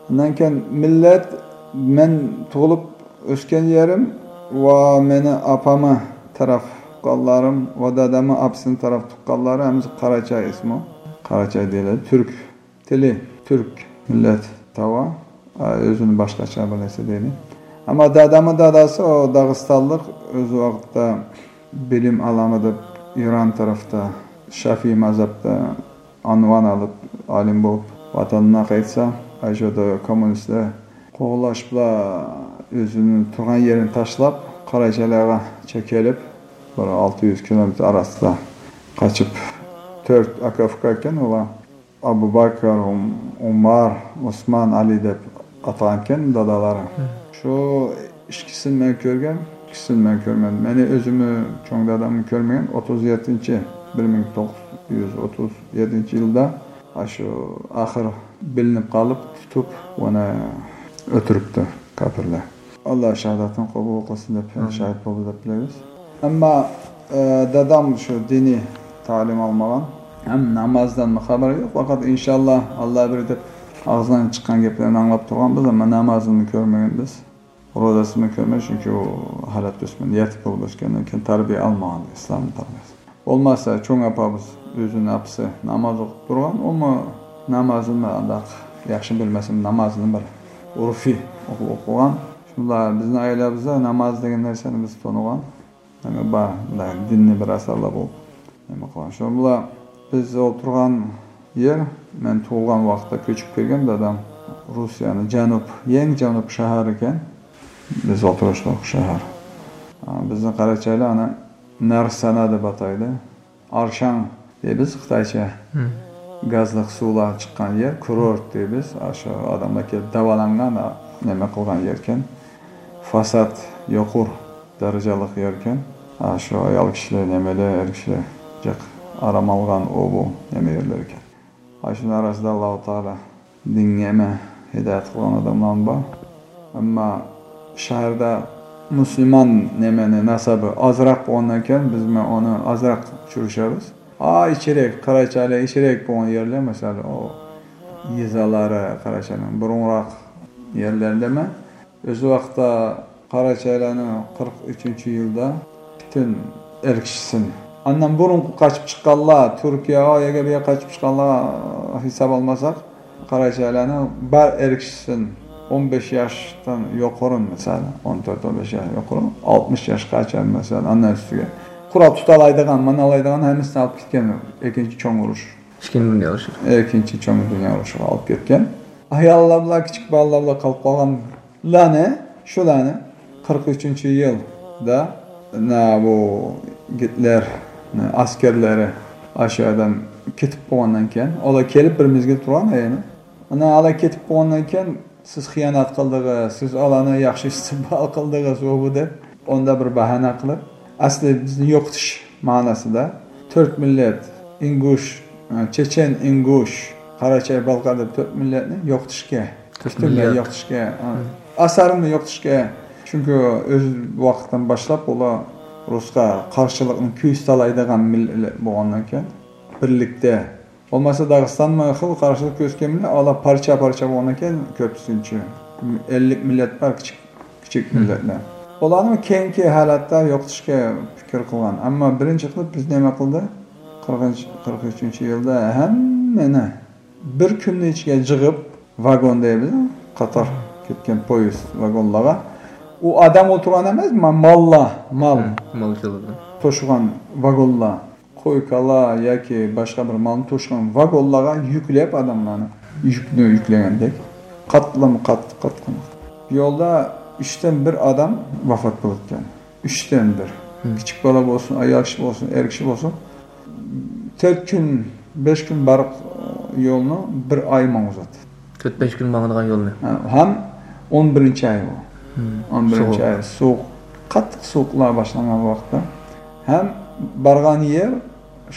ئاندىن كېيىن مىللەت، مەن تۇغۇلۇپ ئۆسكەن يېرىم ۋە مېنى ئاپامنىڭ تەرەپ تۇغقانلىرىم ۋە دادامنىڭ ئاپىسىنىڭ تەرەپ تۇغقانلىرى ھەممىسى قاراچاي ئىسمى. قاراچاي دېيىلىدۇ. تۈرك تىلى، تۈرك مىللەت تاۋا، ئۆزىنى باشقىچە بىر نەرسە دەيدۇ. ئەمما دادامنىڭ داداسى ئۇ داغىستانلىق، ئۆز ۋاقتىدا بىلىم ئالامەن دەپ ئىران تەرەپتە شافىي مەزھەپتە ئۇنۋان ئېلىپ، ئالىم بولۇپ، ۋەتىنىگە قايتسا، ئاشۇ يەردە كوممۇنىستلار قوغلاشىپلا ئۆزىنىڭ تۇرغان يېرىنى تاشلاپ، قاراچايلارغا چېكىلىپ، بىر ئالتە يۈز كىلومېتىر ئارىسىدا قاچىپ، تۆت ئاكا ئۇكا ئىكەن ئۇلار. ئابۇ بەكىر، ئۇم-، ئۇمار، ئوسمان، ئەلى دەپ ئاتىغانىكەن دادالار. مم. شۇ ئىككىسىنى مەن كۆرگەن، ئىككىسىنى مەن كۆرمىدىم. مېنى ئۆزۈمنى، چوڭ دادامنى كۆرمىگەن. ئوتتۇز يەتتىنچى، بىر مىڭ توققۇز يۈز ئوتتۇز يەتتىنچى يىلدا ئاشۇ ئاخىر بىلىنىپ قېلىپ، تۇتۇپ، ئۇنى ئۆلتۈرۈپتۇ كاپىرلار. ئاللا شاھادەتنى قوبۇل قىلسۇن دەپ، ئامىن. شاھىت بولدى دەپ بىلىمىز. ئەمما، ئە، دادام شۇ دىنىي تەلىم ئالمىغان، ھەم نامازدىن خەۋىرى يوق. پەقەت ئىنشاللا، ئاللا بىر دەپ ئاغزىدىن چىققان گەپلەرنى ئاڭلاپ تۇرغان بىز، ئەمما نامازىنى كۆرمىگەن بىز. روزىسىنى كۆرمەي، چۈنكى ئۇ ھالەتتە ئۆسمىدى، يېتىم بولۇپ ئۆسكەندىن كېيىن تەربىيە ئالمىغان، ئىسلام تەربىيەسى. بولماسا چوڭ ئاپىمىز، ئۆزىنىڭ ئاپىسى ناماز ئوقۇپ تۇرغان، ئۇمۇ نامازىنى ئانداق ياخشى بىلمەسمۇ، نامازىنى بىر ئۇرفىي ئوقۇپ، ئوقۇغان. بۇلار بىزنىڭ ئائىلىمىزدە ناماز دېگەن نەرسىنى بىز تونۇغان. يەنى بار، بۇنداق دىننى بىر ئاساسلىق بولۇپ نېمە قىلغان. شۇ بىلەن بىز ئولتۇرغان يەر، مەن تۇغۇلغان ۋاقىتتا كۆچۈپ كەلگەن دادام روسىيەنىڭ جەنۇب، يەڭ جەنۇب شەھىرى ئىكەن. بىز ئولتۇرۇشلۇق شەھەر. ئا، بىزنىڭ قاراچايلار ئانا نارسانا دەپ ئاتايدۇ. ئارشاڭ دەيمىز خىتايچە. گازلىق سۇلار چىققان يەر، كۇرورت دەيمىز. ئاشۇ ئادەملەر كېلىپ داۋالانغان، نېمە قىلغان يەركەن. فاساد يۇقىرى دەرىجىلىك يەركەن. ئاشۇ ئايال كىشىلەر، نېمىلەر، ئەر كىشىلەر جىق ئارام ئالغان ئۇ بۇ نېمە يەرلەركەن. ئاشۇنىڭ ئارىسىدا ئاللاھۇ تائالا دىنگە ھىدايەت قىلغان ئادەملەرمۇ بار. ئەمما شەھەردە مۇسۇلمان نېمىنى ناسابى ئازراق بولغاندىن كېيىن، بىزمۇ ئۇنى ئازراق ئۇچرىشىمىز. ئا، ئىچىرەك، قاراچايلار ئىچىرەك بولغان يەرلەر، مەسىلەن، ئۇ يېزىلار، قاراچاينىڭ بۇرۇنراق يەرلەردىمۇ. ئۆز ۋاقتىدا قاراچايلارنىڭ قىرىق ئۈچىنچى يىلدا پۈتۈن ئەر كىشىسىنى. ئاندىن بۇرۇنقى قاچىپ چىققانلار، تۈركىيە، ئا يەرگە، بۇ يەرگە قاچىپ چىققانلار ھېساب ئالمىساق، قاراچايلارنىڭ بار ئەر كىشىسىنى ئون بەش ياشتىن يۇقىرى، مەسىلەن، ئون تۆت، ئون بەش ياش يۇقىرى، ئالتمىش ياشقىچە، مەسىلەن، ئاندىن ئۈستىگە قورال تۇتالايدىغان، مانالايدىغان ھەممىسىنى ئاپكەتكەن ئىككىنچى چوڭ ئۇرۇش. ئىككىنچى دۇنيا ئۇرۇشى. ئىككىنچى چوڭ دۇنيا ئۇرۇشىغا ئاپكەتكەن. ئاياللار بىلەن، كىچىك بالىلار بىلەن قېلىپ قالغانلارنى، شۇلارنى قىرىق ئۈچىنچى يىلدا، نا، بۇ گىتلېرنىڭ ئەسكەرلىرى ئاشۇ يەردىن كېتىپ بولغاندىن كېيىن، ئۇلار كېلىپ بىر مەزگىل تۇرغان يەنە. ئانا ئۇلار كېتىپ بولغاندىن كېيىن، سىز خىيانەت قىلدىڭىز، سىز ئۇلارنى ياخشى ئىستىقبال قىلدىڭىز، ئۇ بۇ دەپ، ئۇنداق بىر باھانە قىلىپ، ئەسلى بىزنى يوقىتىش مەنىسىدە تۈرك مىللەت، ئىنگۇش، چېچەن، ئىنگۇش، قاراچاي، بالقار دەپ تۆت مىللەتنى يوقىتىشكە، تۆت پۈتۈنلەي مىللەت. يوقىتىشكە، ئاسارىنى يوقىتىشكە. چۈنكى ئۆز ۋاقتىدىن باشلاپ ئۇلار رۇسقا قارشىلىقنى كۆرسىتەلەيدىغان مىللەت بولغاندىن كېيىن، بىرلىكتە بولمىسا، داغىستانمۇ خېلى قارشىلىق كۆرسەتكەن بىلەن، ئۇلار پارچە-پارچە بولغاندىن كېيىن، كۆپىنچە ئەللىك مىللەت بار، كىچىك، كىچىك مىللەتلەر. ئۇلارنى كېيىنكى ھالەتتە يوقىتىشقا پىكىر قىلغان. ئەمما بىرىنچى قىلىپ بىز نېمە قىلدى؟ قىرىقىنچى، قىرىق ئۈچىنچى يىلدا ھەممىنى بىر كۈننىڭ ئىچىگە جىغىپ، ۋاگون دەيمىز، قاتار كەتكەن پويىز ۋاگونلارغا. ئۇ ئادەم ئولتۇرغان ئەمەس، ما-، ماللار، مال. مال چالىدۇ. توشۇغان ۋاگونلار. قوي-كالا ياكى باشقا بىر مالنى توشۇغان ۋاگونلارغا يۈكلەپ ئادەملارنى، يۈكنى يۈكلىگەندەك قاتلىما قات، قاتلىما. يولدا ئۈچتىن بىر ئادەم ۋاپات بولۇپتىكەن. ئۈچتىن بىر. كىچىك بالا بولسۇن، ئايال كىشى بولسۇن، ئەر كىشى بولسۇن، تۆت كۈن، بەش كۈن بارغان يولنى بىر ئاي ماڭغۇزاتتى. تۆت-بەش كۈن ماڭىدىغان يولنى. ھە، ھەم ئون بىرىنچى ئاي بۇ. ئون بىرىنچى ئاي سوغۇق، قاتتىق سوغۇقلار باشلانغان ۋاقىتتا. ھەم بارغان يەر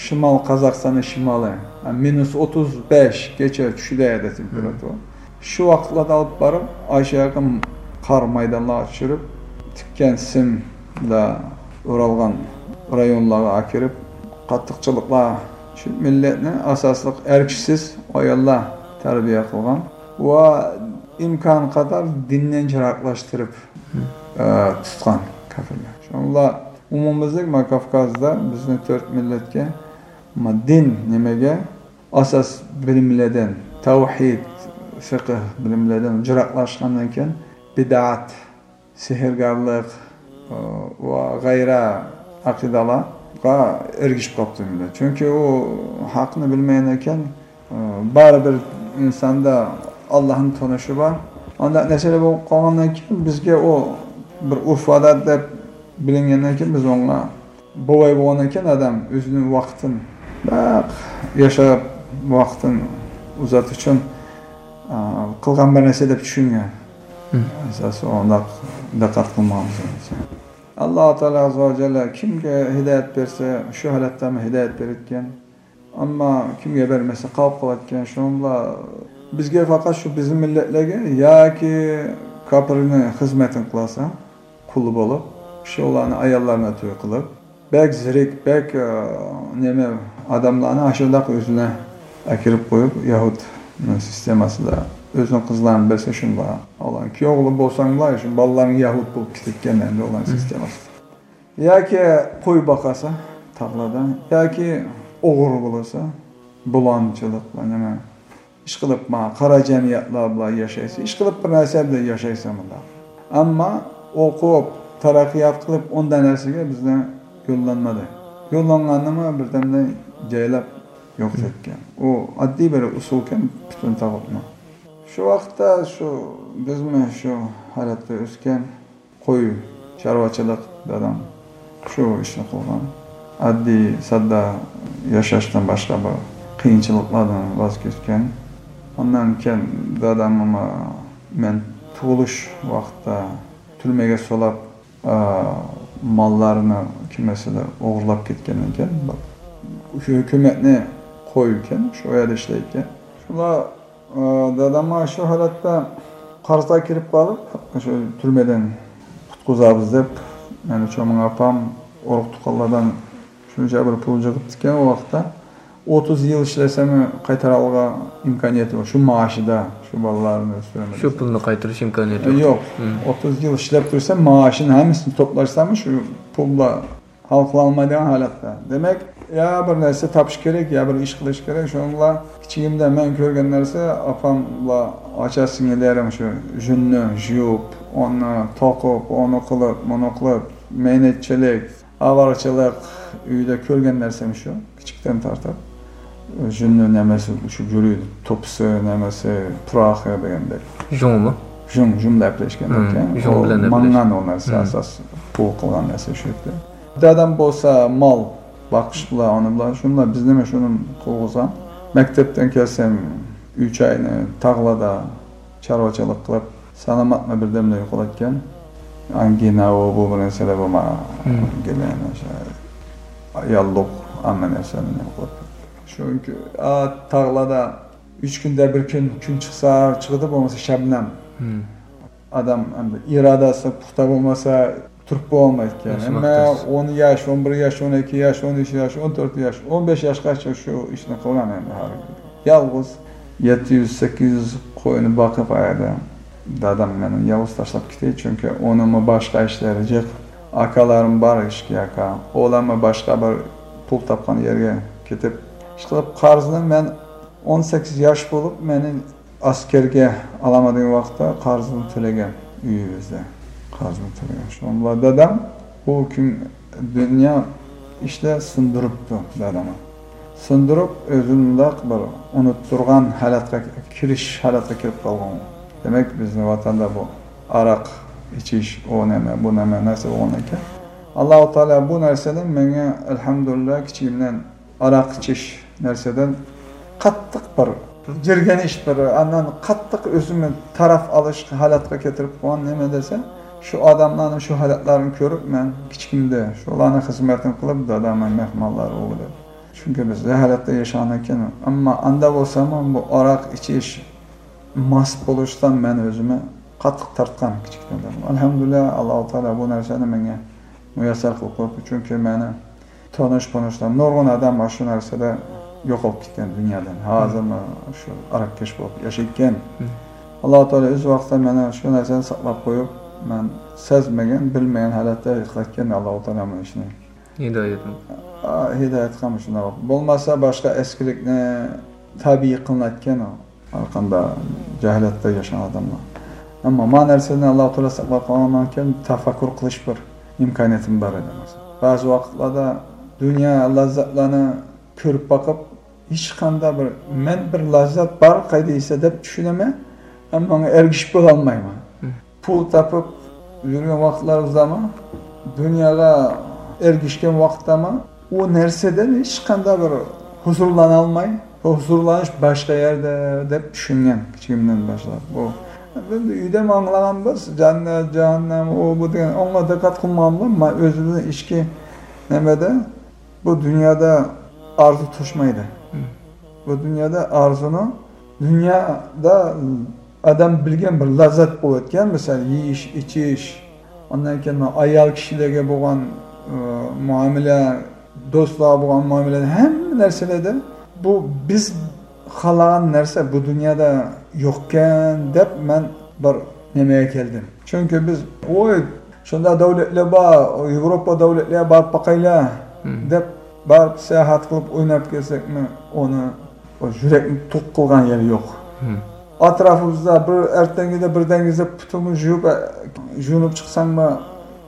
شىمال، قازاقىستاننىڭ شىمالى. ھە، مىنۇس ئوتتۇز بەش كەچە چۈشىدۇ يەردە تېمپېراتۇرا. شۇ ۋاقىتلاردا ئېلىپ بارىپ، ئاشۇ ياققا قار مايدانلارغا چۈشۈرۈپ، تىككەن سىم بىلەن ئورالغان رايونلارغا ئەكىرىپ، قاتتىقچىلىقلار، شۇ مىللەتنى ئاساسلىق ئەر كىشىسىز ئاياللار تەربىيە قىلغان ۋە ئىمكان قەدەر دىندىن يىراقلاشتۇرۇپ، ئە، تۇتقان كاپىرلار. شۇڭلار ئومۇميۈزلۈك ما كاۋكازدا بىزنى تۆت مىللەتكە ما دىن نېمىگە ئاساس بىلىملەردىن، تەۋھىد، فىقھ بىلىملەردىن يىراقلاشقاندىن كېيىن، بىدئەت، سېھىرگەرلىك، ئى، ۋە غەيرە ئەقىدىلەرگە ئەگىشىپ قاپتۇ مىللەت. چۈنكى ئۇ ھەقنى بىلمەيدىكەن، ئى، بارىبىر ئىنساندا ئاللاھنىڭ تونۇشى بار. ئانداق نەرسىلەر بولۇپ قالغاندىن كېيىن بىزگە ئۇ بىر ئۇرف-ئادەت دەپ بىلىنگەندىن كېيىن بىز ئۇنىڭغا بوۋاي بولغاندىن كېيىن ئادەم ئۆزىنىڭ ۋاقتىنى، بەك ياشاپ، ۋاقتىنى ئۇزارتىش ئۈچۈن، ئا، قىلغان بىر نەرسە دەپ چۈشەنگەن. ئەساسى ئۇنداق دىققەت قىلمىغان بىز. ئاللاھ تائالا ئەززە ۋە جەللە كىمگە ھىدايەت بەرسە، شۇ ھالەتتە ھىدايەت بېرىدىكەن. ئەمما كىمگە بەرمىسە، قاپقاپتىكەن. شۇنىڭ بىلەن بىزگە پەقەت شۇ بىزنىڭ مىللەتلەرگە ياكى كاپىرنىڭ خىزمىتىنى قىلالىسا، قۇلى بولۇپ، شۇلارنى ئاياللارنى توي قىلىپ، بەك زېرەك، بەك، ئە، نېمە، ئادەملەرنى ئاشۇنداق ئۆزىنى ئەكىرىپ قويۇپ، يەھۇد سىستېماسىدا ئۆزىنىڭ قىزلارنى بەرسە شۇنداق. ئۇلارنى كۈيەۋ قىلىپ بولساڭلار، شۇ بالىلارنىڭ يەھۇد بولۇپ كېتىدىكەن ئەمدى ئۇلارنىڭ سىستېماسىدا. ياكى قوي باقاسا تاغلاردا، ياكى ئوغرى بولسا، بۇلاڭچىلىق، نېمە، ئىشقىلىپ، ما، قارا جەمئىيەتلەر بىلەن ياشايسەن، ئىشقىلىپ بىر نەرسە بىلەن ياشايسەن مۇنداق. ئەمما ئوقۇپ، تەرەققىيات قىلىپ، ئۇنداق نەرسىگە بىزنى يوللانمىدى. يوللانغاننىمۇ بىردەمدە جايلاپ يوقىتىۋەتكەن. ئۇ ئاددىي بىر ئۇسۇلكەن پۈتۈن تاغۇتنىڭ. شۇ ۋاقىتتا شۇ بىزمۇ شۇ ھالەتتە ئۆسكەن، قوي چارۋىچىلىق دادام شۇ ئىشنى قىلغان. ئاددىي ساددا ياشاشتىن باشقا بىر قىيىنچىلىقلاردىن ۋاز كەچكەن. ئاندىن كېيىن داداممۇ مەن تۇغۇلۇش ۋاقتىدا تۈرمىگە سولاپ، ئا، ماللارنى كىمسىلەر ئوغرىلاپ كەتكەندىن كېيىن، شۇ ھۆكۈمەتنى قويۇۋەتكەن، شۇ يەردە ئىشلەيدىكەن. شۇلار، ئا، دادامغا شۇ ھالەتتە قەرزگە كىرىپ قالىپ، شۇ تۈرمىدىن قۇتقۇزارمىز دەپ، مېنىڭ چوماڭ ئاپام، ئۇرۇق تۇغقانلاردىن شۇنچە بىر پۇل يىغىپتىكەن ئۇ ۋاقىتتا. ئوتتۇز يىل ئىشلىسەم قايتۇرالغان ئىمكانىيىتى بار. شۇ مائاشىدا شۇ بالىلارنى ئۆستۈرىمىز. شۇ پۇلنى قايتۇرۇش ئىمكانىيىتى يوق. يوق. مم. ئوتتۇز يىل ئىشلەپ تۇرسا، مائاشىنى ھەممىسىنى توپلاشساممۇ شۇ پۇل بىلەن ھەل قىلالمايدىغان ھالەتتە. دېمەك، يا بىر نەرسە تاپىش كېرەك، يا بىر ئىش قىلىش كېرەك. شۇنىڭ بىلەن كىچىكىمدە مەن كۆرگەن نەرسە، ئاپام بىلەن ئاچا سىڭىللىرىم شۇ جۈننى يۇيۇپ، ئۇنى توقۇپ، ئۇنى قىلىپ، مۇنى قىلىپ، مەينەتچىلىك، ئاۋارىچىلىق، ئۆيدە كۆرگەن نەرسەم شۇ. كىچىكتىن تارتىپ، جۈننى نېمىسى، شۇ گۈرۈ، توپىسى، نېمىسى، پۇراقى دېگەندەك. ژۇڭمۇ؟ ژۇڭ، ژۇڭ دەپ ئەپلەشكەن مم، ئىكەن. ژۇڭ ئۇ بىلەن ئەپلەش. ماڭغان ئۇ نەرسە، مم. ئاساس پۇل قىلغان نەرسە شۇ ئىدى. دادام بولسا مال باقىش بىلەن، ئۇنى بىلەن، شۇنىلا بىزنىمۇ شۇنى قىلغۇزغان. مەكتەپتىن كەلسەم، ئۈچ ئاينى تاغلاردا چارۋىچىلىق قىلىپ، سالامەتمۇ بىردەمدە يوقىلىدىكەن. ئانگىنا، ئۇ بۇ بىر نەرسىلەر بولما. مم. ئانگىنا، ياللۇغ، ھەممە نەرسىلەرنى نېمە قىلىپ. چۈنكى، ئا، تاغلاردا ئۈچ كۈندە بىر كۈن، كۈن چىقسا چىقىدۇ، بولمىسا شەبنەم. مم. ئادەم ئەمدى ئىرادىسى پۇختا بولمىسا، تۇرۇپ بولمايدىكەن. ياشىماق ھەممە تەس. ئون ياش، ئون بىر ياش، ئون ئىككى ياش، ئون ئۈچ ياش، ئون تۆت ياش، ئون بەش ياشقىچە شۇ ئىشنى قىلغان ئەمدى ھازىر. يالغۇز يەتتە يۈز، سەككىز يۈز قوينى باقىپ ئايادا دادام مېنى يالغۇز تاشلاپ كېتەي، چۈنكى ئۇنىڭمۇ باشقا ئىشلىرى جىق. ئاكىلىرىم بار، ئىككى ئاكا. ئۇلارمۇ باشقا بىر پۇل تاپقان يەرگە كېتىپ، ئىشقىلىپ قەرزنى مەن ئون سەككىز ياش بولۇپ، مېنى ئەسكەرگە ئالامەن دېگەن ۋاقىتتا قەرزنى تۆلىگەن ئۆيىمىزدە. قەرزنى تۆلىگەن. شۇنىڭ بىلەن دادام بۇ كۈن دۇنيا ئىشلار سۇندۇرۇپتۇ دادامنى. سۇندۇرۇپ، ئۆزىنى مۇنداق بىر ئۇنتۇرغان ھالەتكە كىرىش ھالەتكە كىرىپ قالغان. دېمەك، بىزنىڭ ۋەتەندە بۇ ئاراق ئىچىش، ئۇ نېمە، بۇ نېمە نەرسە بولغان ئىكەن. ئاللاھۇ تائالا بۇ نەرسىنى ماڭا، ئەلھەمدۇلىللا، كىچىكىمدىن ئاراق ئىچىش نەرسىدىن قاتتىق بىر جىرگەنىش، بىر ئاندىن قاتتىق ئۆزۈمنى تەرەپ ئېلىش ھالەتكە كەلتۈرۈپ قويغان. نېمە دېسە، شۇ ئادەملەرنىڭ شۇ ھالەتلەرنى كۆرۈپ، مەن كىچىكىمدە شۇلارنىڭ خىزمىتىنى قىلىپ، دادامنىڭ مېھمانلىرى بولۇپ. چۈنكى بىز ھالەتتە ياشىغاندىكىن، ئەمما ئاندا بولساممۇ بۇ ئاراق ئىچىش، ماس بولۇشتىن مەن ئۆزۈمنى قاتتىق تارتقان كىچىكتىن. ئەلھەمدۇلىللا، ئاللاھۇ تائالا بۇ نەرسىنى ماڭا مۇيەسسەر قىلىپ قويۇپتۇ. چۈنكى مېنى تونۇش-پونۇشلار، نۇرغۇن ئادەم مانا شۇ نەرسىدە يوقاپ كەتكەن دۇنيادىن. ھازىرمۇ شۇ ئاراقكەش بولۇپ ياشايدىكەن. مم. ئاللاھۇ تائالا ئۆز ۋاقتىدا مېنى شۇ نەرسىدىن ساقلاپ قويۇپ، مەن سەزمىگەن، بىلمىگەن ھالەتتە يىقىلىۋەتكەن ئاللاھۇ تائالا مانا شۇنى. ھىدايەتنى. ئا، ھىدايەت قىلمىسۇن. بولمىسا باشقا ئەسكىلىكنى تەبىئىي قىلىنىۋەتكەن ئۇ. ھەرقانداق جاھىلەتتە ياشىغان ئادەملەر. ئەمما ما نەرسىدىن ئاللاھۇ تائالا ساقلاپ قالغاندىن كېيىن تەپەككۇر قىلىش بىر ئىمكانىيىتىم بار ئىدى. بەزى ۋاقىتلاردا دۇنيا لەززەتلەرنى كۆرۈپ باقىپ، ھېچقانداق بىر، مەن بىر لەززەت بار قايدا دېسە دەپ چۈشىنىمەن، ئەمما ماڭا ئەگىشىپ بولالمايمەن. مم. پۇل تاپىپ يۈرگەن ۋاقىتلىرىمىزدامۇ، دۇنياغا ئەگىشكەن ۋاقىتتامۇ، ئۇ نەرسىدىن ھېچقانداق بىر ھۇزۇرلىنالماي، ھۇزۇرلىنىش باشقا يەردە دەپ چۈشەنگەن كىچىكىمدىن باشلاپ. بۇ ئەمدى ئۆيدە ئاڭلىغانبىز، جەننەت، جەھەننەم، ئۇ، بۇ دېگەن، ئۇنىڭغا دىققەت قىلمىغانمۇ، مەن ئۆزىمىزنىڭ ئىچكى نېمىدە، بۇ دۇنيادا ئارزۇ توشمايدۇ. مم. بۇ دۇنيادا ئارزۇنى، دۇنيادا ئادەم بىلگەن بىر لەززەت بولۇۋەتكەن، مىسال، يېيىش، ئىچىش، ئاندىن كېيىن ئايال كىشىلەرگە بولغان، ئى، مۇئامىلە، دوستلارغا بولغان مۇئامىلە، ھەممە نەرسىلەردە بۇ بىز خالىغان نەرسە بۇ دۇنيادا يوقكەن دەپ مەن بىر نېمىگە كەلدىم. چۈنكى بىز، ۋوي، شۇنداق دۆلەتلەر بار، ياۋروپا دۆلەتلىرىگە بارىپ باقايلى، مم. دەپ بارىپ ساياھەت قىلىپ ئويناپ كەلسەكمۇ، ئۇنى، ئۇ يۈرەكنى توق قىلغان يېرى يوق. مم. ئەتراپىمىزدا بىر ئەرتەنگىدە بىر دەڭگىزدە پۇتۇڭنى يۇيۇپ، يۇيۇنۇپ چىقساڭمۇ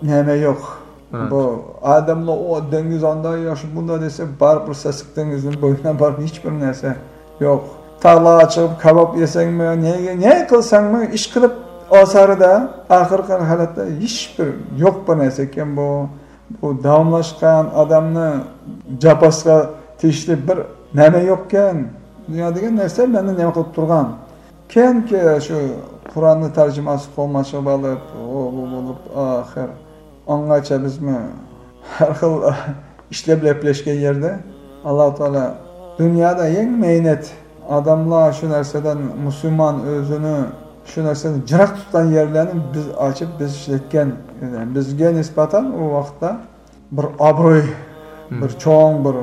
نېمە يوق. بۇ ئادەملەر ئۇ دەڭگىز ئانداق ياخشى، بۇنداق دېسە، بارىبىر سەسلىك دېڭىزنىڭ بويىنا بارىدۇ، ھېچبىر نەرسە يوق. تاغلارغا چىقىپ كاۋاپ يېسەڭمۇ، نېمە، نېمە قىلساڭمۇ، ئىشقىلىپ ئاسارىدا ئاخىرقى ھالەتتە ھېچبىر يوق بىر نەرسە ئىكەن بۇ. بۇ داۋاملاشقان ئادەمنى جاپاسىغا تېگىشلىك بىر نېمە يوقكەن. دۇنيا دېگەن نەرسە مەندە نېمە قىلىپ تۇرغان. كېيىنكى شۇ قۇرئاننى تەرجىمىسى قولىمىزغا ئېلىپ، ئۇ بۇ بولۇپ، ئاخىر ئاڭغىچە بىزمۇ ھەر خىل ئىشلار بىلەن گەپلەشكەن يەردە، ئاللا تائالا دۇنيادا ئەڭ مەينەت ئادەملەر شۇ نەرسىدىن، مۇسۇلمان ئۆزىنى شۇ نەرسىدىن يىراق تۇتقان يەرلەرنى بىز ئاچىپ، بىز ئىشلەتكەن. بىزگە نىسبەتەن ئۇ ۋاقىتتا بىر ئابرۇي، بىر چوڭ، بىر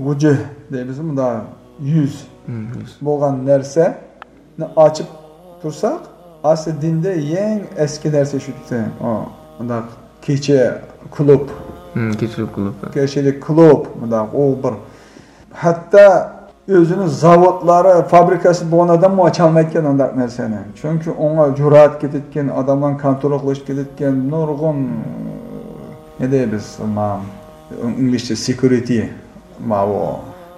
ۋۇجۇھ دەيمىز، مۇنداق يۈز بولغان نەرسىنى ئاچىپ تۇرساق، ئەسلى دىندا ئەڭ ئەسكى نەرسە شۇ. ئۇ مۇنداق كېچە كلۇب. كېچىلىك كلۇب. كېچىلىك كلۇب، مۇنداق ئۇ بىر. ھەتتا ئۆزىنىڭ زاۋۇتلىرى، فابرىكىسى بولغان ئادەممۇ ئاچالمايدىكەن ئۇنداق نەرسىنى. چۈنكى ئۇنىڭغا جۈرئەت كېتىدىكەن، ئادەملەرنى كونترول قىلىش كېتىدىكەن، نۇرغۇن، نېمە دەيمىز، ئىنگلىزچە سېكيۇرىتى، ماۋۇ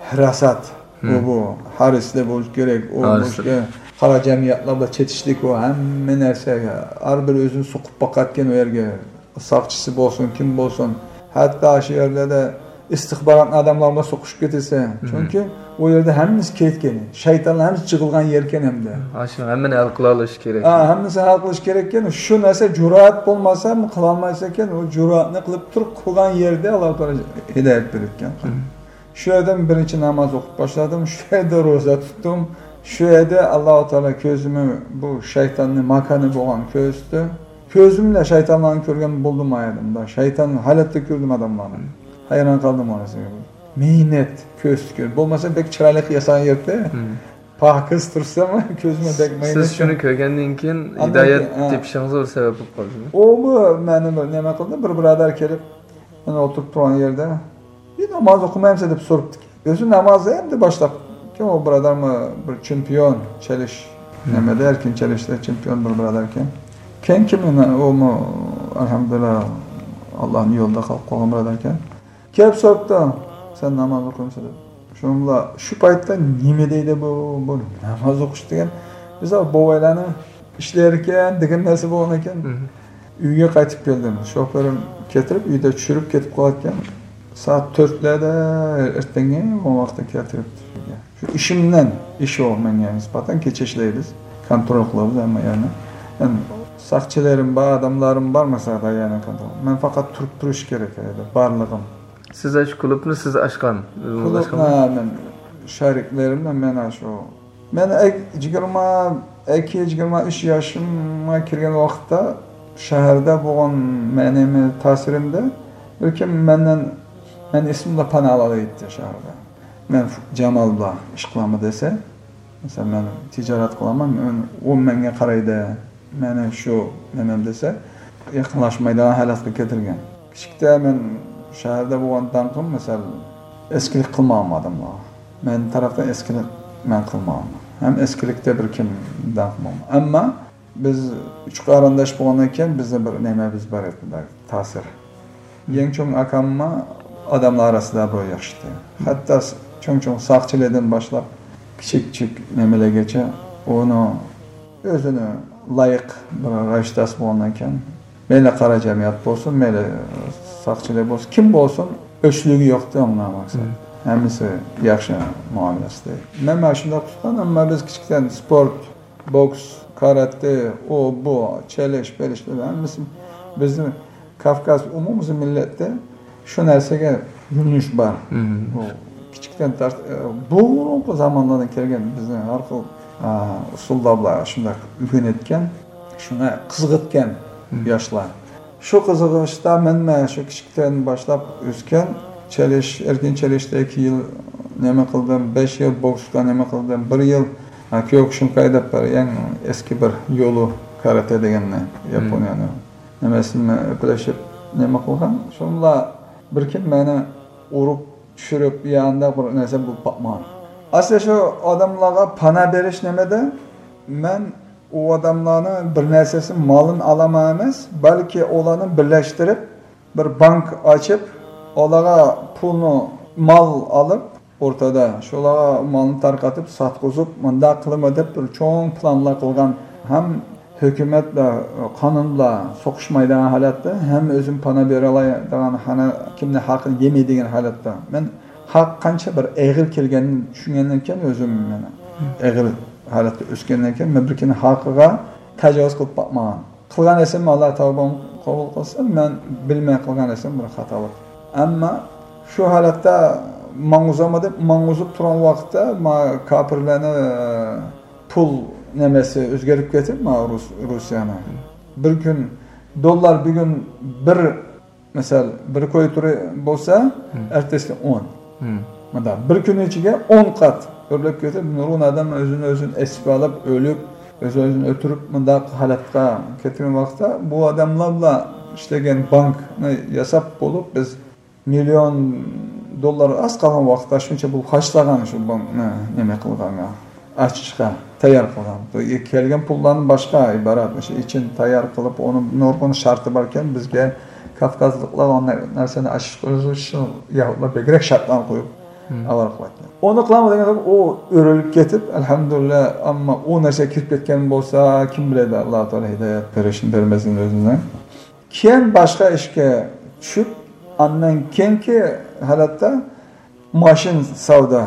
ھاراسەت، ئۇ بۇ ھارسلار بولۇش كېرەك، ئۇ بولۇش كېرەك، قارا جەمئىيەتلەر بىلەن چېتىشلىك، ئۇ ھەممە نەرسە، ھەر بىر ئۆزىنى سوقۇپ باقاتتىكەن ئۇ يەرگە. ساقچىسى بولسۇن، كىم بولسۇن، ھەتتا شۇ يەرلەردە ئىستىخبارات ئادەملەر بىلەن سوقۇشۇپ كېتىسەن. چۈنكى ئۇ يەردە ھەممىسى كېلىدىكەن، شەيتانلار ھەممىسى جىغىلغان يەركەن ئەمدى. ھاشىم، ھەممىنى ھەل قىلالىش كېرەك. ھا، ھەممىسىنى ھەل قىلىش كېرەككەن. شۇ نەرسە جۈرئەت بولمىسا، قىلالمايسەن، ئۇ جۈرئەتنى قىلىپ تۇرۇپ قىلغان يەردە ئاللا تائالا ھىدايەت بېرىدىكەن. شۇ يەردىن بىرىنچى ناماز ئوقۇپ باشلىدىم، شۇ يەردە روزا تۇتتۇم، شۇ يەردە ئاللا تائالا كۆزۈمنى بۇ شەيتاننى ماكانى بولغان كۆرسىتتى. كۆزۈم بىلەن شەيتانلارنى كۆرگەن بولدۇم ئايەتىمدە. شەيتان ھالەتتە كۆردۈم ئادەملارنى. ھەيران قالدىم ئۇ نەرسىگە. مەينەت كۆرسىتىپ كۆردۈم. بولمىسا بەك چىرايلىق ياسىغان يەردە پاكىز تۇرسام كۆزۈمگە بەك مەينەت. سىز شۇنى كۆرگەندىن كېيىن ھىدايەت تېپىشىڭىزغا بىر سەۋەب بولۇپ قالدىمۇ؟ ئۇمۇ مېنى بىر نېمە قىلدى، بىر بۇرادەر كېلىپ، مەن ئولتۇرۇپ تۇرغان يەردە، بىر ناماز ئوقۇمامسەن دەپ سوراپتىكەن. ئۆزى نامازدا ئەمدى باشلاپ. كېيىن ئۇ بۇرادەرمۇ بىر چېمپىيون، چېلىش نېمىدە، ئەركىن چېلىشتا چېمپىيون بىر بۇرادەركەن. كېيىن كىم ئۇمۇ، ئەلھەمدۇلىللا، ئاللانىڭ يولىدا قالىپ قالغان بۇرادەركەن. كېلىپ سوراپتۇ، سەن ناماز ئوقۇيمىسەن دەپ. شۇنىڭ بىلەن شۇ پايتتا نېمە دەيدۇ بۇ، بۇ ناماز ئوقۇش دېگەن، بىز بوۋايلارنىڭ ئىشلىرىكەن دېگەن نەرسە بولغان ئىكەن. ئۈيگە قايتىپ كەلدىم. شوپۇرۇم كەلتۈرۈپ، ئۆيدە چۈشۈرۈپ كېتىپ قالغانىكەن. سائەت تۆتلەردە ئەتىگەنلىكى ئۇ ۋاقىتتا كەلتۈرۈپتۇ ئۆيگە. شۇ ئىشىمدىن، ئىش ئۇ ماڭا نىسبەتەن كېچە ئىشلەيمىز. كونترول قىلىمىز ھەممە يەرنى. يەنى ساقچىلىرىم بار، ئادەملىرىم بار، مەسىلەن، يەنى كونترول. مەن پەقەت تۇرۇپ تۇرۇش كېرەك ئىدى، بارلىقىم. سىز ئاشۇ كۇلۇبنى سىز ئاچقان، ئۆزىڭىز ئاچقانمۇ؟ كۇلۇبنى مەن شېرىكلىرىم بىلەن مەن ئاشۇ. مەن ئەك-، يىگىرمە ئىككى، يىگىرمە ئۈچ ياشىمغا كىرگەن ۋاقىتتا شەھەردە بولغان مەنىۋى تەسىرىمدە بىر كىم مەندىن، مەن ئېسىمدە پانا ئالالايتتى شەھەردە. مەن جامال بىلەن ئىش قىلامەن دېسە، مەسىلەن، مەن تىجارەت قىلىمەن، مەن، ئۇ مەنگە قارايدۇ، مېنى شۇ نېمەم دېسە، يېقىنلاشمايدىغان ھالەتكە كەلتۈرگەن. كىچىكتە مەن شەھەردە بولغان داڭقىم، مەسىلەن، ئەسكىلىك قىلمىغان ئادەملەر. مەن تەرەپتىن ئەسكىلىك مەن قىلمىغان. ھەم ئەسكىلىكتە بىر كىم داڭقىم بولمىغان. ئەمما بىز ئۈچ قېرىنداش بولغاندىن كېيىن بىزنىڭ بىر نېمىمىز بار ئىدى، تەسىر. يەڭ چوڭ ئاكاممۇ ئادەملەر ئارىسىدا بىر ياخشى ئىدى. ھەتتا س-، چوڭ-چوڭ ساقچىلاردىن باشلاپ كىچىك-كىچىك نېمىلەرگىچە ئۇنىڭ ئۆزىنى لايىق بىر رايىشداس بولغاندىن كېيىن، مەيلى قارا جەمئىيەت بولسۇن، مەيلى ساقچىلار بولسۇن، كىم بولسۇن، ئۆچلۈكى يوقتى ئۇنىڭ ماڭسا. ھەممىسى ياخشى مۇئامىلىسىدە. مەن مانا شۇنداق تۇتقان، ئەمما بىز كىچىكتىن سپورت، بوكس، كاراتې، ئۇ، بۇ، چېلىش، پېلىش، ھەممىسى بىزنى كاۋكاز ئومۇمىي مىللەتتە شۇ نەرسىگە يۆنىلىش بار. بۇ كىچىكتىن تارت-، بۇرۇنقى زامانلاردىن كەلگەن بىزنىڭ ھەر خىل، ئا، ئۇسۇلدا بۇلار شۇنداق ئۆگىنىۋەتكەن، شۇڭا قىزىقىدىكەن ياشلار. شۇ قىزىقىشتا مەنمۇ شۇ كىچىكتىن باشلاپ ئۆسكەن، چېلىش، ئەركىن چېلىشتا ئىككى يىل نېمە قىلدىم، بەش يىل بوكسقا نېمە قىلدىم، بىر يىل، ھە، كيوكۇشىنكاي دەپ بىر يەڭ ئەسكى بىر يولى كاراتې دېگەننى، ياپونىيەنى نېمىسىنى ئۆپلىشىپ نېمە قىلغان. شۇنىڭلا بىر كۈن مېنى ئۇرۇپ چۈشۈرۈپ، يا ئانداق بىر نەرسە بولۇپ باقمىغان. ئەسلى شۇ ئادەملەرگە پانا بېرىش نېمىدە؟ مەن ئۇ ئادەملەرنىڭ بىر نەرسىسى مالىنى ئالىمەن ئەمەس، بەلكى ئۇلارنى بىرلەشتۈرۈپ، بىر بانك ئاچىپ، ئۇلارغا پۇلنى، مال ئالىپ، ئوتتۇرىدا شۇلارغا مالنى تارقىتىپ، ساتقۇزۇپ، مۇنداق قىلىمەن دەپ بىر چوڭ پىلانلار قىلغان. ھەم ھۆكۈمەت بىلەن، قانۇن بىلەن سوقۇشمايدىغان ھالەتتە، ھەم ئۆزۈم پانا بېرەلەيدىغان، ھەنە كىمنى ھەققىنى يېمەيدىغان ھالەتتە. مەن ھەق قانچە بىر ئېغىر كەلگەننى چۈشەنگەندىن كېيىن، ئۆزۈم مەن ئېغىر ھالەتتە ئۆسكەندىن كېيىن، مەن بىر كىمنىڭ ھەققىگە تاجاۋۇز قىلىپ باقمىغان. قىلغان ئىشىم ئاللا تەۋبەم قوبۇل قىلسۇن، مەن بىلمەي قىلغان ئىشىم بىر خاتالىق. ئەمما شۇ ھالەتتە ماڭغۇزامدۇ دەپ ماڭغۇزۇپ تۇرغان ۋاقىتتا، ما كاپىرلارنى پۇل نېمىسى ئۆزگىرىپ كېتىپ، ما رۇس-، روسىيەنى. بىر كۈن دوللار، بۈگۈن بىر، مىسال، بىر كوي تۇرى بولسا، ئەتىسى ئون. مۇنداق بىر كۈن ئىچىگە ئون قات ئۆرلەپ كېتىپ، نۇرغۇن ئادەم ئۆزىنى ئۆزىنى ئېسىپ ئېلىپ، ئۆلۈپ، ئۆز-ئۆزىنى ئۆلتۈرۈپ، مۇنداق ھالەتكە كەتكەن ۋاقىتتا، بۇ ئادەملەر بىلەن ئىشلىگەن بانكنى ياساپ بولۇپ، بىز مىليون دوللار ئاز قالغان ۋاقىتتا شۇنچە پۇل خەجلىگەن، شۇ بانكنى نېمە قىلغانغا، ئاچىشقا تەييار قىلغان. بۇ كەلگەن پۇللارنى باشقا ئىبارەت، مۇشۇ ئىچىنى تەييار قىلىپ، ئۇنىڭ نۇرغۇن شەرتى باركەن، بىزگە كاۋكازلىقلار ئۇنداق نەرسىنى ئاچىشقا ئۆزى ئۈچۈن يەھۇدلار بەكرەك شەرتلەرنى قويۇپ، ئاۋارە قىلىۋەتكەن. ئۇنى قىلالمىدىغان ئۇ ئۆرۈلۈپ كېتىپ، ئەلھەمدۇلىللا، ئەمما ئۇ نەرسە كىرىپ كەتكەن بولسا، كىم بىلەيدۇ، ئاللا تائالا ھىدايەت بېرىشنى، بەرمەسلىكىنى ئۆزىنى. كېيىن باشقا ئىشكە چۈشۈپ، ئاندىن كېيىنكى ھالەتتە ماشىنا سودا،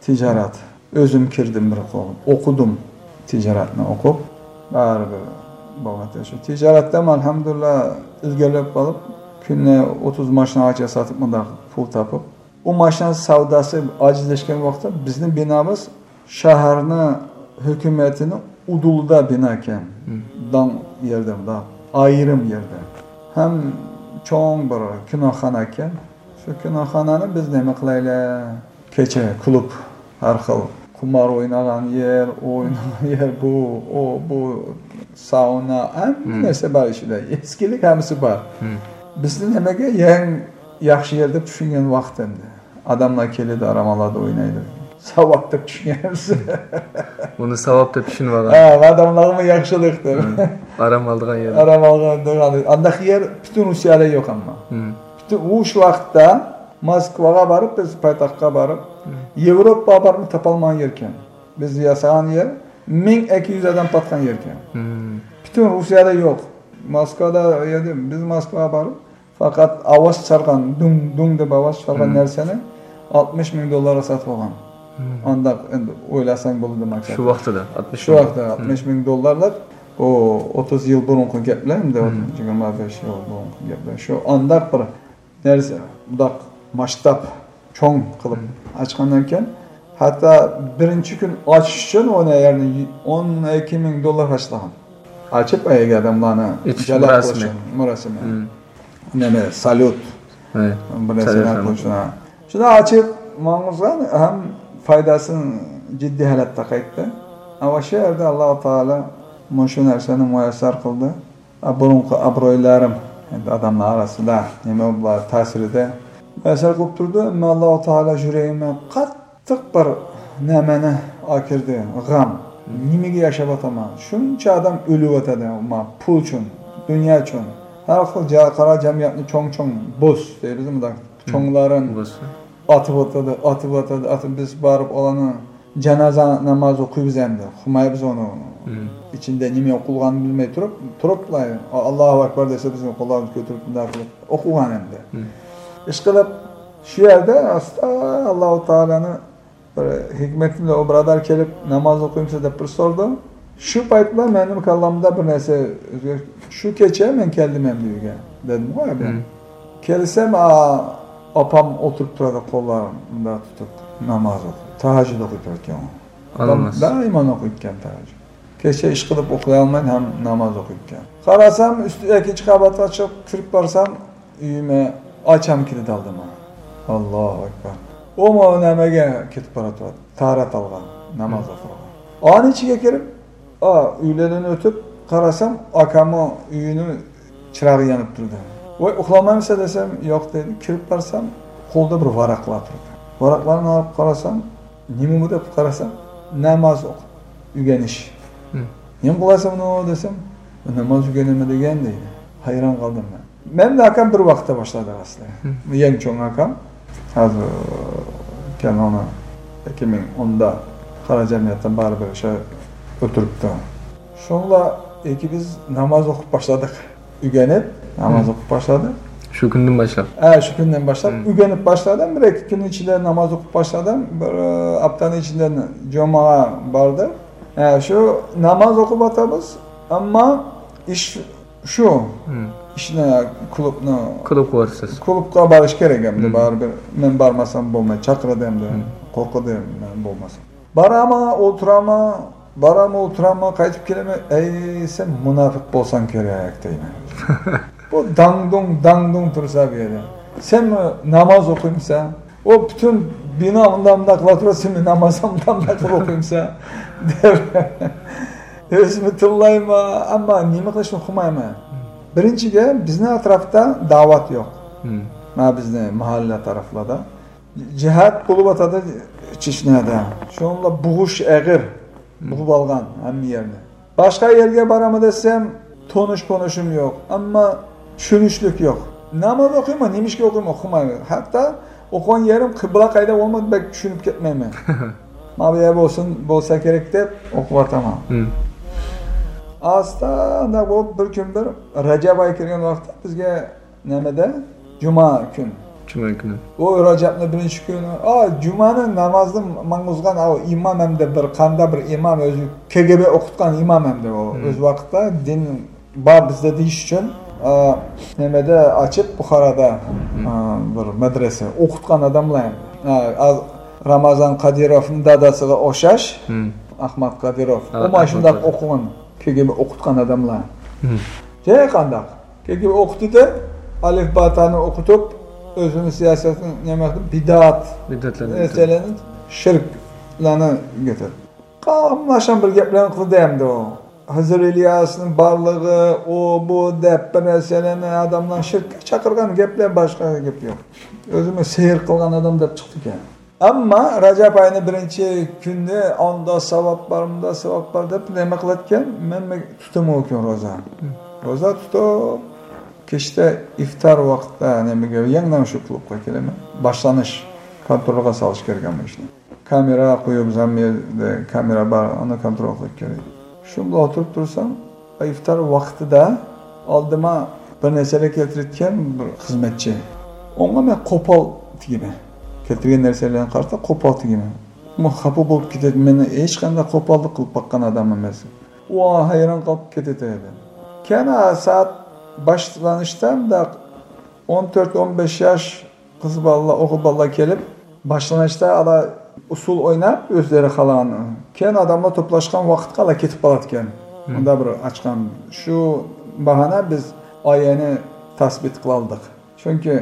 تىجارەت. ئۆزۈم كىردىم بىر قول، ئوقۇدۇم. تىجارەتنى ئوقۇپ، بارىبىر بولغانتى شۇ تىجارەتتە ئەلھەمدۇلىللا ئىلگىرىلەپ قالىپ، كۈنىگە ئوتتۇز ماشىنىغىچە ساتىپ، مۇنداق پۇل تاپىپ، ئۇ ماشىنا سوداسى ئاجىزلاشقان ۋاقىتتا بىزنىڭ بىنامىز شەھەرنىڭ ھۆكۈمىتىنىڭ ئۇدۇلىدا بىنا ئىكەن. داڭ يەردە، مۇنداق ئايرىم يەردە. ھەم چوڭ بىر كىنوخانا ئىكەن. شۇ كىنوخانانى بىز نېمە قىلايلى؟ كېچە كۇلۇب، ھەر خىل قۇمار ئوينىغان يەر، ئوينىغان يەر، بۇ، ئۇ، بۇ، ساۇنا، ھەممە نەرسە بار ئىچىدە. ئىچكىلىك ھەممىسى بار. بىزنى نېمىگە يەڭ ياخشى يەر دەپ چۈشەنگەن ۋاقىت ئەمدى. ئادەملەر كېلىدۇ، ئارام ئالىدۇ، ئوينايدۇ. ساۋاب دەپ چۈشەنگەنمىز. بۇنى ساۋاب دەپ چۈشىنىۋالغان. ھە، ئادەملەرمۇ ياخشىلىق دەپ. ئارام ئالىدىغان يەر. ئارام ئالغان، ئانداق يەر پۈتۈن روسىيەدە يوق ئەمما. پۈتۈن، ئۇ شۇ ۋاقىتتا موسكۋاغا بارىپ، بىز پايتەختكە بارىپ، ياۋروپاغا بارىپمۇ تاپالمىغان يەركەن. بىز ياسىغان يەر مىڭ ئىككى يۈز ئادەم پاتقان يەركەن. پۈتۈن روسىيەدە يوق. موسكۋادا ئىدى، بىز موسكۋاغا بارىپ، پەقەت ئاۋاز چىقارغان، دۇڭ، دۇڭ دەپ ئاۋاز چىقارغان نەرسىنى ئاتمىش مىڭ دوللارغا ساتىۋالغان. ئانداق ئەمدى ئويلاساڭ بولىدۇ ماكسات. شۇ ۋاقتىدا ئاتمىش مىڭ. شۇ ۋاقتىدا ئاتمىش مىڭ دوللارلىق، ئۇ ئوتتۇز يىل بۇرۇنقى گەپلەر، ئەمدى يىگىرمە بەش يىل بۇرۇنقى گەپلەر. شۇ ئانداق بىر نەرسە، مۇنداق ماسشتاب چوڭ قىلىپ ئاچقاندىن كېيىن، ھەتتا بىرىنچى كۈن ئاچىش ئۈچۈن ئۇنى يەرنى ئون ئىككى مىڭ دوللار خەجلىگەن. ئاچىپ، ئەگەر ئادەملەرنى ئېچىش جەلپ مۇراسىمى. قىلىش مۇراسىمى. نېمە، ساليۇت. بىر نەرسىلەر قىلىشىنا. شۇنى ئاچىپ ماڭغۇزغان ھەم پايداسىنى جىددىي ھالەتتە قايتتى. ئەمما شۇ يەردە ئاللا تائالا مۇشۇ نەرسىنى مۇيەسسەر قىلدى. بۇرۇنقى ئابرۇيلىرىم، ئەمدى ئادەملەر ئارىسىدا نېمە بۇلار تەسىرىدە مۇيەسسەر قىلىپ تۇردى. ئەمما ئاللا تائالا يۈرىكىمگە قاتتىق بىر نېمىنى ئاكىردى، غەم. نېمىگە ياشاۋاتىمەن؟ شۇنچە ئادەم ئۆلۈۋاتىدۇ، ما، پۇل ئۈچۈن، دۇنيا ئۈچۈن. ھەر خىل جا-، قارا جەمئىيەتنى چوڭ-چوڭ بوس دەيمىز، مۇنداق چوڭلارنى ئاتىۋاتىدۇ، ئاتىۋاتىدۇ، ئاتىپ بىز بارىپ ئۇلارنى جانازا ناماز ئوقۇيمىز ئەمدى. ئۇقمايمىز ئۇنى. ئىچىندە نېمە ئوقۇلغانىنى بىلمەي تۇرۇپ، تۇرۇپلا، ئاللاھۇ ئەكبەر دېسە، بىزنىڭ قوللارنى كۆتۈرۈپ، مۇنداق قىلىپ ئوقۇغان ئەمدى. ئىشقىلىپ، شۇ يەردە ئاستا ئاللاھۇ تائالانى بىر ھېكمىتىمدە ئۇ بۇرادەر كېلىپ، ناماز ئوقۇيمسىز دەپ بىر سورىدى. شۇ پايتلا مېنىڭ كاللامدا بىر نەرسە ئۆزگەر-، شۇ كېچە مەن كەلدىم ئەمدى ئۆيگە، دېدىمغۇ ئەمدى. كەلسەم، ئا-، ئاپام ئولتۇرۇپ تۇرىدۇ، قوللارنى مۇنداق تۇتۇپ، ناماز ئوقۇپ، تەھەججۇد ئوقۇپ تۇرىدىكەن ئۇ. ئاپام دائىما ئوقۇيدىكەن تەھەججۇد. كېچە ئىشقىلىپ ئۇخلىيالمايدۇ ھەم ناماز ئوقۇيدىكەن. قارىسام، ئۈستى ئىككىنچى قەۋەتكە چىقىپ كىرىپ بارسام، ئۆيۈمگە ئاچام كېلىدۇ ئالدىمغا. ئاللاھۇ ئەكبەر. ئۇمۇ نېمىگە كېتىپ باراتتى؟ تاھارەت ئالغان، ناماز ئوقۇغان. ئانىڭ ئىچىگە كىرىپ، ئا، ئۆيلىرىدىن ئۆتۈپ قارىسام، ئاكاممۇ ئۆيىنىڭ چىراغى يېنىپ تۇردى. ۋاي، ئۇخلىمامسەن دېسەم، ياق دېدى. كىرىپ بارسام، قولىدا بىر ۋاراقلار تۇردى. ۋاراقلارنى ئېلىپ قارىسام، نېمە بۇ دەپ قارىسام، ناماز ئوقۇپ ئۆگىنىش. نېمە قىلاسەن بۇنى دېسەم، ناماز ئۆگىنىمەن دېگەن دەيدۇ. ھەيران قالدىم مەن. مەن بىلەن ئاكام بىر ۋاقىتتا باشلىدۇق ئەسلى. ئەڭ چوڭ ئاكام ھازىر كەلمەڭلار. ئىككى مىڭ ئوندا قارا جەمئىيەتتىن بارىبىر شۇ ئۆتۈرۈپتۇ. شۇڭلا ئىككى بىز ناماز ئوقۇپ باشلىدۇق. ئۆگىنىپ، ناماز ئوقۇپ باشلىدى. شۇ كۈندىن باشلاپ؟ ھە، شۇ كۈندىن باشلاپ ئۆگىنىپ باشلىدىم. بىر ئىككى كۈن ئىچىدە ناماز ئوقۇپ باشلىدىم. بىر ئاپتانىڭ ئىچىدە جۇماغا باردىم. ھە، شۇ ناماز ئوقۇپ ئاتىمىز. ئەمما ئىش شۇ. ئىشنى، كۇلۇبنى، كۇلۇبقا بارىسىز. كۇلۇبقا بارىش كېرەك ئەمدى. بارىبىر مەن بارمىسام بولماي، چاقىرىدۇ ئەمدى. قورقىدۇ مەن بولمىسام. بارامەن، ئولتۇرامەن، بارامەن، ئولتۇرامەن، قايتىپ كېلىمەن. ئەي، سەن مۇناپىق بولساڭ كېرەك دەيمەن. بۇ داڭدۇڭ، داڭدۇڭ تۇرسا بۇ يەردە. سەن ناماز ئوقۇيمسەن؟ ئۇ پۈتۈن بىنا ئۇنداق مۇنداق قىلىۋاتىدۇ، سەن ناماز ئۇنداق مۇنداق قىلىپ ئوقۇيمسەن؟ دەپ ئۆزۈمنى تىللايمەن، ئەمما نېمە قىلىشنى ئۇقمايمەن. بىرىنچى گەپ، بىزنىڭ ئەتراپتا دەۋەت يوق. مانا بىزنىڭ مەھەللە تەرەپلەردە. جىھاد بولۇۋاتىدۇ چېچنيادا. شۇنىڭ بىلەن بوغۇش ئېغىر. بوغۇپ ئالغان ھەممە يەرنى. باشقا يەرگە بارامەن دېسەم، تونۇش-پونۇشۇم يوق. ئەمما چۈشىنىشلىك يوق. ناماز ئوقۇيمەن، نېمىشقا ئوقۇيمەن، ئۇقمايمەن. ھەتتا ئوقۇغان يېرىم قىبلە قايدا بولمىدى، بەك چۈشىنىپ كەتمەيمەن. مانا بۇ يەر بولسۇن، بولسا كېرەك دەپ ئوقۇۋاتىمەن. ئاستا ئانداق بولۇپ، بىر كۈن بىر رەجەب ئايى كىرگەن ۋاقىتتا بىزگە نېمىدە؟ جۈمە كۈن. جۈمە كۈنى. ئۇ رەجەبنىڭ بىرىنچى كۈنى. ئا، جۈمەنىڭ نامازىنى ماڭغۇزغان ئاۋۇ ئىمام ئەمدى بىر قاندا بىر ئىمام، ئۆزى كېگېبې ئوقۇتقان ئىمام ئەمدى ئۇ. ئۆز ۋاقتىدا دىن بار بىزدە دېيىش ئۈچۈن، ئا، نېمىدە ئاچىپ، بۇخارادا، ئا، بىر مەدرەسە ئوقۇتقان ئاداملار ئەمدى. ئا، ئا، رامازان قادىروفنىڭ دادىسىغا ئوخشاش، ئەخمەت قادىروف. ئۇ مانا شۇنداق ئوقۇغان، كېگېبې ئوقۇتقان ئاداملار. ھە، قانداق؟ كېيىن ئوقۇتىدۇ، ئەلىف باتانى ئوقۇتۇپ، ئۆزىنىڭ سىياسەتىنى نېمە قىلىپ، بىدئەت مەسىلىنى، شىركلەرنى كۆتۈردى. قاملاشقان بىر گەپلەرنى قىلدى ئەمدى ئۇ. خىزىر ئىلياسنىڭ بارلىقى، ئۇ، بۇ دەپ بىر نەرسىلەرنى ئادەملەرنى شىرككە چاقىرغان گەپلەر، باشقا گەپ يوق. ئۆزىمۇ سېھىر قىلغان ئادەم دەپ چىقتىكەن. ئەمما رەجەپ ئاينىڭ بىرىنچى كۈنى ئاندا ساۋاب بار، مۇندا ساۋاب بار دەپ نېمە قىلىدىكەن، مەن تۇتىمەن ئۇ كۈن روزا. روزا تۇتۇپ، كەچتە ئىفتار ۋاقىتتا نېمىگە، يەنە شۇ كۇلۇبقا كېلىمەن. باشلىنىش كونترولغا سالىش كېرەك ئەمما ئىشنى. كامېرا قويۇپ، زاممىيەدە كامېرا بار، ئۇنى كونترول قىلىپ كېرەك. شۇ بىلەن ئولتۇرۇپ تۇرسام، ئىفتار ۋاقتىدا ئالدىما بىر نەرسىلەر كەلتۈرۈۋەتكەن بىر خىزمەتچى. ئۇنىڭغا مەن قوپال تېگىمەن. كەلتۈرگەن نەرسىلەرگە قارىتا قوپال تېگىمەن. ئۇمۇ خاپا بولۇپ كېتىدۇ. مېنى ھېچقانداق قوپاللىق قىلىپ باققان ئادەم ئەمەس. ئۇ ھەيران قېلىپ كېتىدۇ. كەينى سائەت باشلىنىشتا مۇنداق ئون تۆت، ئون بەش ياش قىز بالىلار، ئوغۇل بالىلار كېلىپ، باشلىنىشتا ئالا ئۇسسۇل ئويناپ، ئۆزلىرى خالىغان. كېيىن ئادەملەر توپلاشقان ۋاقىتقا ئالا كېتىپ قالىدىكەن. مم. ئۇندا بىر ئاچقان. شۇ باھانە بىز ئايەنى تەسبىت قىلالدۇق. چۈنكى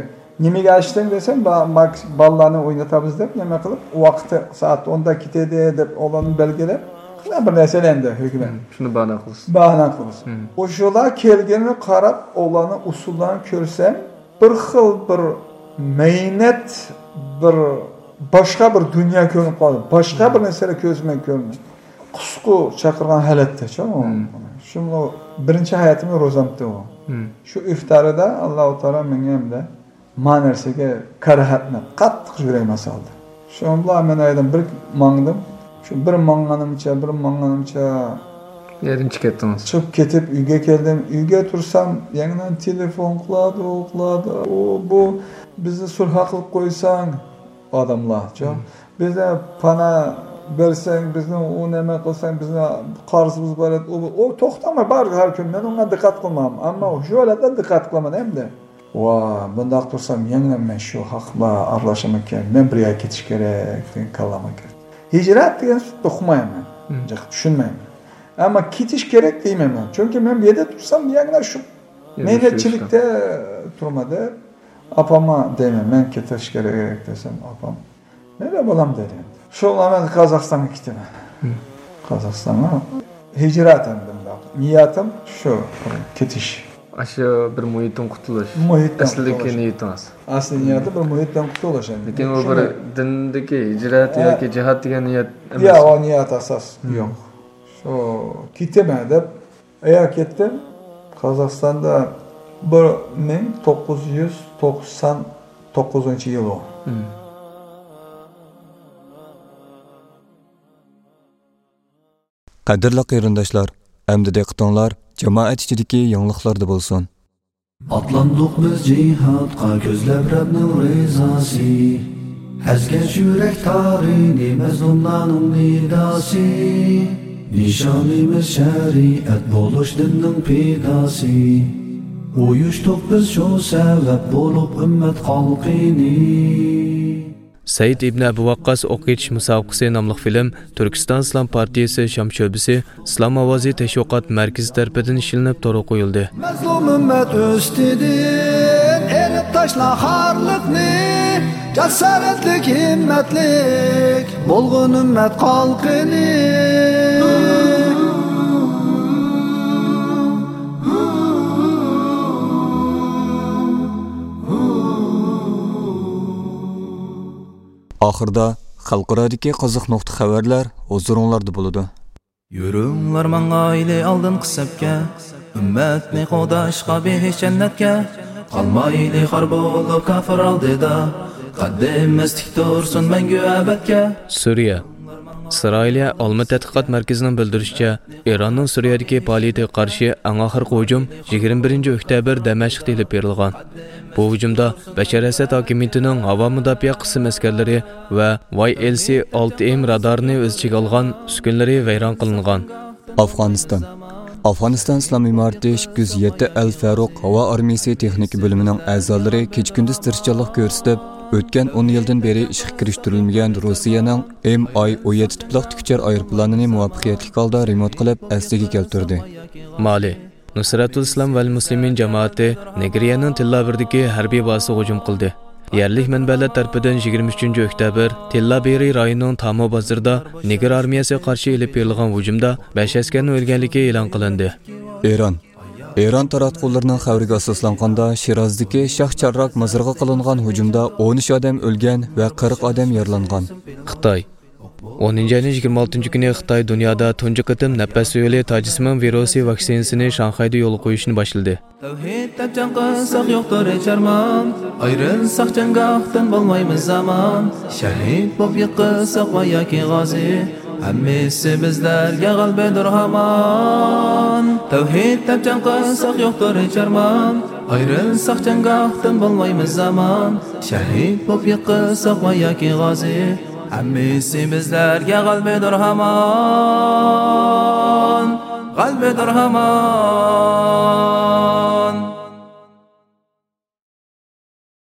نېمىگە ئاچتىڭ دېسەم، با-، ماكس-، بالىلارنى ئوينىتىمىز دەپ، نېمە قىلىپ، ۋاقتى سائەت ئوندا كېتىدۇ دەپ، ئۇلارنى بەلگىلەپ، شۇنداق بىر نەرسە ئەمدى ھۆكۈمەت. مم. شۇنى باھانە قىلىسىز. باھانە قىلىسىز. مم. ئۇ شۇلار كەلگىنىنى قاراپ، ئۇلارنىڭ ئۇسسۇللىرىنى كۆرسەم، بىر خىل بىر مەينەت، بىر باشقا بىر دۇنيا كۆرۈنۈپ قالدى. باشقا بىر نەرسىلەر كۆزۈمگە كۆرۈندى. قۇسقۇ چاقىرغان ھالەتتە، چۈ. شۇمۇ بىرىنچى ھاياتىمنىڭ روزامتى ئۇ. شۇ ئىفتارىدا ئاللاھۇ تائالا ماڭا ئەمدى ما نەرسىگە كاراھەتنى قاتتىق يۈرەكمە سالدى. شۇنىڭ بىلەن مەن ئايدىم بىر ماڭدىم. شۇ بىر ماڭغىنىمچە، بىر ماڭغىنىمچە يەردىن چىقىپ كەتتىڭىز. چىقىپ كېتىپ ئۆيگە كەلدىم. ئۆيگە تۇرسام، يەنە تېلېفون قىلىدۇ، قىلىدۇ. ئۇ، بۇ، بىزنى سۈلھە قىلىپ قويساڭ، ئادەملار، چۈ. بىزنى پانا بەرسەڭ، بىزنى ئۇ نېمە قىلساڭ، بىزنى قارزىمىز بار ئىدى. ئۇ، ئۇ توختىماي بار ھەر كۈن. مەن ئۇنىڭغا دىققەت قىلمام. ئەمما شۇ ھالەتتە دىققەت قىلىمەن ئەمدى. ۋا، بۇنداق تۇرسام يەنە مەن شۇ خەق بىلەن ئارىلىشامىكەن، مەن بىر يەرگە كېتىش كېرەك دېگەن كاللامغا كىردى. ھىجرەت دېگەن سۆزنى ئۇقمايمەن. جىق چۈشەنمەيمەن. ئەمما كېتىش كېرەك دېمەيمەن. چۈنكى مەن بۇ يەردە تۇرسام يەنە شۇ مەينەتچىلىكتە تۇرما دەپ، ئاپامغا دەيمەن، مەن كېتىش كېرەك دېسەم، ئاپام مەيلى بالام دەيدۇ. شۇ بىلەن مەن قازاقىستانغا كېتىمەن. قازاقىستانغا ھىجرەت ئەمدى مۇنداق. نىيەتىم شۇ، كېتىش. ئاشۇ بىر مۇھىتتىن قۇتۇلۇش. مۇھىتتىن ئەسلىدىكى قۇتۇلۇش. نىيىتىڭىز. ئەسلى نىيەتى بىر مۇھىتتىن قۇتۇلۇش ئەمدى. لېكىن ئۇ بىر دىندىكى ھىجرەت ياكى جىھاد دېگەن نىيەت ئەمەس. ياق، ئۇ نىيەت ئاساس يوق. ئۇ، كېتىمەن دەپ، ئەيا كەتتىم. قازاقىستاندا بىر مىڭ توققۇز يۈز توقسان توققۇزىنچى يىل ئۇ. قەدىرلىك قېرىنداشلار، ئەمدى دىققىتىڭلار جامائەت ئىچىدىكى يېڭىلىقلاردا بولسۇن. ئاتلاندۇق بىز جىھادقا كۆزلەپ رەبنىڭ رىزاسى. ئەزگەن يۈرەك تارىنى مەزلۇملارنىڭ نىداسى. نىشانىمىز شەرىئەت بولۇش دىننىڭ پىداسى. ئۇيۇشتۇق بىز شۇ سەۋەب بولۇپ ئۈممەت خەلقىنى. سەئىد ئىبنى ئەبۇ ۋەققاس ئوق ئېتىش مۇسابىقىسى ناملىق فىلىم تۈركىستان ئىسلام پارتىيىسى شام شۆبىسى ئىسلام ئاۋازى تەشۋىقات مەركىزى تەرىپىدىن ئىشلىنىپ تورغا قويۇلدى. مەزلۇم ئۈممەت ئۈستىدىن ئېلىپ تاشلا خارلىقنى، جاسارەتلىك، ھىممەتلىك بولغىن ئۈممەت خەلقىنى. ئاخىرىدا خەلقئارادىكى قىزىق نۇقتا خەۋەرلەر ھۇزۇرۇڭلاردا بولىدۇ. يۈرۈڭلار ماڭايلى ئالدىنقى سەپكە، ئۈممەتنى قوغداشقا بېھىش جەننەتكە. قالمايلى خار بولۇپ كاپىر ئالدىدا، قەددىمىز تىك تۇرسۇن مەڭگۈ ئەبەدكە. سۈرىيە. ئىسرائىلىيە ئالما تەتقىقات مەركىزىنىڭ بىلدۈرۈشىچە، ئىراننىڭ سۈرىيەدىكى پائالىيىتىگە قارشى ئەڭ ئاخىرقى ھۇجۇم يىگىرمە بىرىنچى ئۆكتەبىر دەمەشقتە ئېلىپ بېرىلغان. بۇ ھۇجۇمدا بەشار ئەسەد ھاكىمىيىتىنىڭ ھاۋا مۇداپىئە قىسىم ئەسكەرلىرى ۋە ۋاي ئېل سى ئالتە ئېم رادارىنى ئۆز ئىچىگە ئالغان ئۈسكۈنىلىرى ۋەيران قىلىنغان. ئافغانىستان. ئافغانىستان ئىسلام ئىمارىتى ئىككى يۈز يەتتە ئەل فەرۇق ھاۋا ئارمىيىسى تېخنىكا بۆلۈمىنىڭ ئەزالىرى كېچە-كۈندۈز تىرىشچانلىق كۆرسىتىپ، ئۆتكەن ئون يىلدىن بېرى ئىشقا كىرىشتۈرۈلمىگەن روسىيەنىڭ ئېم ئاي ئون يەتتە تىپلىق تىكۇچار ئايروپىلانىنى مۇۋەپپەقىيەتلىك ھالدا رېمونت قىلىپ، ئەسلىگە كەلتۈردى. مالى. نۇسرەتۇل ئىسلام ۋەل مۇسلىمىن جامائىتى نىگېرىيەنىڭ تىللابىرىدىكى ھەربىي بازىسىغا ھۇجۇم قىلدى. يەرلىك مەنبەلەر تەرىپىدىن يىگىرمە ئۈچىنچى ئۆكتەبىر تىللابېرى رايونىنىڭ تامۇ بازىرىدا نىگېر ئارمىيەسىگە قارشى ئېلىپ بېرىلغان ھۇجۇمدا بەش ئەسكەرنىڭ ئۆلگەنلىكى ئېلان قىلىندى. ئىران. ئىران تاراتقۇلىرىنىڭ خەۋىرىگە ئاساسلانغاندا، شىرازدىكى شاھ چارراك مازىرىغا قىلىنغان ھۇجۇمدا ئون ئۈچ ئادەم ئۆلگەن ۋە قىرىق ئادەم يارىلانغان. خىتاي. ئونىنچى ئاينىڭ يىگىرمە ئالتىنچى كۈنى خىتاي دۇنيادا تۇنجى قېتىم نەپەس يولى تاجسىمان ۋىرۇسى ۋاكسىنىسىنى شاڭخەيدە يولغا قويۇشنى باشلىدى. تەۋھىد دەپ جەڭ قىلساق يوقتۇر ھېچ ئارمان، ئايرىلساق جەڭگاھتىن بولمايمىز ئامان. شەھىد بولۇپ يىقىلساق ۋە ياكى غازى، ھەممىسى بىزلەرگە غەلىبىدۇر ھامان. تەۋھىد دەپ جەڭ قىلساق يوقتۇر ھېچ ئارمان، ئايرىلساق جەڭگاھتىن بولمايمىز ئامان. شەھىد بولۇپ يىقىلساق ۋە ياكى غازى، ھەممىسى بىزلەرگە غەلىبىدۇر ھامان، غەلىبىدۇر ھامان.